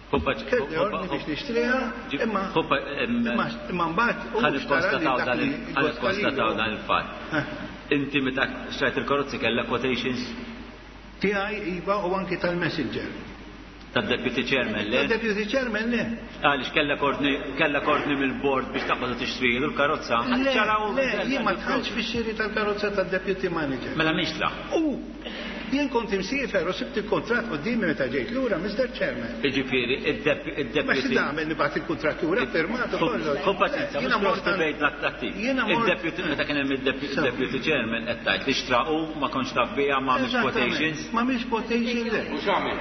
Kelli ordni biex nixtriha, imma imma mbagħad ħa nikkonstataw dan ħa nikkonstataw dan il-fatt. Inti meta xtrajt il-karozzi kellek quotations? Tiegħi iva u anki tal-messenger. Tad-deputy chairman le? Tad-deputy chairman le. Għaliex kellek ordni, kellek ordni mill-board biex taqbad tixtri l-karozza? Le, le, jien ma dħalx fix-xiri tal-karozza tad-deputy manager. Mela mhix tla. U jien kont imsiefer u sibt il-kontratt quddiemi meta ġejt lura, Mister Chairman. Jiġifieri, id-deputy. Ma xi tagħmel nibgħat il-kuntratt lura firmat u kollox. Ħu paċenzja, mhux cross debate l-attiv. Id-deputy meta kien hemm id-deputy chairman qed tgħid li xtra u ma kontx taf biha ma għamilx quotations. Ma għamilx quotation le. U x'għamil?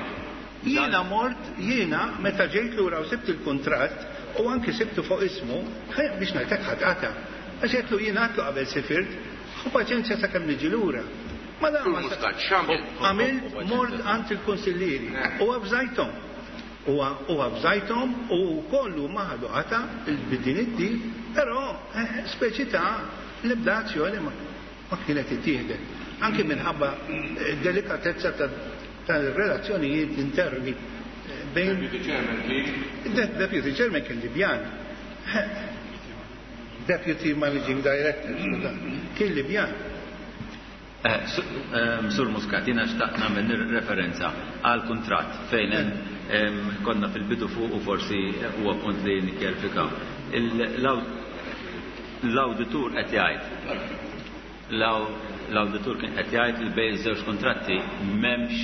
Jiena mort, jiena meta ġejt lura u sibt il-kuntratt u anki sibtu fuq ismu, biex ngħidlek ħadd qata. Għax għedtlu jiena għedtlu qabel sifirt, ħu paċenzja sakemm niġi lura. Ma dan ma Muscat, x'għamil? Għamilt mort għand il-konsillieri u avżajthom. U avżajthom u kollu ma ħadu qata bid-din it-tip, però speċi ta' l-ebda azzjoni ma kienet ittieħdet. Anki minħabba delikatezza tal-relazzjonijiet interni bejn. Deputy Chairman kien? Deputy Chairman kien Libjan. Deputy Managing Director, kien Libjan. Sur Muscat, jiena xtaqt nagħmel referenza għal kuntratt fejn konna fil-bidu fuq u forsi huwa punt li nikkjarifikaw. L-awditur qed jgħid l-awditur kien qed jgħid li bejn iż-żewġ kuntratti m'hemmx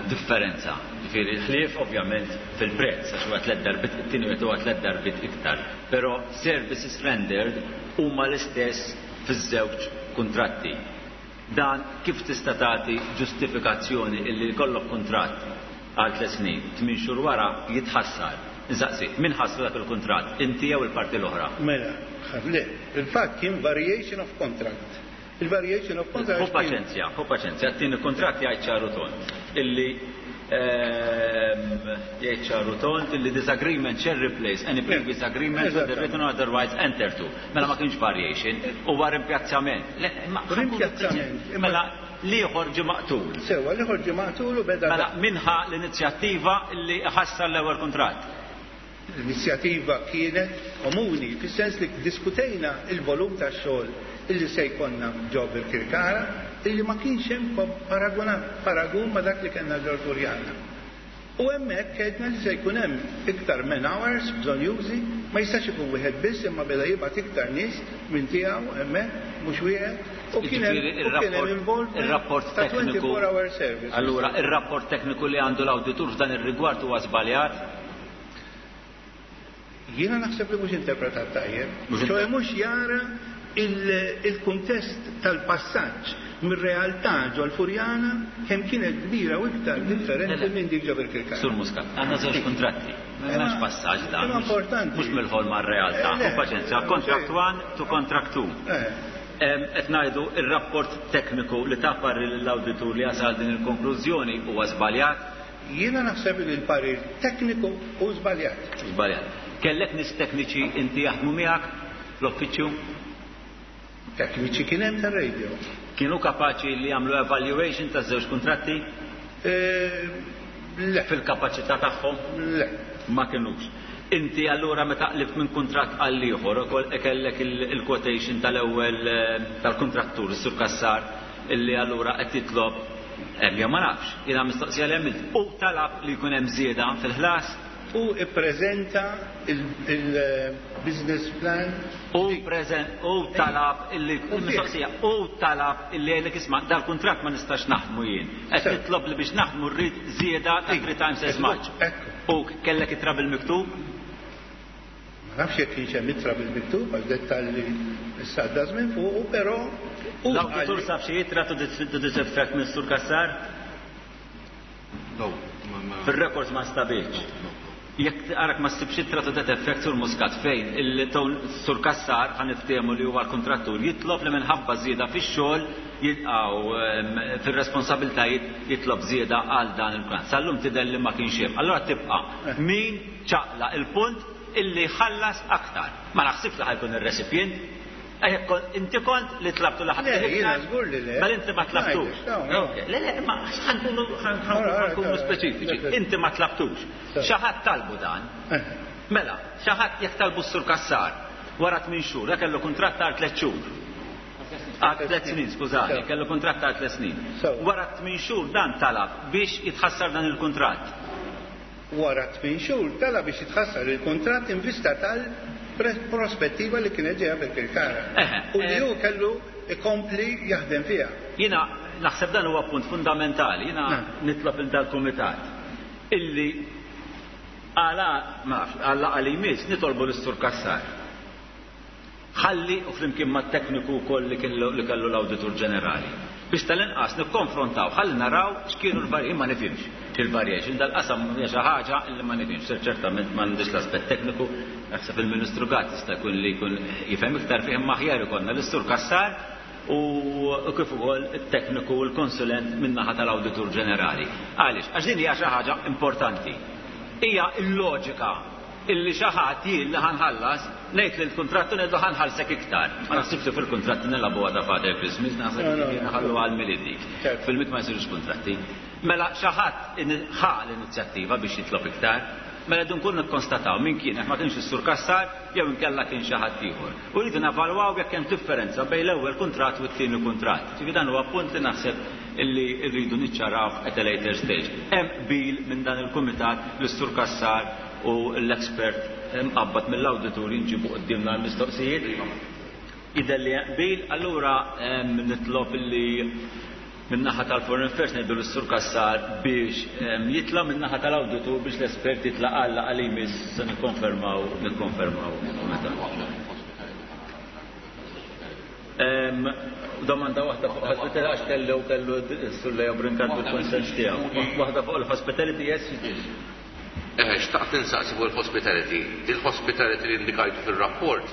differenza. Ġifieri ħlief ovvjament fil-prezz għax huwa tliet darbiet it-tieni wieħed huwa tliet darbiet iktar. Però services rendered huma l-istess fiż-żewġ kuntratti. Dan kif tista' tagħti ġustifikazzjoni illi jkollok kuntratt għal tliet snin, tmien xhur wara jitħassar. Insaqsi, min ħassru dak il-kuntratt? Inti jew il-parti l-oħra? Mela, le, il-fatt kien variation of contract. Il-variation of contract. Hu paċenzja, hu paċenzja, t-tieni kuntratt jgħid ċaru tond illi jgħid ċaru tond illi this agreement shall replace any previous agreement with the written or otherwise entered to. Mela ma kienx variation, huwa rimpiazzament. Rimpiazzament. Mela l-ieħor ġie maqtul. Sewa, l-ieħor ġie maqtul u beda. Mela minħa l-inizjattiva li ħassar l-ewwel kuntratt. L-inizjattiva kienet komuni, fis-sens li diskutejna il-volum tax-xogħol illi se jkollna ġo Birkirkara, illi ma kienx hemm paragun ma dak li kellna ġo Furjana. U hemmhekk għedna li se jkun hemm iktar man hours bżonjużi, ma jistax ikun wieħed biss imma beda jibgħat iktar nies minn tiegħu hemmhekk mhux wieħed. U kien hemm involvement ta' twenty-four hour service. Allura ir-rapport tekniku li għandu l-awditur f'dan ir-rigward huwa żbaljat? Jiena naħseb li mhux interpretat tajjeb. Ċoe mhux jara il-kuntest tal-passaġġ mir-realtà ġol Furjana kemm kienet kbira u iktar differenti minn dik ġo Birkirkara. Sur Muscat, għandna żewġ kuntratti. M'hemmx passaġġ dan. Importanti. Mhux mill-ħolma r-realtà. U paċenzja, contract one to contract two. Qed ngħidu ir-rapport tekniku li ta parir lill-awditur li jasal din il-konklużjoni huwa żbaljat? Jiena naħseb li l-parir tekniku hu żbaljat. Żbaljat. Kellek nies tekniċi inti jaħdmu miegħek fl-uffiċċju? Tekniċi kien hemm tar-radio. Kienu kapaċi li jagħmlu evaluation taż-żewġ kuntratti? Le. Fil-kapaċità tagħhom? Le. Ma kinux. Inti allura meta qlibt minn kuntratt għal ieħor ukoll kellek il-quotation tal-ewwel tal-kuntrattur, is-Sur Cassar, illi allura qed jitlob jew ma nafx, jiena mistoqsija li għamilt u talab li jkun hemm żieda fil-ħlas. U ippreżenta il-business plan. U preżent u talab illi mistoqsija u talab illi għalek isma' dal-kuntratt ma nistax naħdmu jien. Qed titlob li biex naħdmu rrid żieda ta' three times as much. U kellek ittra bil-miktub? Ma nafx jekk kienx hemm ittra bil-miktub għal dettalji issa għadda żmien fuqu, però u L-awditur sab xi ittra to this effect minn Sur Cassar? No. Fir-records ma stabilx. Jekk arak ma ssibx ittra to that effect Sur Muscat fejn il-Sur Cassar ħa niftehmu li huwa l-kontrattur jitlob li minħabba żieda fix-xogħol jilqgħu fir-responsabiltajiet jitlob żieda għal dan il-plan. Sal-lum tidher li ma kienx hemm. Allura tibqa' min ċaqla il-punt illi ħallas aktar. Ma naħsibx li ħajkun ir-recipient. Inti kont li tlabtu li ħadd Le, jiena żgur li le. Mela inti ma tlabtux. Le, le, ma ħankunu ħankunu speċifiċi. Inti ma tlabtux. Xi ħadd talbu dan. Mela, xi ħadd jekk talbu s-Sur Cassar wara tmien xhur, dak kellu kuntratt għal tliet xhur. Għal tliet snin, skużani, kellu kuntratt għal tliet snin. Wara tmien xhur dan talab biex jitħassar dan il-kuntratt. Wara tmien xhur talab biex jitħassar il-kuntratt in vista tal-prospettiva li kienet ġejja Birkirkara. U li hu kellu ikompli jaħdem fiha. Jiena naħseb dan huwa punt fundamentali, jiena nitlob il dal-kumitat illi għala ma nafx, għala għali jmiss nitolbu l-Sur Cassar. Ħalli u flimkien mat-tekniku wkoll li kellu li kellu l-Awditur Ġenerali. Biex tal-inqas nikkonfrontaw, ħalli naraw x'kienu l-varji, ma nifhimx il-variation dal-qasam hija xi ħaġa li ma nifhimx, ċertament m'għandix l-aspett tekniku, naħseb il-Ministru Gatt jista' jkun li jkun jifhem iktar fih imma aħjar ikollna l-Sur Cassar u kif ukoll it-tekniku u l-konsulent min-naħa tal-Awditur Ġenerali. Għaliex? Għax din hija xi ħaġa importanti. Hija l-loġika illi xi ħadd jien li ħanħallas ngħid lil kuntrattu ngħidlu ħanħallsek iktar. Ma naħsibx li fil-kuntratti nilagħbuha ta' Father Christmas, naħseb li nħallu għal Milied dik. Fil-Milied ma jsirux kuntratti. Mela xi ħadd ħa l-inizjattiva biex jitlob iktar. Mela rridu nkunu nikkonstataw min kien, jekk ma kienx is-Sur Cassar jew inkella kien xi ħadd ieħor. U rridu nevalwaw jekk hemm differenza bejn l-ewwel kuntratt u t-tieni kuntratt. Ġifieri dan huwa punt li naħseb illi rridu niċċaraw at a later stage. Hemm qbil minn dan il-kumitat li s-Sur Cassar u l-expert mqabbad mill-awditur jinġibu quddiemna l-mistoqsijiet. Jidher li hemm qbil, allura nitlob illi min-naħa tal-Foreign Affairs ngħidu lis-Sur Cassar biex jitla' min-naħa tal-awditur biex l-espert jitla' għal li jmiss se nikkonfermaw nikkonfermaw meta. Domanda waħda fuq hospitality għax kellu kellu s-Sur Leo Brincat bil-konsens tiegħu. Waħda fuq il-hospitality, yes. Eh, xtaqt insaqsi fuq il-hospitality. Il-hospitality li indikajtu fil-rapport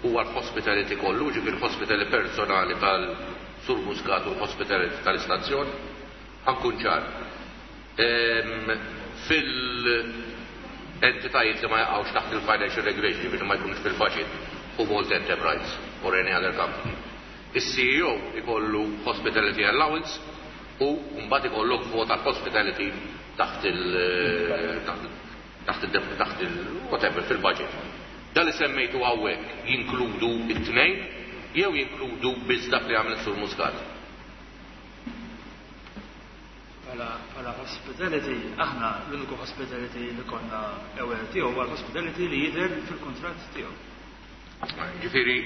huwa l-hospitality kollu, ġifieri il-hospitality personali tal-Sur Muscat u l-hospitality tal-istazzjon. Ħa nkun ċar. Fil-entitajiet li ma jaqgħux taħt il-financial regulation, ġifieri ma jkunux fil-budget, u Malta Enterprise or any other company. Is-C E O ikollu hospitality allowance u mbagħad ikollok vota hospitality taħt il-, taħt il, taħt il, whatever, fil-budget. Dan li semmejtu hawnhekk jinkludu it-tnejn jew jinkludu biss dak li għamel Sur Muscat? Bħala hospitality, aħna l-uniku hospitality li konna aware tiegħu huwa l-hospitality li jidher fil-kuntratt tiegħu. Ġifieri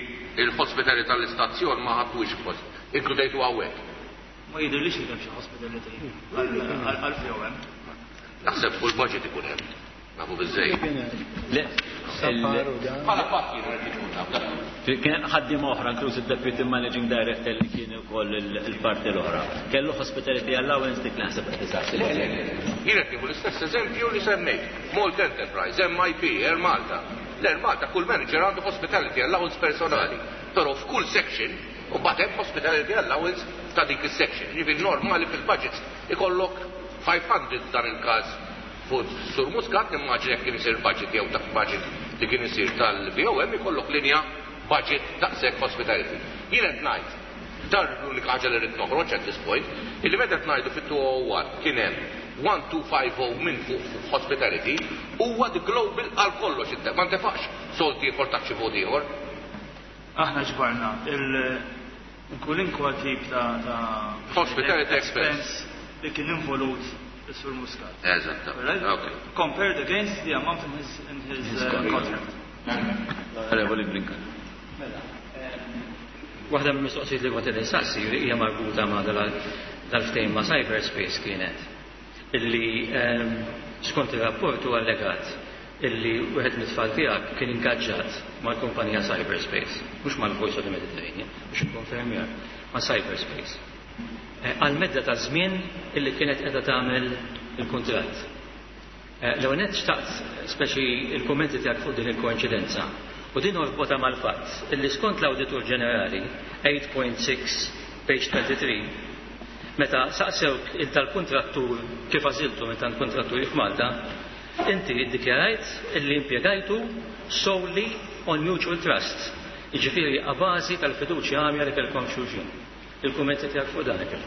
il-hospitality tal-istazzjon ma ħadtux post, inkludejtu hawnhekk. Ma jidhirlix li hemm xi hospitality għal V O M. Naħseb fuq il-budget ikun hemm. Nafu biżejjed. Le, Bħala fatt jien rrid ikun naf dak. Kien hemm ħaddiema oħra, inkluż id-Deputy Managing Director li kien ukoll il-parti l-oħra. Kellu hospitality allowance dik naħseb qed tisaqsi. Le, le, le. Jien qed nieħu l-istess eżempju li semmejt. Malta Enterprise, M I P, Air Malta. L-Air Malta kull manager għandu hospitality allowance personali. Però f'kull section u mbagħad hemm hospitality allowance ta' dik is-section. Ġifieri normali fil-budgets ikollok five hundred dan il-każ fuq Sur Muscat, nimmaġina jekk kien isir budget jew ta' budget li kien isir tal-V O M ikollok linja budget daqshekk hospitality. Jien qed ngħid, dan l-unika ħaġa li rrid noħroġ at this point, illi meta qed ngħidu fit-two oh one kien hemm one two five oh minn fuq hospitality huwa the global għal kollox, ma ntefaqx sold ieħor taħt xi vot ieħor. Aħna ġbarna il-kulinkwa tip ta', ta' hospitality expense li kien involut is-Sur Muscat. Eżatt. Right? Okay. Compared against the amount in his, in his, His uh, contract. contract. Onorevoli Brincat. Mela, waħda mill-mistoqsijiet li kont qed insaqsi hija marbuta ma' dal-ftehim ma' cyberspace kienet illi, ehm, skont ir-rapport huwa allegat illi wieħed mit-tfal tiegħek kien ingaġġat mal-kumpanija Cyberspace, mhux mal-Voice of the Mediterranean, biex ikkonfermjar, ma' Cyberspace. Eh, għal medda ta' żmien illi kienet qiegħda tagħmel il-kuntratt. Eh, l-ewwel nett xtaqt speċi il-kummenti tiegħek fuq din il-koinċidenza. U din orbota mal-fatt illi skont l-Awditur Ġenerali eight point six page twenty-three meta saqsewk il-tal-kontrattur kif għażiltu minn tal-kontratturi f'Malta, inti ddikjarajt illi impjegajtu solely on mutual trust, jiġifieri a bażi tal-fiduċja għamja li kellkom xulxin. Il-kummenti tiegħek fuq dan kif?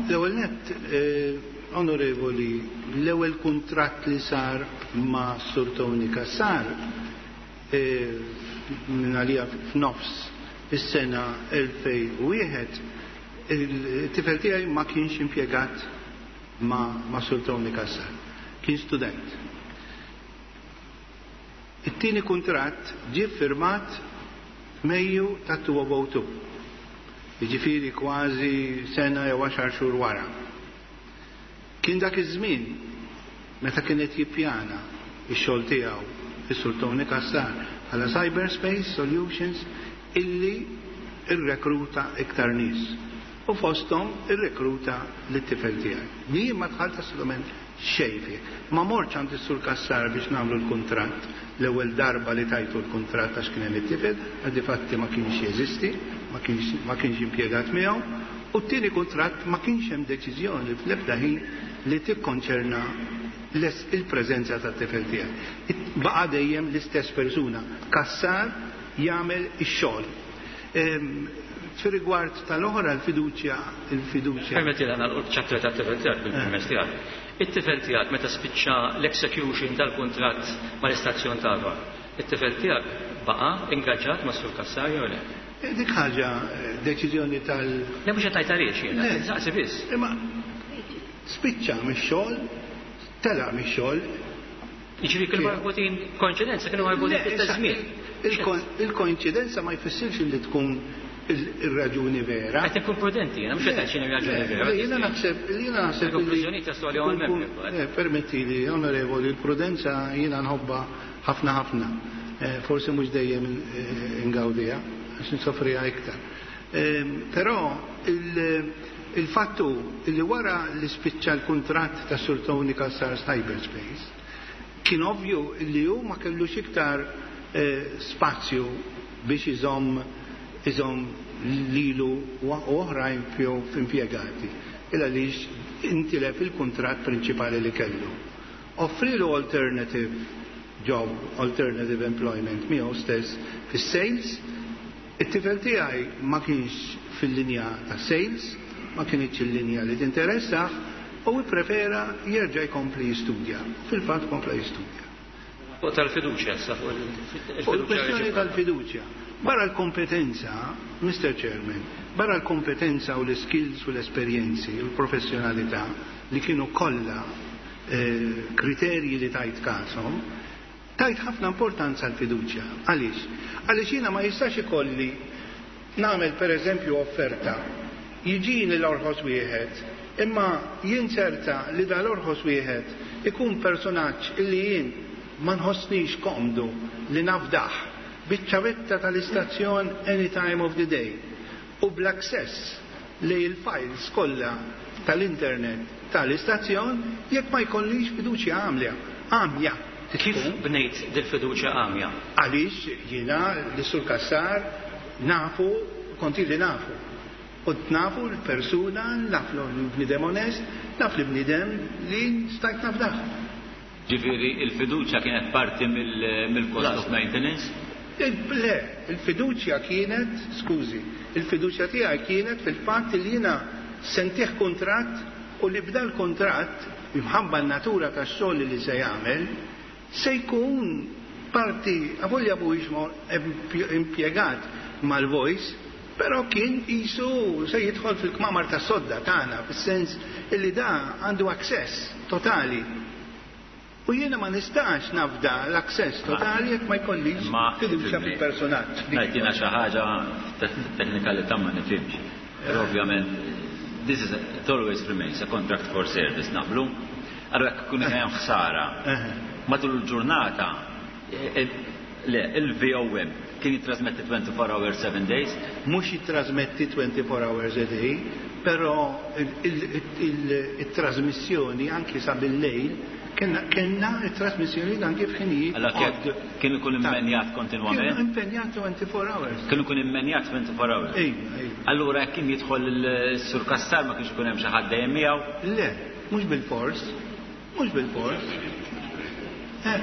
L-ewwel nett, eh, onorevoli, l-ewwel kuntratt li sar ma' Sur Tony Cassar, eh, minn għalija f'nofs is-sena elfejn u wieħed, il-tifel tiegħi ma kienx impjegat ma', ma' Sur Tony Cassar, kien student. It-tieni kuntratt ġie firmat Mejju ta' two oh two. Jiġifieri kważi sena jew għaxar xhur wara. Kien dak iż-żmien meta kien qed jippjana x-xogħol tiegħu is-Sur Tony Cassar bħala Cyberspace Solutions illi irrekruta iktar nies. U fosthom irrekruta lit-tifel tiegħi. Li jien ma dħalt assolutament xejn fih. Ma mortx għand is-Sur Cassar biex nagħmlu l-kuntratt l-ewwel darba li tajtu l-kuntratt għax kien hemm it-tifel, għal difatti ma kienx jeżisti ma kienx ma kienx impjegat miegħu, u t-tieni kuntratt ma kienx hemm deċiżjoni fl-ebda ħin li tikkonċerna il-preżenza tat-tifel tiegħi. Baqa' dejjem l-istess persuna, Cassar jagħmel ix-xogħol. Fir-rigward tal-oħra l-fiduċja, il-fiduċja. Permetti li nagħlqu ċ-chapter tat-tifel tiegħek bil-permess tiegħek. It-tifel tiegħek meta spiċċa l-execution tal-kuntratt mal-istazzjon tagħha, it-tifel tiegħek baqa' ingaġġat ma' Sur Cassar jew le? Dik ħaġa deċiżjoni tal. Le mhux qed tgħid għaliex jiena, saqsi biss. Imma spiċċa mix-xogħol, telaq mix-xogħol. Jiġifieri kienu marbutin koinċidenza, kienu marbutin fl-istess żmien. Il-koinċidenza ma jfissirx li tkun il-raġuni vera. Qed inkun prudenti, jiena mhux qed ngħid x'inhi raġuni vera. Jiena naħseb, jiena naħseb. Il-konklużjoni taslu għalihom il-membri. Permettili, onorevoli, il-prudenza jiena nħobbha ħafna ħafna. Forsi mhux dejjem ingawdiha, għax nsofriha iktar. Però il-fattu li wara li spiċċa l-kuntratt ta' Sur Tony Cassar Cyberspace, kien ovvju li hu ma kellux iktar spazju biex iżomm iżomm lilu u oħrajn f'impjegati. Illa għaliex intilef il-kuntratt prinċipali li kellu. Offrilu alternative job, alternative employment miegħu stess fis-sales. It-tifel tiegħi ma kienx fil-linja ta' sales, ma kienx il-linja li tinteressah, u prefera jerġa' jkompli jistudja. Fil-fatt kompla jistudja. Fuq tal-fiduċja, issa fuq il-fiduċja. Fuq il-kwestjoni tal-fiduċja. Barra l-kompetenza, Mister Chairman, barra l-kompetenza u l-skills u l-esperjenzi u l-professjonalità li kienu kollha eh, kriterji li tajt kasom, tajt ħafna importanza l-fiduċja. Għaliex? Għaliex jiena ma jistax ikolli nagħmel pereżempju offerta, jiġini l-orħos wieħed, imma jinċerta li dal-orħos wieħed ikun personaġġ illi jien ma nħossnix komdu li nafdaħ biċ-ċavetta tal-istazzjon any time of the day u bl-access li l-files kollha tal-internet tal-istazzjon jekk ma jkollix fiduċja għamlja. Għamja. Kif bnejt dil-fiduċja għamja? Għaliex jiena l-Sur Cassar nafu, konti li nafu. U nafu l-persuna, naf l-bnidem onest, naf l-bnidem li stajt nafdaħ. Ġifieri il-fiduċja kienet parti mill-cost of maintenance? Le, il-fiduċja kienet, skużi, il-fiduċja tiegħi kienet fil-fatt li jiena sentih kuntratt u li bda l-kuntratt imħabba n-natura tax-xogħol li se jagħmel se jkun parti, avolja mhuwiex impjegat mal-Voice, però kien qisu se jidħol fil-kmamar tas-sodda tagħna, fis-sens illi da għandu access totali. U jiena ma nistax nafda l-access totali jekk ma jkollix fiduċja fil-personaġġ. Ngħid jiena xi ħaġa teknikalità ma nifhimx. Però ovvjament this is a, it always remains a contract for service, naqblu. Allora jekk ikun hemm ħsara matul il-ġurnata, le, il-V O M kien jitrasmetti twenty-four hours, seven days? Mhux jitrasmetti twenty-four hours a day, però il-trasmissjoni anki sa bil-lejl Kenna, kenna il-trasmissjoni anki f'ħinijiet. Allora kien, kien ikun impenjat kontinwament? Kien impenjat twenty-four hours. Kien ikun impenjat twenty-four hours. Ejja, ejja. Allura jekk kien jidħol il-Sur Cassar ma kienx ikun hemm xi ħadd dejjem miegħu? Le, mhux bil-fors. Mhux bil-fors. Eh,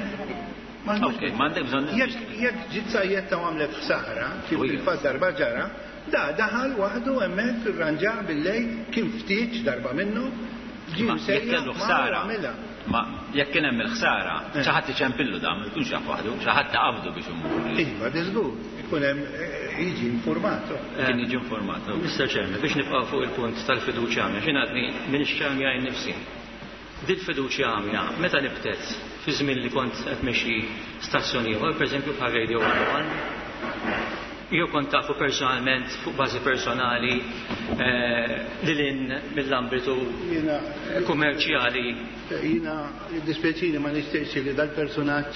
ma Ok, ma għandek bżonn Jekk, jekk ġiet sajjetta u għamlet ħsara, kif Ujja. fil-fatt darba ġara, da daħal waħdu hemmhekk irranġa bil-lejl, kien ftit darba minnu, ġie Ma jekk msejjaħ kellu ma ħsara, għamilha. Ma jekk kien hemm il-ħsara, Eh. xi ħadd iċempillu da, ma jkunx jaf waħdu, xi ħadd taqabdu biex imur. Iva, diżgur, ikun hemm, eh, jiġi informat. Kien jiġi informat. Mister Chairman, biex nibqa' fuq il-punt tal-fiduċja għamja, xi ngħadni minn x'għamja jien nifsi. Dil-fiduċja għamja, meta nibtet fi żmien li kont qed mexxi stazzjon ieħor, pereżempju bħal Radio one oh one, jew kont tafu personalment fuq bażi personali, eh, lil hinn mill-ambitu Jiena, kummerċjali. Jiena dispjaċini ma nixtieqx li dal-personaġġ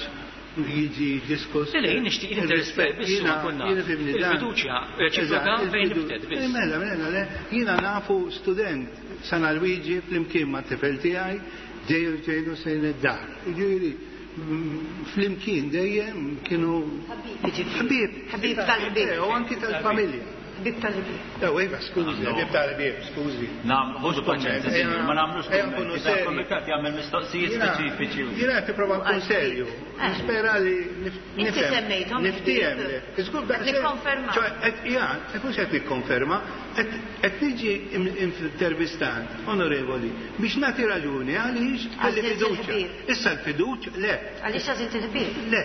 jiġi diskuss. Le, le, jien nixtieq interess biss Jiena, ma konna. jiena fimni dan. Il-fiduċja reċiproka Eżatt, fejn il-fidu- nibtet biss. Eh, mela, mela, le, jiena nafu student San Alwiġi flimkien ma' tifel tiegħi dejjem ġejnu sejn id-dar. Jiġifieri, mm, flimkien dejjem kienu Ħabib, ħabib. Ħabib tal-ħbieb. Eh, u anki tal-familja. Ħbieb tal-ħbieb. Ew, iva, skużi, ħbieb tal-ħbieb, skużi. Nam, ħudu paċenzja, sinjur, ma nagħmlux kummenti. Dan kumitat jagħmel mistoqsijiet speċifiċi. Jiena qed nipprova nkun serju. Nispera li Inti nifhem. semmejthom Niftiehem. il-ħbieb. Żgur Qed nikkonferma. ċoè, qed jgħan, qed mhux qed nikkonferma, qed qed niġi intervistat, onorevoli, biex nagħti raġuni għaliex kelli Għażilt fiduċja. il-ħbieb. Issa l-fiduċja, le. Għaliex għażilt il-ħbieb? Le,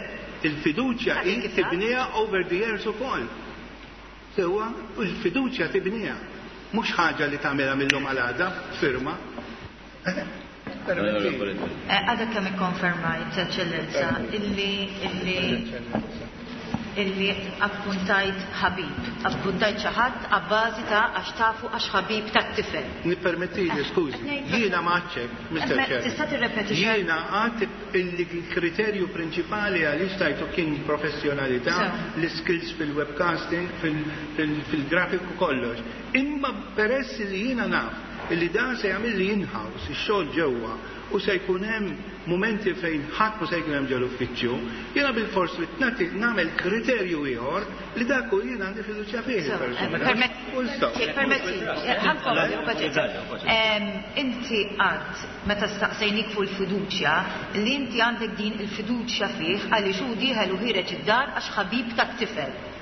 il-fiduċja Għaliex hi kif għad? tibniha over the years ukoll. Sewwa, u l-fiduċja tibniha. Mhux ħaġa li tagħmilha mill-lum għal għada, firma. Onorevoli. Eh, Għadha kemm ikkonfermajt, Eċċellenza, illi illi illi appuntajt ħabib, appuntajt xi ħadd abbażi ta' għax tafu għax ħabib tat-tifel. Nippermettili, skużi, jiena ma għadx, Mister Eh, Chair. Tista' tirrepeti xi? Jiena għad illi l-kriterju prinċipali għaliex tajtu kien professjonalità, So. l-skills fil-webcasting, fil-grafiku kollox. Imma peress li jiena naf illi dan se jagħmel li in-house, ix-xogħol ġewwa, u se jkun hemm momenti fejn ħadd ma se jkun hemm ġol-uffiċċju, jiena bil-fors li nagħti nagħmel kriterju ieħor li dak hu jiena għandi fiduċja fih So, il-persuna. permet- Full stop. Permetti, ħa nkompli, paċenzja. Em, Inti għad, meta staqsejnik fuq il-fiduċja, li inti għandek din il-fiduċja fih għaliex hu dieħel u ħiereġ id-dar għax ħabib tat-tifel.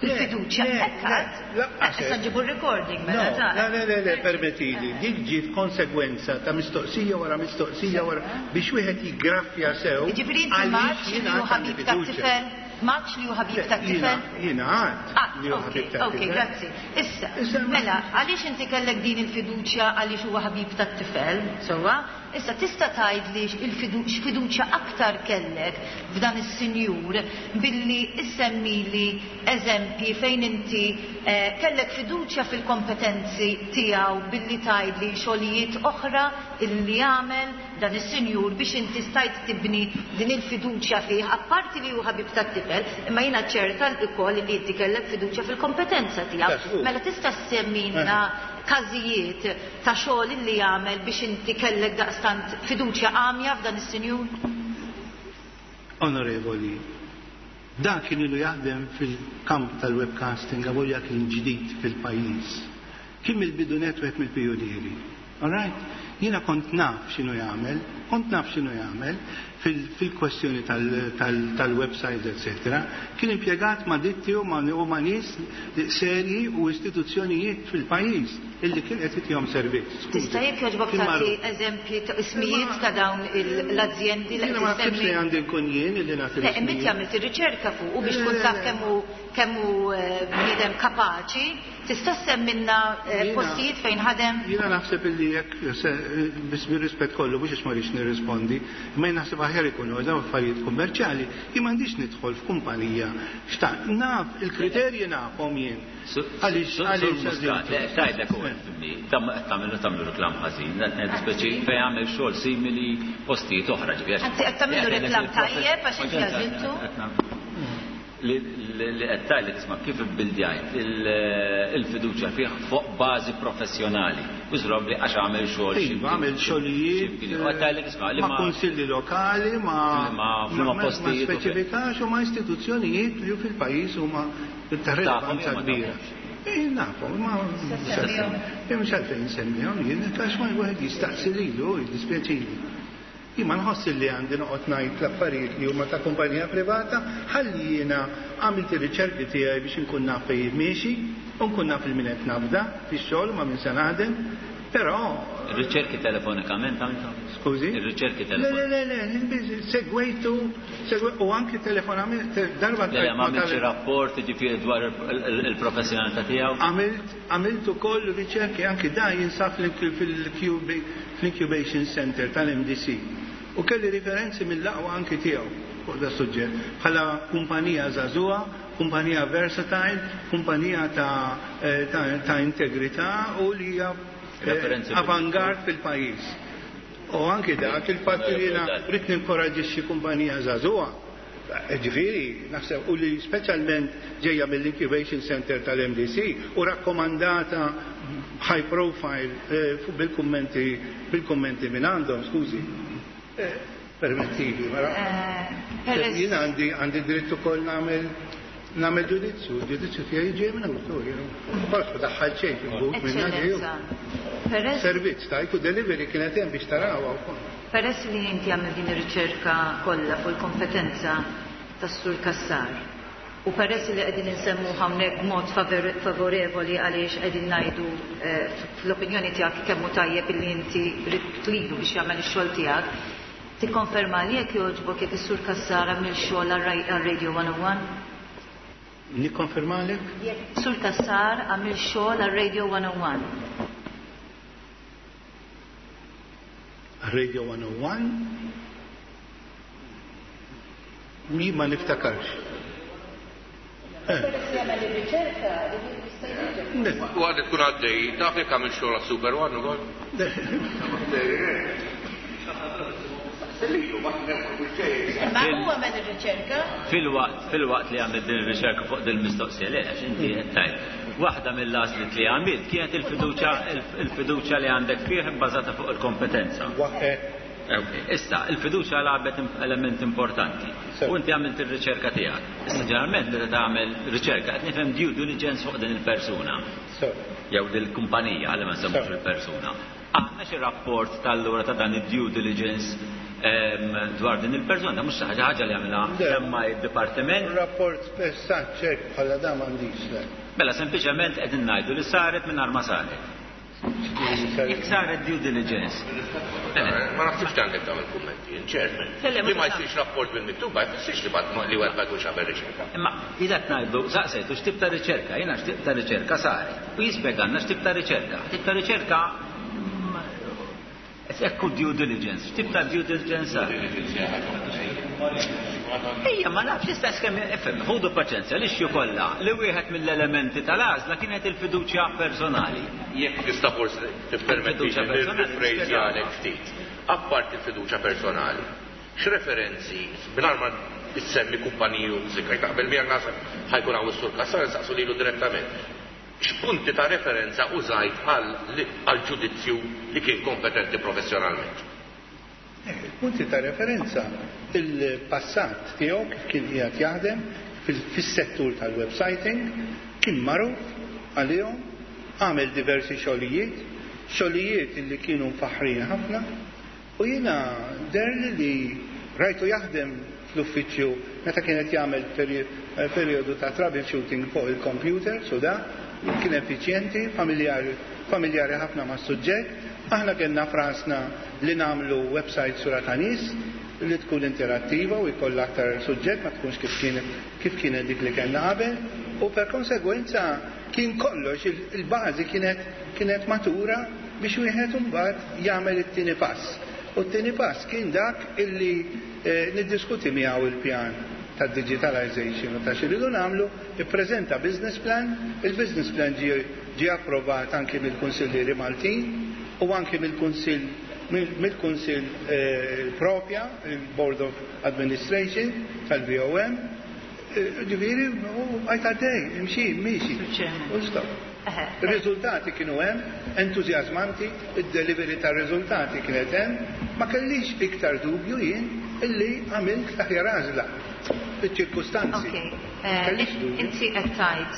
Il-fiduċja, Le, hekk le, għad. lanqas Issa hekk. nġibu r-recording mela No, ta' le, le, le, le, permettili, dik ġiet konsegwenza ta' mistoqsija wara mistoqsija wara biex wieħed jiggraffja sew. Ġifieri inti għaliex m'għadx li jiena hu għad għandi ħabib fiduċja. tat-tifel, m'għadx li hu ħabib tat-tifel. Jiena jiena għad Ah, li hu ok, ħabib ok, tat-tifel. grazzi. Issa, Issa, ma- mela, għaliex inti kellek din il-fiduċja għaliex huwa ħabib tat-tifel, sewwa? Issa tista' tgħidli il-fidu- x'fiduċja aktar kellek f'dan is-sinjur billi issemmili eżempji fejn inti eh, kellek fiduċja fil-kompetenzi tiegħu billi tgħidli xogħlijiet oħra illi jagħmel dan is-sinjur biex inti stajt tibni din il-fiduċja fih, apparti li hu ħabib tat-tifel, imma jiena ċerta ukoll li inti kellek fiduċja fil-kompetenza tiegħu. Tas-hu. Mela tista' semmilna każijiet ta' xogħol li jagħmel biex inti kellek daqstant fiduċja għamja f'dan is-sinjur? Onorevoli, dan kien ilu jaħdem fil-kamp tal-webcasting avolja kien ġdid fil-pajjiż. Kien mill-bidu net wieħed mill-pijunieri. All right? Jiena kont naf x'inhu jagħmel, kont naf x'inhu jagħmel fil- fil-kwestjoni tal-website, eccetera. Kien impjegat ma' ditti u ma' u ma' nies serji u istituzzjonijiet fil-pajjiż illi kien qed itihom servizz. Skużi. Tista' jekk jogħġbok Kien tagħti magħruf. eżempji ta' ismijiet ta' dawn il- l-azjendi li Jiena qed ma naħsibx li issemmi? għandi nkun jien illi nagħti Le, imma inti l-ismijiet. għamilt ir-riċerka fuq u biex Le, tkun le, taf le. kemm hu kemm hu eh, bniedem kapaċi, tista' semmilna eh, Jiena- postijiet fejn ħadem? Jiena naħseb illi jekk se- biss bir-rispett kollu mhux għax ma rridx nirrispondi, imma jien naħseb aħjar ikunu dawn affarijiet kummerċjali, jien m'għandix nidħol f'kumpanija. Xta' naf il-kriterji nafhom jien. Għaliex għaliex Muscat, le, tgħidlek u tagħmlu tagħmlu reklam ħażin, qed ngħidu speċi fejn jagħmel xogħol simili postijiet oħra ġifieri. Anzi, qed tagħmlu reklam tajjeb għax inti għażiltu. Li li qed tgħidlek isma' kif ibbildjajt il-fiduċja fih fuq bażi professjonali. Użrob li għax għamel xogħol xi Iva, għamel xogħlijiet xi U qed tgħidlek isma' li ma' ma kunsilli lokali, ma' Ma- ma' ma postijiet u speċifikax u ma' istituzzjonijiet li fil-pajjiż huma ta' rilevanza Tafhom jew ma kbira. tafhomx? Eh, nafhom, ma semmihom. mhux għalfejn nsemmihom jien, għax ma wieħed jistaqsi lilu, jiddispjaċini. Jien ma nħoss li għandi noqgħod ngħid l-affarijiet li huma ta' kumpanija privata, ħalli jiena għamilt ir-riċerki tiegħi biex inkun naf fejn miexi, u nkun naf il min qed nafda fix-xogħol ma' min se naħdem, però Ir-riċerki telefonikament għamilthom? Skużi? Ir-riċerki Le, le, telefonikament. le, le, segwejtu, segwe- u anki telefonament, darba Le, le, ma ma għamilx tal- rapport ġifieri dwar il- il- il-professjonalità tiegħu. Għamilt, għamilt ukoll riċerki anki da jinsab fl-Incubation Center tal-M D C. U kelli riferenzi mill-aqwa anki tiegħu fuq da suġġett. Bħala kumpanija żagħżugħa, kumpanija versatile, kumpanija ta', eh, ta, ta integrità u li hija eh, Referenzi avangard fil-pajjiż. U anki dak il-fatt li jiena rrid ninkoraġixxi kumpanija żagħżugħa. Ġifieri, naħseb, u li speċjalment ġejja mill-Incubation Center tal-M D C u rakkomandata high profile eh, fu- bil-kummenti bil-kummenti minn għandhom, skużi. Eh, Permettili, mara. Eh, Peress Jien għandi għandi dritt ukoll nagħmel Nagħmel ġudizzju, ġudizzju tiegħi ġej minn awtur, Forsi ma daħħal xejn fil-but minna ġej. Servizz tajtu delivery kienet hemm biex tarawha wkoll. Peress li inti għamil din ir-riċerka kollha fuq il-kompetenza tas-Sur Cassar u peress li qegħdin insemmu hawnhekk b'mod favorevoli għaliex qegħdin ngħidu fl-opinjoni tiegħek kemm hu tajjeb illi inti ridt lilu biex jagħmel ix-xogħol tiegħek, tikkonferma li jekk jogħġbok jekk is-Sur Cassar għamel xogħol għal-Radio one oh one? Nikkonfermalek? Jekk Sur Cassar għamel xogħol għal-Radio one oh one. Radio one oh one? Mi ma niftakarx. U għadek tkun għaddej, taf jekk għamil xogħol għas-Super One ukoll? Ma huwa għamel ir-riċerka? Fil-waqt, fil-waqt li għamil din ir-riċerka fuq din il-mistoqsija, le, għax inti qed tgħid. Waħda mill-għażliet li għamilt kienet il-fiduċja, il-fiduċja li għandek fih bbażata fuq il-kompetenza. Issa, il-fiduċja lagħbet element importanti. U inti għamilt ir-riċerka tiegħek. Issa ġeneralment meta tagħmel riċerka qed nifhem due diligence fuq din il-persuna. Jew din il-kumpanija għalli ma nsemmux il-persuna. Aħna xi rapport tal-lura ta' dan id-due diligence dwar din il-persuna, mhux xi ħaġa li għamilha semma id-dipartiment. Rapport spessat ċert bħala da m'għandix le. Mela sempliċement qed ngħidu li saret mingħajr ma saret. Jekk saret due diligence. Ma naħsibx li għandek tagħmel kummenti, chairman. Li ma jsirx rapport bil-miktub ma jfissirx li li wieħed ma jkunx għamel riċerka. Imma ilha ngħidu saqsejtu x'tip ta' riċerka, jiena x'tip ta' riċerka saret. U jispjegalna x'tip ta' riċerka. Tip ta' riċerka ekku due diligence, x'tip ta' due diligence saret. Ejja, ma nafx l-istess kemm ifhem, ħudu paċenzja li xju kollha li wieħed mill-elementi tal-għażla kienet il-fiduċja personali. Jekk tista' forsi tippermetti nirrifrejżjalek ftit. Apparti il-fiduċja personali, x'referenzi mingħajr ma issemmi kumpaniji u zikra taqbel miegħek naħseb ħajkun hawn is-Sur Cassar nsaqsu lilu direttament. X'punti ta' referenza użajt għal ġudizzju li kien kompetenti professjonalment? Punti ta' referenza il-passat tiegħu kif kien qiegħed jaħdem fis-settur tal-websiting, kien magħruf għalihom, għamel diversi xogħlijiet, xogħlijiet li kienu mfaħħrin ħafna, u jiena derli li rajtu jaħdem fl-uffiċċju meta kienet jagħmel perjodu ta' troubleshooting fuq il-computer, su da, kien effiċjenti, familjari, familjari ħafna mas-suġġett. Aħna kellna frasna li nagħmlu website sura ta' nies li tkun interattiva u jkollha aktar suġġett ma tkunx kif kien kif kienet dik li kellna qabel, u per konsegwenza kien kollox il-bażi kienet kienet matura biex wieħed imbagħad jagħmel it-tieni pass. U t-tieni pass kien dak illi niddiskuti miegħu il-pjan ta' digitalization u ta' xi rridu nagħmlu, ippreżenta business plan, il-business plan ġie approvat anki mill-Kunsillieri Maltin u anki mill-Kunsill mill-Kunsill propja, il-Board of Administration tal-B O M, ġifieri u għajt għaddej, imxi, miexi. U stop. Ir-riżultati kienu hemm, entużjażmanti, id-delivery tar-riżultati kienet hemm, ma kellix iktar dubju jien illi għamilt l-aħjar għażla fiċ-ċirkustanzi. Kellix dubju. Inti qed tgħid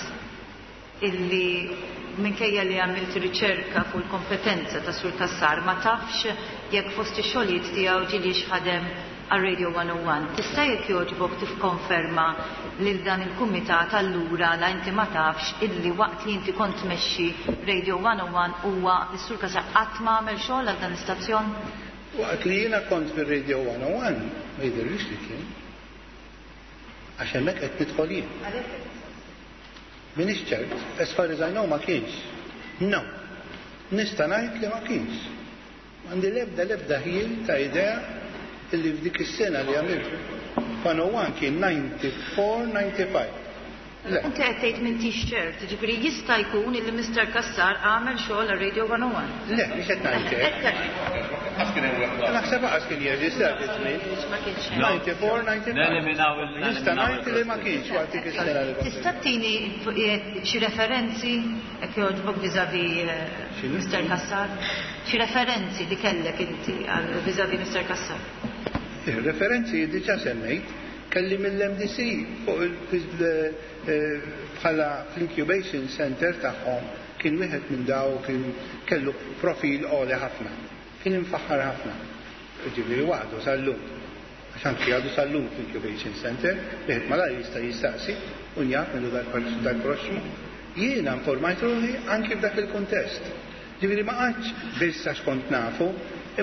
illi minkejja li għamilt riċerka fuq il-kompetenza ta' Sur Cassar ma tafx jekk fost ix-xogħlijiet tiegħu ġiliex ħadem għal Radio one oh one. Tista' jekk jogħġbok tifkonferma lil dan il-kumitat allura la inti ma tafx illi waqt li inti kont tmexxi Radio one oh one huwa s-Sur Cassar qatt ma għamel xogħol għal dan l-istazzjon? Waqt li jiena kont fir-Radio one oh one ma jidhirlix li kien. Għax hemmhekk qed nidħol jien. Minix ċert, as far as I know ma kienx. No. Nista' ngħid li ma kienx. Għandi l-ebda l-ebda ħjiel ta' idea illi f'dik is-sena li għamilt one oh one kien ninety-four, ninety-five. Le. Inti qed tgħid m'intix ċert, jiġifieri jista' jkun illi Mister Cassar għamel xogħol għal Radio one oh one. Le, mhux qed ngħid hekk. Naħseb qas kien jeżisti dak iż-żmien. Ma kienx. ninety-four, ninety-five. Neliminaw il- Nista' ngħid li ma kienx waqt dik is-sena li kont. Tista' tini xi referenzi jekk jogħġbok vis-à-vis X'inhu? Mister Cassar? Xi referenzi li kellek inti għal vis-à-vis Mister Cassar? Ir-referenzi diġà semmejt, Kelli mill-M D C fuq eh, bħala fl-incubation center tagħhom, kien wieħed minn daw, kien kellu profil għoli ħafna. Kien imfaħħar ħafna. Ġifieri waħdu sal-lum. Għax anki għadu sal-lum fl-incubation center, wieħed malajr jista' jistaqsi u njaf minnu dal-proxmu. Jiena informajt ruħi anki f'dak il-kuntest. Ġifieri ma qgħadx biss għax kont nafu,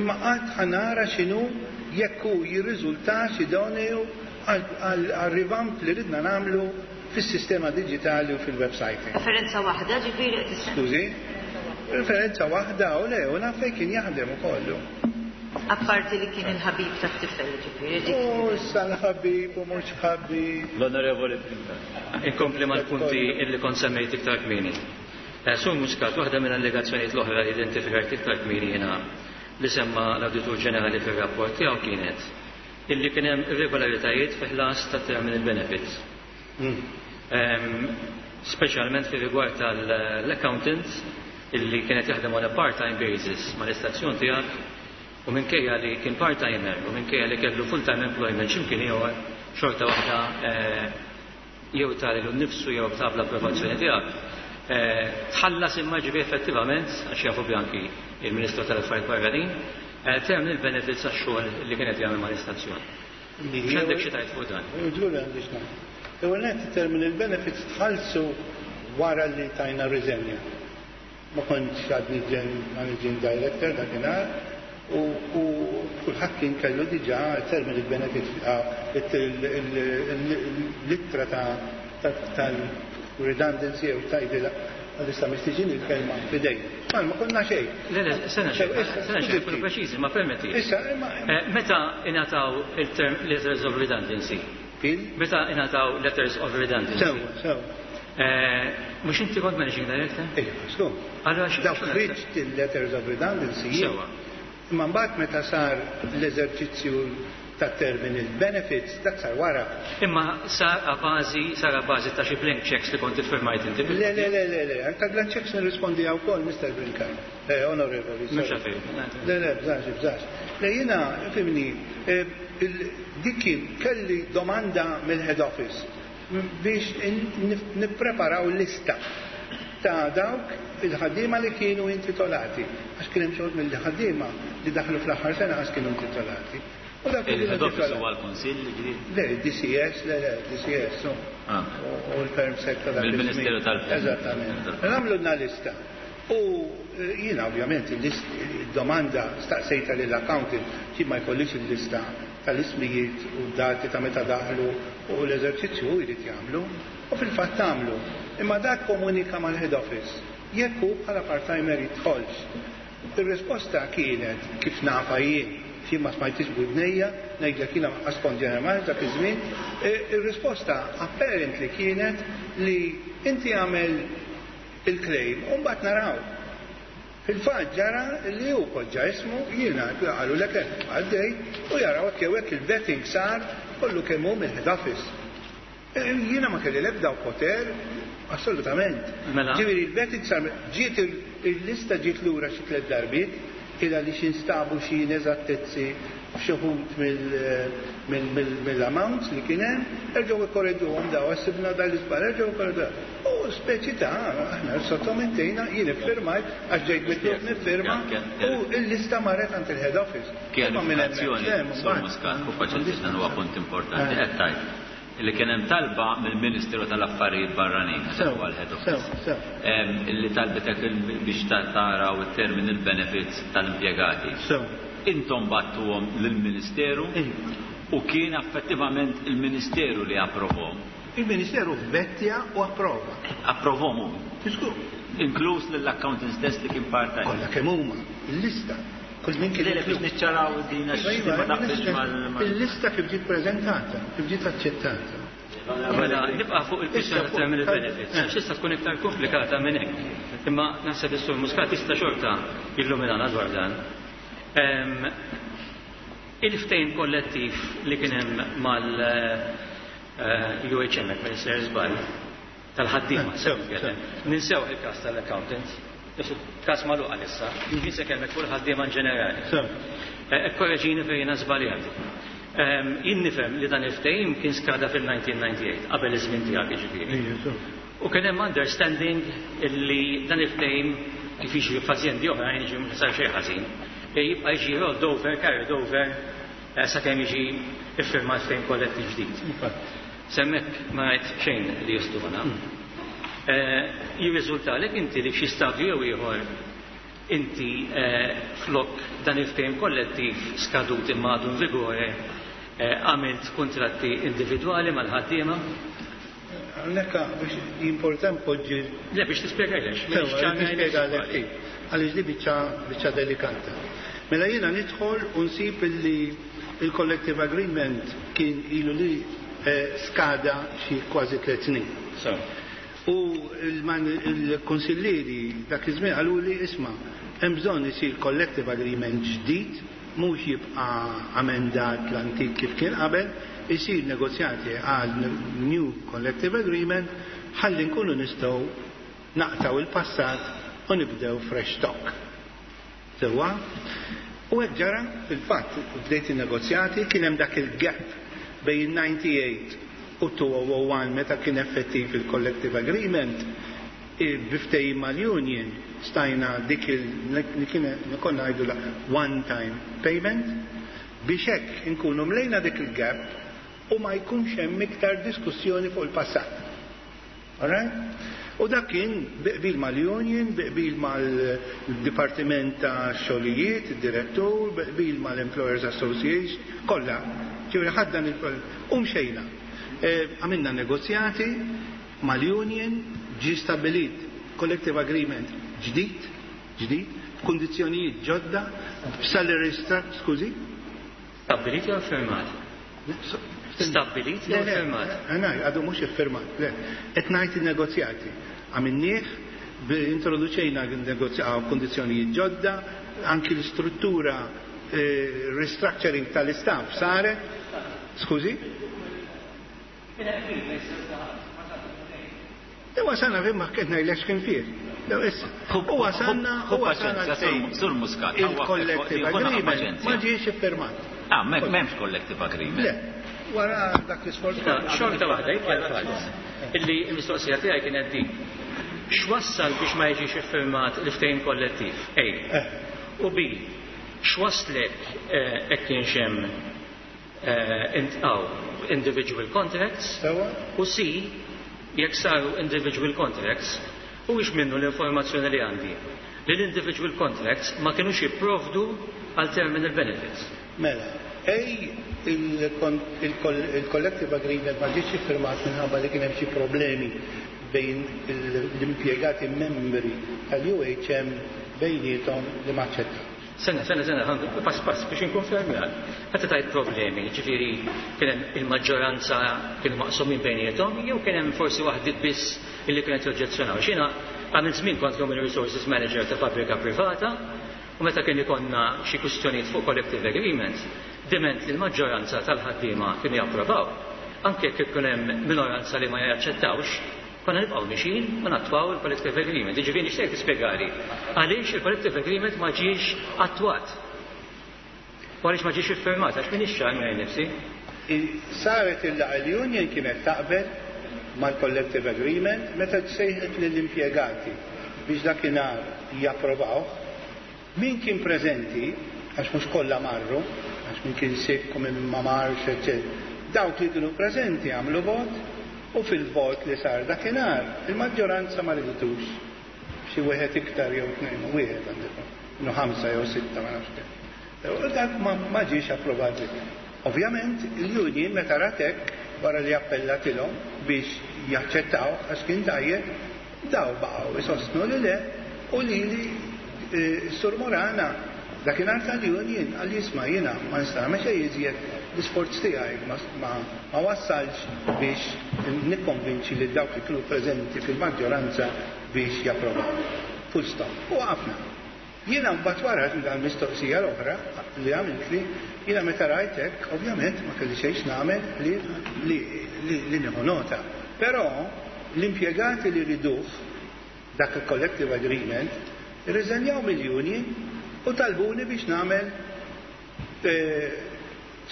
imma qatt ħa nara x'inhu, jekk hu jirriżultax idoneu għal-revamp li ridna nagħmlu fis-sistema digitali u fil-website. Referenza waħda, ġifieri. Skużi? Referenza waħda u le, u naf fejn kien jaħdem ukollu. Apparti li kien il-ħabib ta' tifel, ġifieri. U issa l-ħabib u mhux ħabib. L-Onorevoli Brincat. Inkompli mal-punti illi kont semmejt iktar kmieni. Eh, Sur Muscat, waħda minn allegazzjonijiet l-oħra li identifikajt iktar kmieni jiena li semma l-Awditur Ġenerali fir-rapport tiegħu kienet illi kien hemm irregolaritajiet fi ħlas ta' terminal benefits. Mm. Ehm, Speċjalment fi rigward tal-accountant illi kienet jaħdem on a part-time basis mal-istazzjon tiegħek u minkejja li kien part-timer u minkejja li kellu full-time employment x'imkien ieħor, xorta waħda eh, jew ta' lilu nnifsu jew ta' bl-approvazzjoni tiegħek eh, tħallas, imma ġibi effettivament, għax jafu anki il-Ministru tal-Affarijiet Barranin, eh, terminal benefits għax-xogħol li kienet jagħmel mal-istazzjon. X'għandek xi tgħid fuq dan? Ġuri għandi x'ngħid. Ewwel nett, terminal benefits tħallsu wara li tajna riżenja. Ma kontx għadni managing director dakinhar u u kulħadd kien kellu diġà terminal benefits, l-ittra ta' tal-redundancy jew tajdila għalissa mistiġin il-kelma fidejn. Ma ma konna xejn. Le, le, sena xejn, sena xejn, kun preċiżi, ma permetti. Issa, imma Eh, Meta ingħataw il-term letters of redundancy? Il? Meta ingħataw letters of redundancy? Sewa, sewa. Eh, Mhux inti kont managing director? Ejja, sku. Allora xi- Dawk ħriġt il-letters of redundancy jien. Sewa. Imma mbagħad meta sar l-eżerċizzju ta' terminal benefits, dak sar wara. Imma sar a bażi, sar a bażi ta' xi blank checks li kont iffirmajt inti. Le, le, le, le, le, anka blank checks nirrispondi għaw kol, Mister Brincat. Eh, onorevoli. Mhux sorry. għalfejn. Le, le, bżax, bżax. Le, jiena, fimni, eh, il- dik kien kelli domanda mill-head office biex in- nif- nippreparaw lista ta' dawk il-ħaddiema li kienu intitolati. Għax kien hemm xogħol mill-ħaddiema li daħlu fl-aħħar sena għax kienu intitolati. U dawk li kienu Il-head office intitolati. huwa l-Kunsill ġdid? Le, D C S, le, le, D C S, no. Ah. U u l-Perm Sec ta' dak Mill-Ministeru iż-żmien. tal-Perm. Eżattament. Għamlu lista. U eh, jiena ovvjament il-list- il-domanda staqsejta lill-accountant xi ma jkollix il-lista tal-ismijiet u dati ta' meta daħlu, u l-eżerċizzju hu jrid jagħmlu. U fil-fatt għamlu. Imma dak komunika mal-head office. Jekk hu bħala part-timer jidħolx. Il-risposta kienet, kif nafa jien, xi ma smajtix b'widnejja, ngħidlek jiena ma kont general manager dak iż-żmien, eh, ir-risposta apparently kienet li inti għamel il-claim u mbagħad naraw. Fil-fatt ġara li hu poġġa ismu, jiena qalu lek hekk għaddej u jaraw hekk jew hekk il-vetting sar kollu kemm hu mill-head office. Eh, Jiena ma kelli l-ebda poter assolutament. Mela. Ġifieri il-vetting sar, ġiet il- il-lista ġiet lura xi tliet darbiet ila li xinstabu xi ineżattezzi f'xi wħud mill-amounts li kien hemm, erġgħu ikkorreġuhom daw, sibna dal-iżball, erġgħu ikkorreġuhom. U speċi ta' aħna sottomettejna, jien iffirmajt għax ġejt mitlub nifirma u l-lista marret għand il-head office. Imma minn hemmhekk, Kjarifikazzjoni, le, Sur mbagħad. Muscat, u paċenzja, dan huwa punt importanti. Eh. Qed tgħid li kien hemm talba mill-Ministeru tal-Affarijiet Barranin, Sew, huwa l-head office. sew, sew. Em, Illi talbitek il- biex ta- taraw it-terminal benefits tal-impjegati. Sew. Intom bgħattuhom lill-Ministeru Iva. u kien effettivament il-Ministeru li approvhom. Il-Ministeru vettja u approva. Approvhom hu. Tisku, Inkluż lill-accountant stess li kien part-time. kollha kemm huma, il-lista. Kull min kien Le, le, biex inkluż. niċċaraw din għax Iva, ma taqbilx mal- mal- Il-lista kif ġiet preżentata, kif ġiet aċċettata. Mela, nibqa' fuq il-kwistjoni Issa ta' terminal fuq- benefits. eh. Għax tista' tkun iktar komplikata minn hekk. Imma naħseb is-Sur Muscat jista' xorta illuminana dwar dan. Em, Il-ftehim kollettiv li kien hemm mal-U H M, ma nisser żball, tal-ħaddiema, Eh, sew sew, nitkellem. Ninsew il-każ tal-accountants. Każ magħluq għalissa, jien se kellmek fuq il-ħaddiema in ġenerali. Sew. Eh, Korreġini fejn jiena żbaljat. Jien nifhem li dan il-ftehim kien skada fil-elf disa' mija disgħa u disgħin, qabel iż-żmien tiegħek jiġifieri. U kien hemm understanding li dan il-ftehim, kif jiġri f'azjendi oħrajn, jiġi mhux sar xejn ħażin, jibqa' jiġi rolled over, carried over, sakemm jiġi iffirmat ftehim kollettiv ġdid. S'hemmhekk ma rajt xejn li jistona. Jirriżultalek inti li f'xi stadju jew ieħor inti flok dan il-ftehim kollettiv skadut imma għadu in vigore għamilt kontratti individwali mal-ħaddiema? Hawnhekk biex important poġġi. Le, biex tispjegajlex. Nispjegalek, għaliex di biċċa biċċa delikata. Mela jiena nidħol u nsib illi il-collective agreement kien ilu li skada xi kważi tliet snin. U il-konsillieri dak iż-żmien qalu li, isma', hemm bżonn isir collective agreement ġdid, mhux jibqa' amendat l-antik kif kien qabel, isir negozjati għal new collective agreement ħalli nkunu nistgħu naqtaw il-passat u nibdew fresh stock. Sewwa? U hekk ġara. Fil-fatt bdejt in-negozjati, kien hemm dak il-gap bejn disgħa u disgħin u elfejn u wieħed meta kien effettiv il-collective agreement. Bi ftehim mal-union stajna dik il kien konna ngħidu la one time payment biex hekk inkunu mlejna dik il-gap u ma jkunx hemm iktar diskussjoni fuq il-passat. Alright? U dak kien bi qbil mal-union, bi qbil mal-Dipartiment ta' Xogħlijiet, id-direttur, bi qbil mal-Employers Association, kollha. Ġifieri ħaddan il u mxejna. Għamilna negozjati mal-union, ġi stabilit collective agreement ġdid, ġdid, b'kundizzjonijiet ġodda, b'salary structure, skużi? Stabilit jew firmat? Stabilit jew firmat? Għana, għadu mhux iffirmat, le. Qed ngħid il-negozjati. Għamilnieh, introduċejna kondizzjonijiet ġodda, anki l-istruttura, restructuring tal-istaff saret. Skużi? Wasalna fi ma kien ngħidlek x'kien fih. U wasalna u wasalna Sur Muscat. Il-collective agreement ma ġiex iffirmat. Ah, m'hemmx collective agreement. Le, wara dak l-isforz. Xorta waħda, jibqa' illi l-mistoqsija tiegħi kienet din. X'wassal biex ma jiġix iffirmat l-ftehim kollettiv? A. U B. X'waslek, hekk kienx hemm individual contracts? U C. Jekk saru individual contracts, u minnu l-informazzjoni li għandi li l-individual contracts ma kienux jipprovdu għal terminal benefits? Mela, A, il-collective agreement ma ġietx iffirmat minħabba li kien hemm xi problemi bejn l-impjegati membri tal-U H M bejniethom li ma aċċettaw. Sena, sena, sena, pass pass biex inkun fermjal. Meta tajt problemi, ġifieri kien hemm il-maġġoranza kienu maqsumin bejniethom, jew kien hemm forsi waħdiet biss illi kienet joġġezzjonaw? Xina għamil żmien kont Human Resources Manager ta' fabbrika privata, u meta kien ikonna xi kwistjonijiet fuq collective agreements, diment li l-maġġoranza tal-ħaddiema kienu japprovaw, anke jekk ikun hemm minoranza li ma jaċċettawx, konna nibqgħu mixin u nattwaw il-collective agreement. Jiġifieri nixtieq tispjegali għaliex il-collective agreement ma ġiex attwat. U għaliex ma ġiex iffirmat, għax m'iniex ċar miegħi nifsi. Saret il-laqgħa, l-union kienet taqbel mal-collective agreement. Meta sejħet lill-impjegati biex dakinhar japprovaw, min kien preżenti, għax mhux kollha marru, għax min kien sick u min ma marx, eccetera. Dawk li kienu preżenti għamlu vot u fil-vot li sar dakinhar il-maġġoranza ma riditux. Xi wieħed iktar jew tnejn, wieħed għandek, no ħamsa jew sitta, ma nafx kemm. U dak ma ġiex approvat. Ovvjament, il-union meta ratek wara li appellatilhom biex jaċċettaw għax kien tajjeb, daw baqgħu isostnu li le u li li Sur Morana dakinhar tal-union qal, isma', jiena ma nista' nagħmel xejn iżjed, l-isforz tiegħi ma wassalx biex nikkonvinċi li dawk li kienu preżenti fil-maġġoranza biex japprovaw. Full stop. U waqafna. Jiena mbagħad wara dal-mistoqsija l-oħra li għamilt li jiena meta rajtek, ovvjament ma kelli xejn nagħmel li li li nieħu nota. Però l-impjegati li riduh dak il-collective agreement irriżenjaw mill-union u talbuni biex nagħmel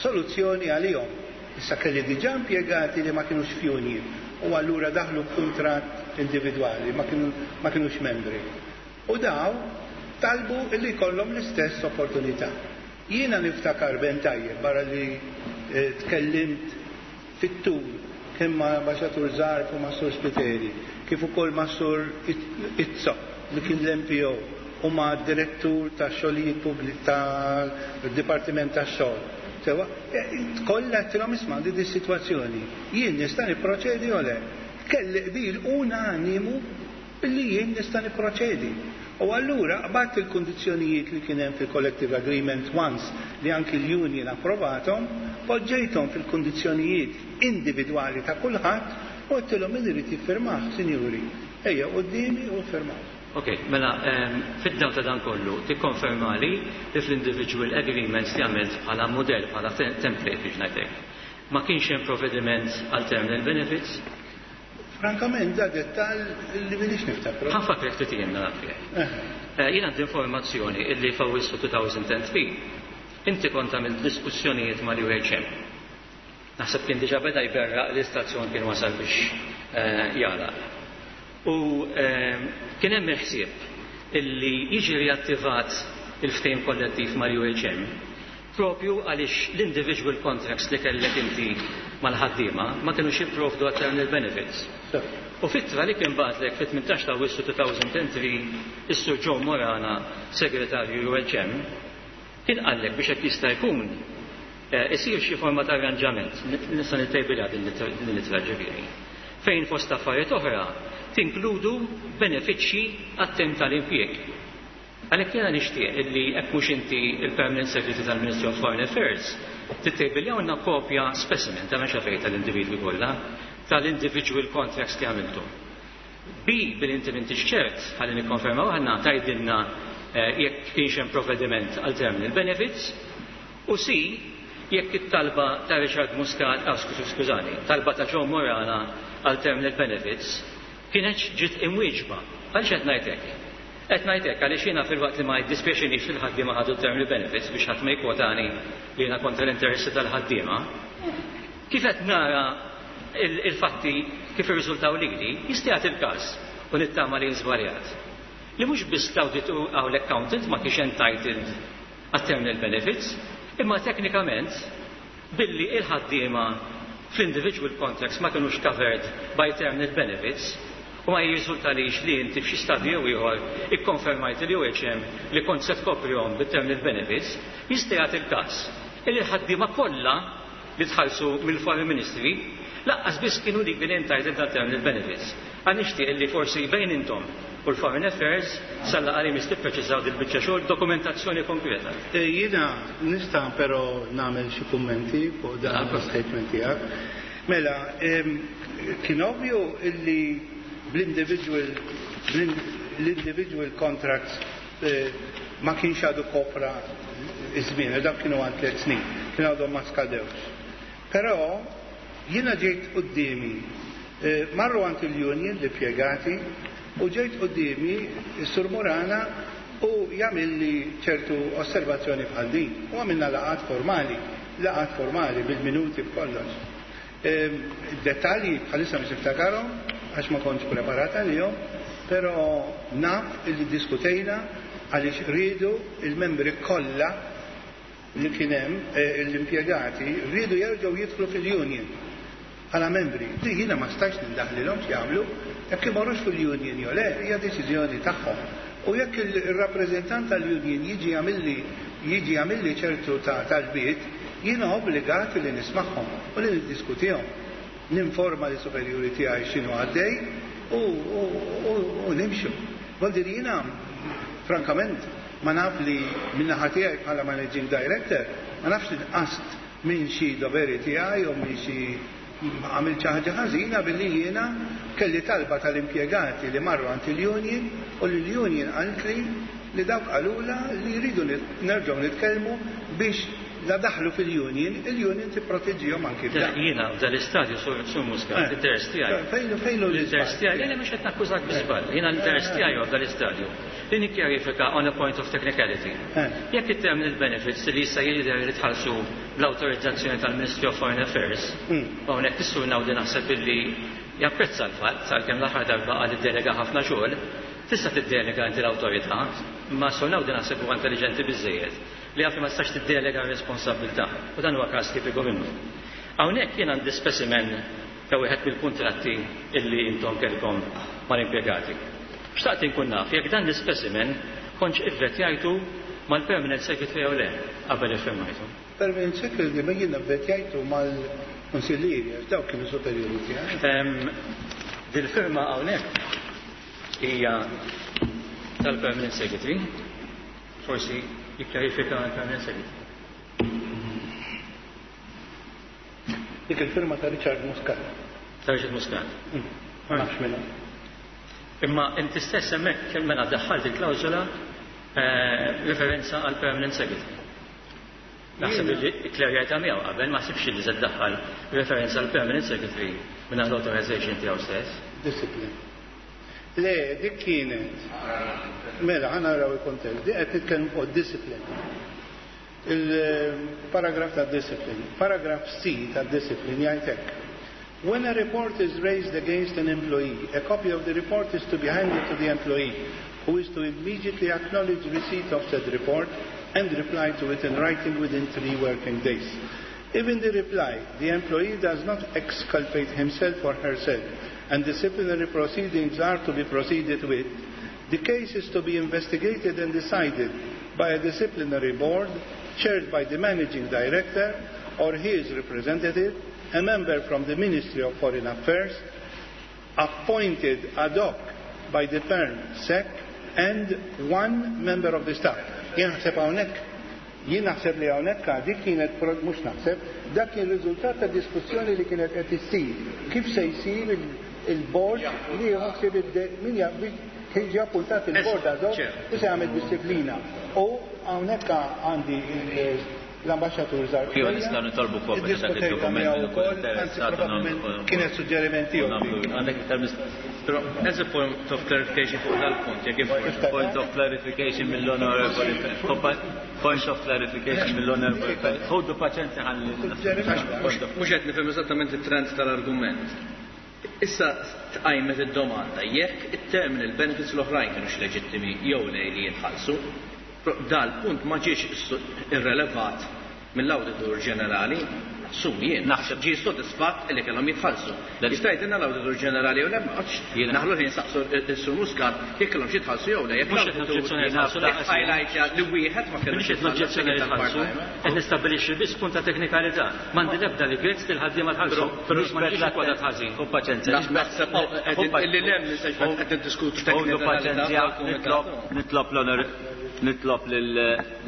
soluzzjoni għalihom. Issa kelli diġà impjegati li ma kienux f'union u allura daħlu b'kuntratt individwali, ma kienu ma kienux membri. U daw talbu illi jkollhom l-istess opportunità. Jiena niftakar ben tajjeb barra li eh, tkellimt fit-tul kemm ma' Ambaxxatur Zarb u ma' Sur Spiteri, kif ukoll ma' Sur Izzo li kien l-M P O u ma' direttur ta' xogħlijiet pubbliċi tal-Dipartiment tax-xogħol. Sewa, kollha għedtilhom, isma', di di situazzjoni. Jien nista' nipproċedi o le? Kelli qbil unanimu li jien nista' nipproċedi. U allura qbadt il-kondizzjonijiet li kien hemm fil-collective agreement once li anki l-union approvatom, poġġejthom fil-kondizzjonijiet individwali ta' kulħadd u għedtilhom, min irid jiffirmah, sinjuri, ejja quddiemi u ffirmaw. Ok, mela, um, fid-dawl ta' dan kollu, tikkonferma li li fl-individual agreements li għamilt bħala model, bħala template biex ngħidlek, ma kienx hemm provvediment għal terminal benefits? Frankament, da dettal li m'iniex niftakru. Ħa nfakkrek ftit jien naf. Jien għandi informazzjoni illi f'Awwissu elfejn u tlieta inti kont għamilt diskussjonijiet mal-U H M. Naħseb kien diġà beda jberraq l-istazzjon kien wasal biex jagħlaq. U kien hemm il-ħsieb illi jiġi riattivat il-ftehim kollettiv mal-U H M propju għaliex l-individual contracts li kellek inti mal-ħaddiema ma kienux jipprovdu għal terminal benefits. U f'ittra li kien bagħatlek fit-tmintax ta' Awwissu elfejn u tlieta is-Sur Joe Morana, segretarju U H M, kien qallek biex hekk jista' jkun isir xi forma ta' arranġament, nista' nittejbilha din l-ittra ġifieri, fejn fost affarijiet oħra tinkludu benefiċċji għat-tem tal-impjieg. Għalhekk jiena nixtieq illi hekk mhux inti il-Permanent Secretary tal-Ministry of Foreign Affairs tittejbiljawna kopja specimen ta' mhux fejn tal-individwi kollha tal-individual contracts li għamiltu. B, bil inti m'intix ċert, ħalli nikkonfermaw aħna, tgħidilna jekk kienx hemm provvediment għal terminal benefits u C, jekk it-talba ta' Richard Muscat, ah, skużani, talba ta' Joe Morana għal terminal benefits kienet ġiet imwieġba. Għaliex qed ngħidlek? Qed ngħidlek għaliex jiena filwaqt li ma jiddispjaċinix li l-ħaddiema ħadu terminal benefits, biex ħadd ma jkwotani li jiena kontra l-interessi tal-ħaddiema, kif qed nara il-fatti kif irriżultaw lili, jista' jagħti il-każ, u nittama li żbaljat, li mhux biss l-auditor aw l-accountant ma kienx entitled għat terminal benefits, imma teknikament billi il-ħaddiema fl-individual contracts ma kienux covered by terminal benefits u ma jirriżultalix li inti f'xi stadju jew ieħor ikkonfermajt li U H M li kont se tkoprihom bit-terminal benefits, jista' jagħti il-każ illi l-ħaddiema kollha li tħallsu mill-Foreign Ministry lanqas biss kienu legally entitled għal terminal benefits. Għax nixtieq li forsi bejn intom u l-Foreign Affairs sal-laqgħa li jmiss tippreċiżaw dil-biċċa xogħol, dokumentazzjoni konkreta. Jiena nista' però nagħmel xi kummenti fuq dan l-statement tiegħek. Mela, kien ovvju illi bl-individual l-individual contracts ma kienx għadu kopra iż-żmien, dak kienu għal tliet snin, kien għadhom ma skadewx. Però jiena ġejt quddiemi, marru għand il-union l-impjegati u ġejt quddiemi s-Sur Morana u jagħmilli ċertu osservazzjoni bħal din. U għamilna laqgħat formali, laqgħat formali bil-minuti b'kollox. Dettalji bħalissa mhux niftakarhom għax ma kontx preparata għalihom, però naf illi diskutejna għaliex rridu il-membri kollha li kien hemm, l-impjegati rridu jerġgħu jidħlu fil-union bħala membri. Di jiena ma stajx nindaħlilhom x'jagħmlu, jekk imorrux fil-union jew le, hija deċiżjoni tagħhom. U jekk il-rappreżentant tal-union jiġi jagħmilli jiġi jagħmilli ċertu ta' talbiet, jiena obbligat li nismagħhom u li niddiskutihom. Ninforma li superjuri tiegħi x'inhu għaddej u, u, u, u nimxu. Vuol jiena frankament ma naf li min-naħa tiegħi bħala managing director ma nafx li nqast minn xi doveri tiegħi u minn xi għamilt xi ħaġa ħażina billi jiena kelli talba tal-impjegati li marru għand il-union u li l-union qaltli li dawk qalula li jridu nerġgħu nitkellmu biex La daħlu fil-union, il-union tipproteġihom anki f'dan. Jiena f'dal-istadju Sur Muscat, Eh. l-interess tiegħi. Fejn fejn hu L-interess l-iżball? tiegħi, le mhux qed nakkużak bi żball. Jiena l-interess tiegħi huwa f'dal-istadju li nikkjarifika on a point of technicality. Eh. Jekk it-terminal benefits li issa jidher li tħallsu bl-awtorizzazzjoni tal-Ministry of Foreign Affairs, Mm. u hawnhekk is-Sur Naudi naħseb illi japprezza l-fatt għalkemm l-aħħar darba qal iddelega ħafna xogħol, tista' tiddelega inti l-awtorità, imma s-Sur Naudi naħseb huwa intelligenti biżejjed li għaf li ma tistax tiddelega r-responsabilità u dan huwa każ tipiku minnu. Hawnhekk jien għandi specimen ta' wieħed mill-kuntratti illi intom kellkom mal-impjegati. Xtaqt inkun naf jekk dan l-specimen kontx ivvetjajtu mal-permanent secretary jew le qabel iffirmajtu. Permanent secretary ma jiena vvetjajtu mal-konsillieri, għax dawk kienu superjuri tiegħi. Em, Dil-firma hawnhekk hija tal-permanent secretary, forsi jikkjarifika l-permanent secretary. Dik il-firma ta' Richard Muscat. Ta' Richard Muscat. Mm. Ma nafx minna. Imma inti stess hemmhekk kemm mela daħħalt il-klawżola eh, referenza għal permanent secretary. Naħseb li kklerjajtha miegħu qabel ma ħsibx li se ddaħħal referenza għal permanent secretary minn l-authorization tiegħu stess. Discipline. Le, dik kienet. Mela, ħa naraw il-kontest. Dik qed nitkellmu fuq discipline. Il-paragraf ta' discipline. Paragraf C ta' discipline jgħid hekk. When a report is raised against an employee, a copy of the report is to be handed to the employee, who is to immediately acknowledge receipt of said report and reply to it in writing within three working days. If in the reply the employee does not exculpate himself or herself and disciplinary proceedings are to be proceeded with, the case is to be investigated and decided by a disciplinary board chaired by the managing director or his representative, a member from the Ministry of Foreign Affairs, appointed ad hoc by the Perm Sec, and one member of the staff. Jien naħseb hawnhekk, jien naħseb li hawnhekk dik kienet pro- mhux naħseb, dak kien riżultat ta' diskussjoni li kienet qed issir. Kif se jsir il- il-board li jaħseb id- min ja- kien ġie appuntat il-board ad hoc u se jagħmel disciplina. U hawnhekk għandi il- l-ambasċatur Zarb. Iva, nistgħu nitolbu kopja ta' dak id-dokument miegħu li nkun wkoll, anzi interessat u probabbilment nagħmlu- kienet suġġeriment tiegħu. nagħmlu- Għandek iktar mistoqsijiet? Però, as a point of clarification fuq dal-punt, jekk Point point of clarification mill-onorevoli Point of clarification mill-onorevoli Ħudu paċenzja ħalli. Mhux qed nifhem eżattament it-trend tal-argument. Issa tqajmet id-domanda jekk it-terminal benefits l-oħrajn kienux leġittimi jew le li jitħallsu, però dal-punt ma ġiex irrelevat mill-Awditur Ġenerali, assumi jien, naħseb ġie sodisfatt li kellhom jitħallsu. Jista' jgħidilna l-Awditur Ġenerali jew le, ma għadx naħlu li nsaqsu s-Sur Muscat jekk kellhom xi jitħallsu jew le, jekk Mhux qed noġġezzjoni jitħallsu, lanqas jien. highlight li wieħed ma kellux Mhux qed noġġezzjoni li jitħallsu, qed nistabbilixxi biss punt ta' teknikalità. M'għandi l-ebda li grezz li l-ħaddiema tħallsu. Però M'għandix ikkwotat ħażin. U paċenzja. Naħseb illi lem qed niddiskutu Ħudu teknikalità paċenzja, nitlob nitlob l-onor nitlob lil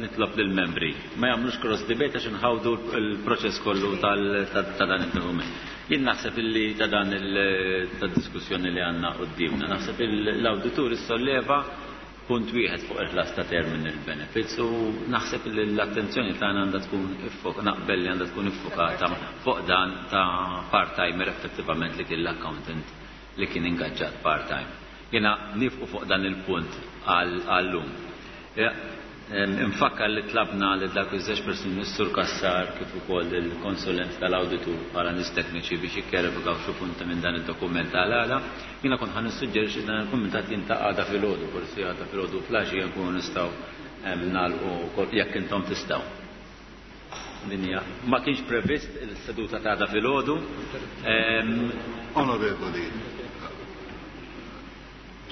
nitlob lill-membri. Ma jagħmlux cross debate għax inħawdu l-proċess kollu tal- ta' ta' dan id-dokument. Jien naħseb illi ta' dan il tad-diskussjoni li għandna qudiemna, naħseb l-awditur issolleva punt wieħed fuq il-ħlas ta' terminal benefits u naħseb li l-attenzjoni tagħna għandha tkun iffok naqbel li għandha tkun iffokata fuq dan ta' part-timer effettivament li kien l-accountant li kien ingaġġat part-time. Jiena nifqu fuq dan il-punt għal-lum. Infakkar li tlabna li dak iż-żewġ persuni s-Sur Kassar kif ukoll il-konsulent tal-awditur bħala nies tekniċi biex jikkjarifikaw xi punti minn dan id-dokument għal-għala. Jiena kont ħa nissuġġerixxi dan il-kumitat jiltaqa' għada filgħodu, forsi għada filgħodu filgħaxija nkunu nistgħu nagħlqu wkoll jekk intom tistgħu. Din hija ma kienx previst il-seduta ta' għada filgħodu. Onorevoli,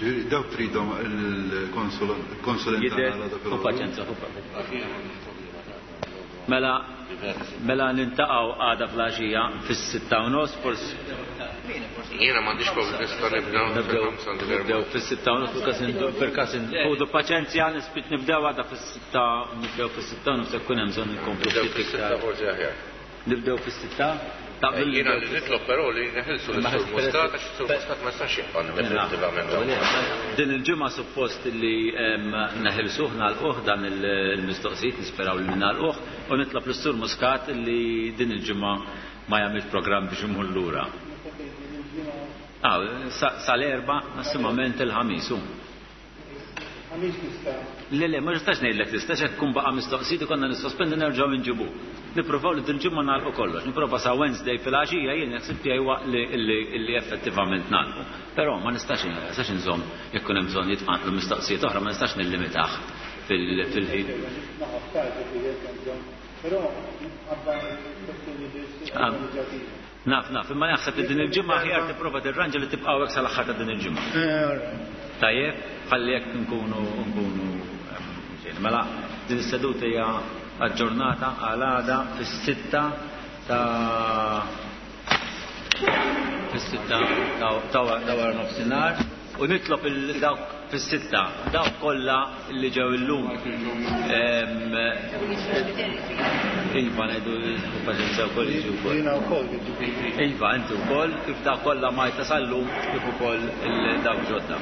ġifieri dawk tridhom il-konsulent Jidher, tagħna għada u filgħodu. paċenzja, u paċenzja. Mela, mela niltaqgħu għada filgħaxija fis-sitta u nofs, forsi Jiena m'għandix problemi nista' nibda nibdew fil-ħamsa għandi nibdew fis-sitta u nofs fil-każ indu- fil-każ in- ħudu paċenzja nispit nibdew għada fis-sitta nibdew fis-sitta u nofs jekk hemm bżonn inkomplu Nibdew ftit fis-sitta iktar. forsi aħjar. Nibdew fis-sitta? Jiena li nitlob però li neħilsu lis-Sur Muscat għax is-Sur Muscat ma jistax jibqa' definitivament. Din il-ġimgħa suppost li neħilsuh nagħlquh dan il-mistoqsijiet, nisperaw li nagħlquh, u nitlob lis-Sur Muscat li din il-ġimgħa ma jagħmilx programm biex imur lura. Ah, sal-erba' massimament il-ħamis. Ħamis nista'. Le, le, ma nistax ngħidlek tista' x'hekk tkun baqa' mistoqsijiet ikollna nissospendu nerġgħu nġibuh. Nippruvaw li dil-ġimgħa nagħlqu kollox. Nipprova sa Wednesday filgħaxija jien ħsieb tiegħi huwa li effettivament nagħlqu. Però ma nistax nistax inżomm jekk ikun hemm bżonn jitqanqlu mistoqsijiet oħra ma nistax nillimitah fil-ħin. Naf, naf, imma naħseb li din il-ġimgħa aħjar tipprova tirranġa li tibqgħu hekk sal-aħħar ta' din il-ġimgħa. Tajjeb, ħalli jekk nkunu nkunu mela din is-seduta hija aġġornata għal għada fis-sitta ta' fis-sitta ta' wara nofsinhar u nitlob il dawk fis-sitta dawk kollha li ġew illum. Iva ngħidu paċenzja wkoll jiġu wkoll. Jiena wkoll jiġifieri. Iva inti wkoll kif dawk kollha ma sal-lum kif ukoll dawk ġodda.